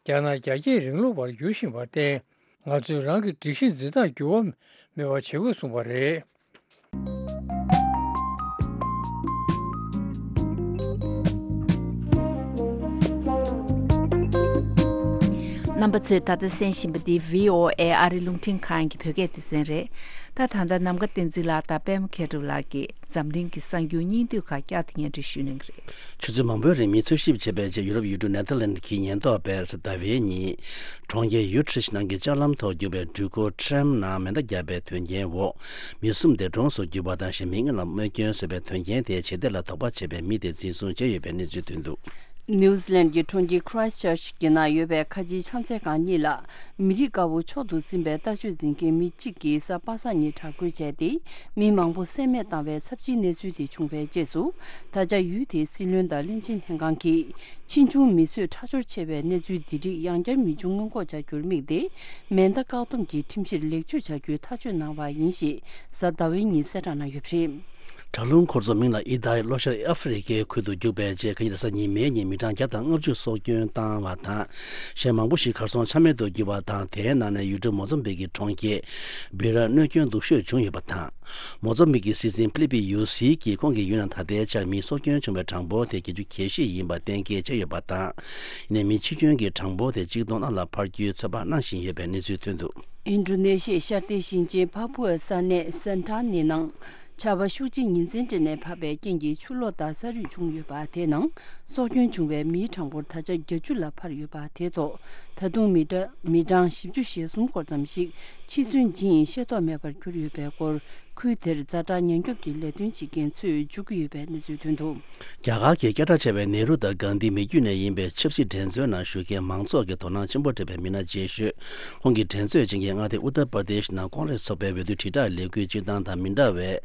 རྒྱ་ནག་རྒྱ་སྐྱེད་རིང་ལུགས་པར་འགྱུར་བཞིན་པར་བརྟེན། ང་ཚོས་རང་གི་སྒྲིག་གཞི་འཛིན་སྟངས་འགྱུར་བ་མེད་པ་བྱེད་དགོས་གསུངས་པ་རེད། རྣམ་པ་ཚོས་ད་ལྟ་གསན་བཞིན་པ་འདི་བྷི་ཨོ་ཨེ་ཨ་རི་རླུང་འཕྲིན་ཁང་གི་བོད་སྐད་སྡེ་ཚན་རེད། ད་ད་ལྟ་ནམ་མཁའ་བསྟན་འཛིན་ལགས་དང་པད་མ་མཁས་གྲུབ་ལགས་ཀྱིས་འཛམ་གླིང་གི་གསར་འགྱུར་སྙིང་བསྡུས་ཁག་བསྐྱར་དུ་སྙན་སྒྲོན་ཞུ་གནང་གི་རེད། ཆུ་ཚོད་མང་པོའི་རིང་མིས་འཚོལ་ཞིབ་བྱས་པའི་རྗེས་ཡུ་རོབ་ཡུལ་གྲུ་ནེ་ཐར་ལན་གྱི་ཉེན་རྟོག་པས་གཟའ་ཟླ་བའི་ཉིན། གྲོང་ཁྱེར་ཡུ་ཊི་རིཤ་ནང་གི་ལྕགས་ལམ་ཐོག་རྒྱུག་པའི་འགྲུལ་འཁོར་ཊི་རེམ་ནང་མེ་མདའ་བརྒྱབ་པའི་དོན་རྐྱེན་འོག་མི་གསུམ་དེ་གྲོངས་སུ་གྱུར་པ་དང་གཞན་མི་ལྔ་ལ་རྨས་སྐྱོན་བཟོས་པའི་དོན་རྐྱེན་དེའི་ཇེ་བདེ་ལ་དོགས་པ་བྱས་པའི་མི་དེ་འཛིན་བཟུང་བྱས་ཡོད་པའི་གནས་ཚུལ་ཐོན་འདུག་ནིའུ་ཛི་ལན་གྱི་གྲོང་ཁྱེར་ཁི་རའེ་སི་ཅར་ཅི་གི་ནང་ཡོད་པའི་ཁ་ཆེའི་ཕྱག་འཚལ་ཁང་གཉིས་ལ་མི་རིགས་དཀར་པོ་མཆོག་ཏུ་ཟིན་པའི་ལྟ་སྤྱོད་འཛིན་མཁན་མི་གཅིག་གིས་གཟའ་པ་སངས་ཉིན་དྲག་རྒོལ་བྱས་ཏེ། མི་མང་པོ་བསད་རྨས་བཏང་བའི་ཚབས་ཆེའི་གནས་ཚུལ་དེ་བྱུང་བའི་རྗེས་སུ། ད་ཆ་ཡུལ་དེའི་སྲིད་བློན་དང་བློན་ཆེན་ལྷན་ཁང་གིས། ཕྱིས་འབྱུང་མི་གསོད་ཁྲག་སྦྱོར་ཆེ་བའི་གནས་ཚུལ་འདི་རིགས་ཡང་བསྐྱར་མི་འབྱུང་སྔོན་འགོག་བྱ་རྒྱུར་དམིགས་ཏེ། མེ་མདའ་བཀག་སྡོམ་གྱི་ཁྲིམས་གཞིར་ལེགས་བཅོས་བྱ་རྒྱུའི་ཐག་གཅོད་གནང་བ་ཡིན་ཞེས་གཟའ་ཟླ་བའི་ཉིན་གསལ་བསྒྲགས་གནང་ཡོད་པ་རེད། དྲག་རླུང་འཁོར་ཚོགས་མིང་ལ་ཨི་ཏཱའི་ལྷོ་ཤར་ཨ་ཧྥེ་རི་ཁའི་ཁུལ་དུ་རྒྱུག་པའི་རྗེས། ཁ་ཉིན་རེས་གཟའ་ཉི་མའི་ཉིན་མི་གྲངས་བརྒྱ་དང་ལྔ་བཅུ་སྲོག་སྐྱོན་བཏང་བ་དང་། གཞན་མང་པོ་ཞིག་གར་སོང་ཆ་མེད་དུ་གྱུར་པ་དང་། དེའི་ནང་ནས་ཡུལ་གྲུ་མོ་ཛམ་བིག་གི་གྲོང་ཁྱེར་བི་ར་གནོད་སྐྱོན་སྡུག་ཤོས་བྱུང་ཡོད་པ་དང་། མོ་ཛམ་བིག་གི་སྲིད་འཛིན་ཕི་ལི་པི་ཡུ་སི་ཀྱིས་ཁོང་གི་ཡུལ་ནང་ད་ལྟའི་ཆར་མིའི་སྲོག་སྐྱོན་བྱུང་བའི་གྲངས་འབོར་དེ་བརྒྱད་ཅུ་གྱ་བཞི་ཡིན་པ་གཏན་འཁེལ་བྱས་ཡོད་པ་དང་། ཡིན་ནའི་མི་འཆི་སྐྱོན་གྱི་གྲངས་འབོར་དེ་གཅིག་སྟོང་ལྷག་ལ་འཕར་རྒྱུའི་ཚོད་དཔག་གནང་བཞིན་ཡོད་པའི་གནས་ཚུལ་ཐོན་འདུག་ཨིན་ཌོ་ནེ་ཤི་ཡའི་ཤར་ཏེ་ཞིང་ཆེན་ཕ་པུའ་ས་གནས་སན་ཏྲ་ནི་ནང་ཆར་པ་ཤུགས་ཆེ་ཉིན་མཚན་སྤྲད་ནས་བབས་པའི་རྐྱེན་གྱིས་ཆུ་ལོག་དང་ས་རུད་བྱུང་ཡོད་པ་དེའི་ནང་སྲོག་སྐྱོན་བྱུང་བའི་མིའི་གྲངས་འབོར་ད་ཆ་བརྒྱད་ཅུ་ལ་འཕར་ཡོད་པ་དེའི་ཐོག་ད་དུང་མི་གྲངས་མི་གྲངས་བཞི་བཅུ་ཞེ་གསུམ་སྐོར་ཙམ་ཞིག་འཆི་གསོན་ལྗིད་ཤེས་རྟོགས་མེད་པར་གྱུར་ཡོད་པའི་སྐོར། ཁུལ་དེར་ཛ་དྲག་ཉེན་སྐྱོབ་ཀྱི་ལས་དོན་བྱེད་མཁན་ཚོས་བརྗོད་ཀྱི་ཡོད་པའི་གནས་ཚུལ་ཐོན་འདུག་རྒྱ་གར་གྱི་སྐད་གྲགས་ཆེ་བའི་ནེ་རུ་དང་གྷན་དྷི་མི་རྒྱུད་ནས་ཡིན་པའི་ཆབ་སྲིད་འགྲན་རྩོད་ནང་ཞུགས་མཁན་མང་ཚོགས་ཀྱི་དོ་སྣང་ཆེན་པོ་སྤྲད་པའི་མི་སྣ་ཆེ་ཤོས། ཁོང་གིས་འགྲན་རྩོད་བྱེད་མཁན་མངའ་སྡེ་ཨུ་ཏར་པར་དེཤ་ནང་ཀོང་རེས་ཚོགས་པའི་འོས་བསྡུ་དྲིལ་བསྒྲགས་ལས་འགུལ་སྤྱིར་བཏང་དང་མི་འདྲ་བའི།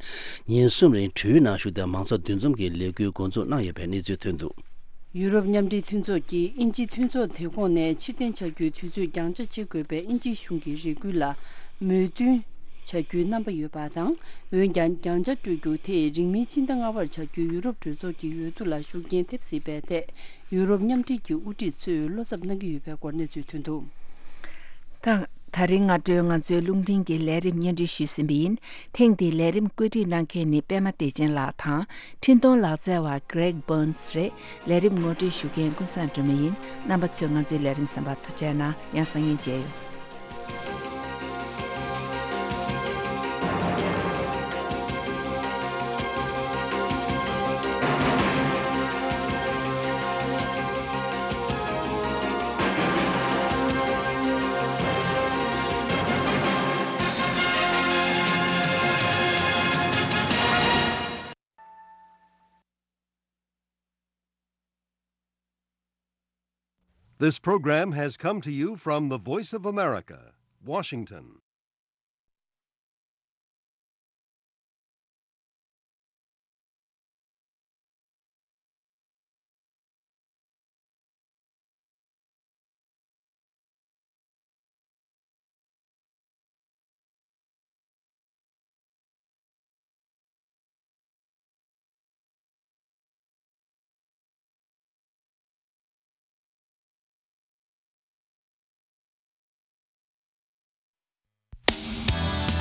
ཉིན་གསུམ་རིང་གྲུའི་ནང་ཞུགས་ཏེ་མང་ཚོགས་འདུ་འཛོམས་ཀྱི་ལས་འགུལ་འགོ་འཛུགས་གནང་ཡོད་པའི་གནས་ཚུལ་ཐོན་འདུག་ཡུ་རོབ་མཉམ་འབྲེལ་མཐུན་ཚོགས་ཀྱིས་དབྱིན་ཇི་མཐུན་ཚོགས་དེ་ཁོངས་ནས་ཕྱིར་འཐེན་བྱ་རྒྱུའི་དུས་ཚོད་འགྱངས་ཆ་བྱེད་དགོས་པའི་དབྱིན་ཇིའི་གཞུང་གི་རེ་སྐུལ་ལ་མོས་མཐུན་བྱ་རྒྱུའི་རྣམ་པ་ཡོད་པ་དང་། འོན་ཀྱང་འགྱངས་ཆ་སྤྲོད་རྒྱུ་དེས་རིང་མིན་ཕྱི་ཟླ་ལྔ་པར་བྱ་རྒྱུའི་ཡུ་རོབ་གྲོས་ཚོགས་ཀྱི་འོས་བསྡུ་ལ་ཤུགས་རྐྱེན་ཐེབས་སྲིད་པའི་ཐད་ཡུ་རོབ་མཉམ་འབྲེལ་གྱི་དབུ་ཁྲིད་ཚོས་བློ་འཚབ་གནང་གི་ཡོད་པའི་སྐོར་གནས་ཚུལ་ཐོན་འདུག་ད། ད་རིང་སྔ་དྲོའི་ང་ཚོའི་རླུང་འཕྲིན་གྱི་ལས་རིམ་སྙན་སྒྲོན་ཞུས་ཟིན་པ་ཡིན། ཐེངས་འདིའི་ལས་རིམ་བཀོད་སྒྲིག་གནང་མཁན་ནི་པད་མ་བདེ་ཆེན་ལགས་དང་། འཕྲིན་གཏོང་ལག་རྩལ་བ་Greg Burns་རེད། ལས་རིམ་ངོ་སྤྲོད་ཞུ་མཁན་ཀུན་བཟང་སྒྲོལ་མ་ཡིན། རྣམ་པ་ཚོས་ང་ཚོའི་ལས་རིམ་གསན་པར་ཐུགས་རྗེ་གནང་། ཡང་སང་ཉིན་མཇལ་ཡོང་། This program has come to you from the Voice of America, Washington.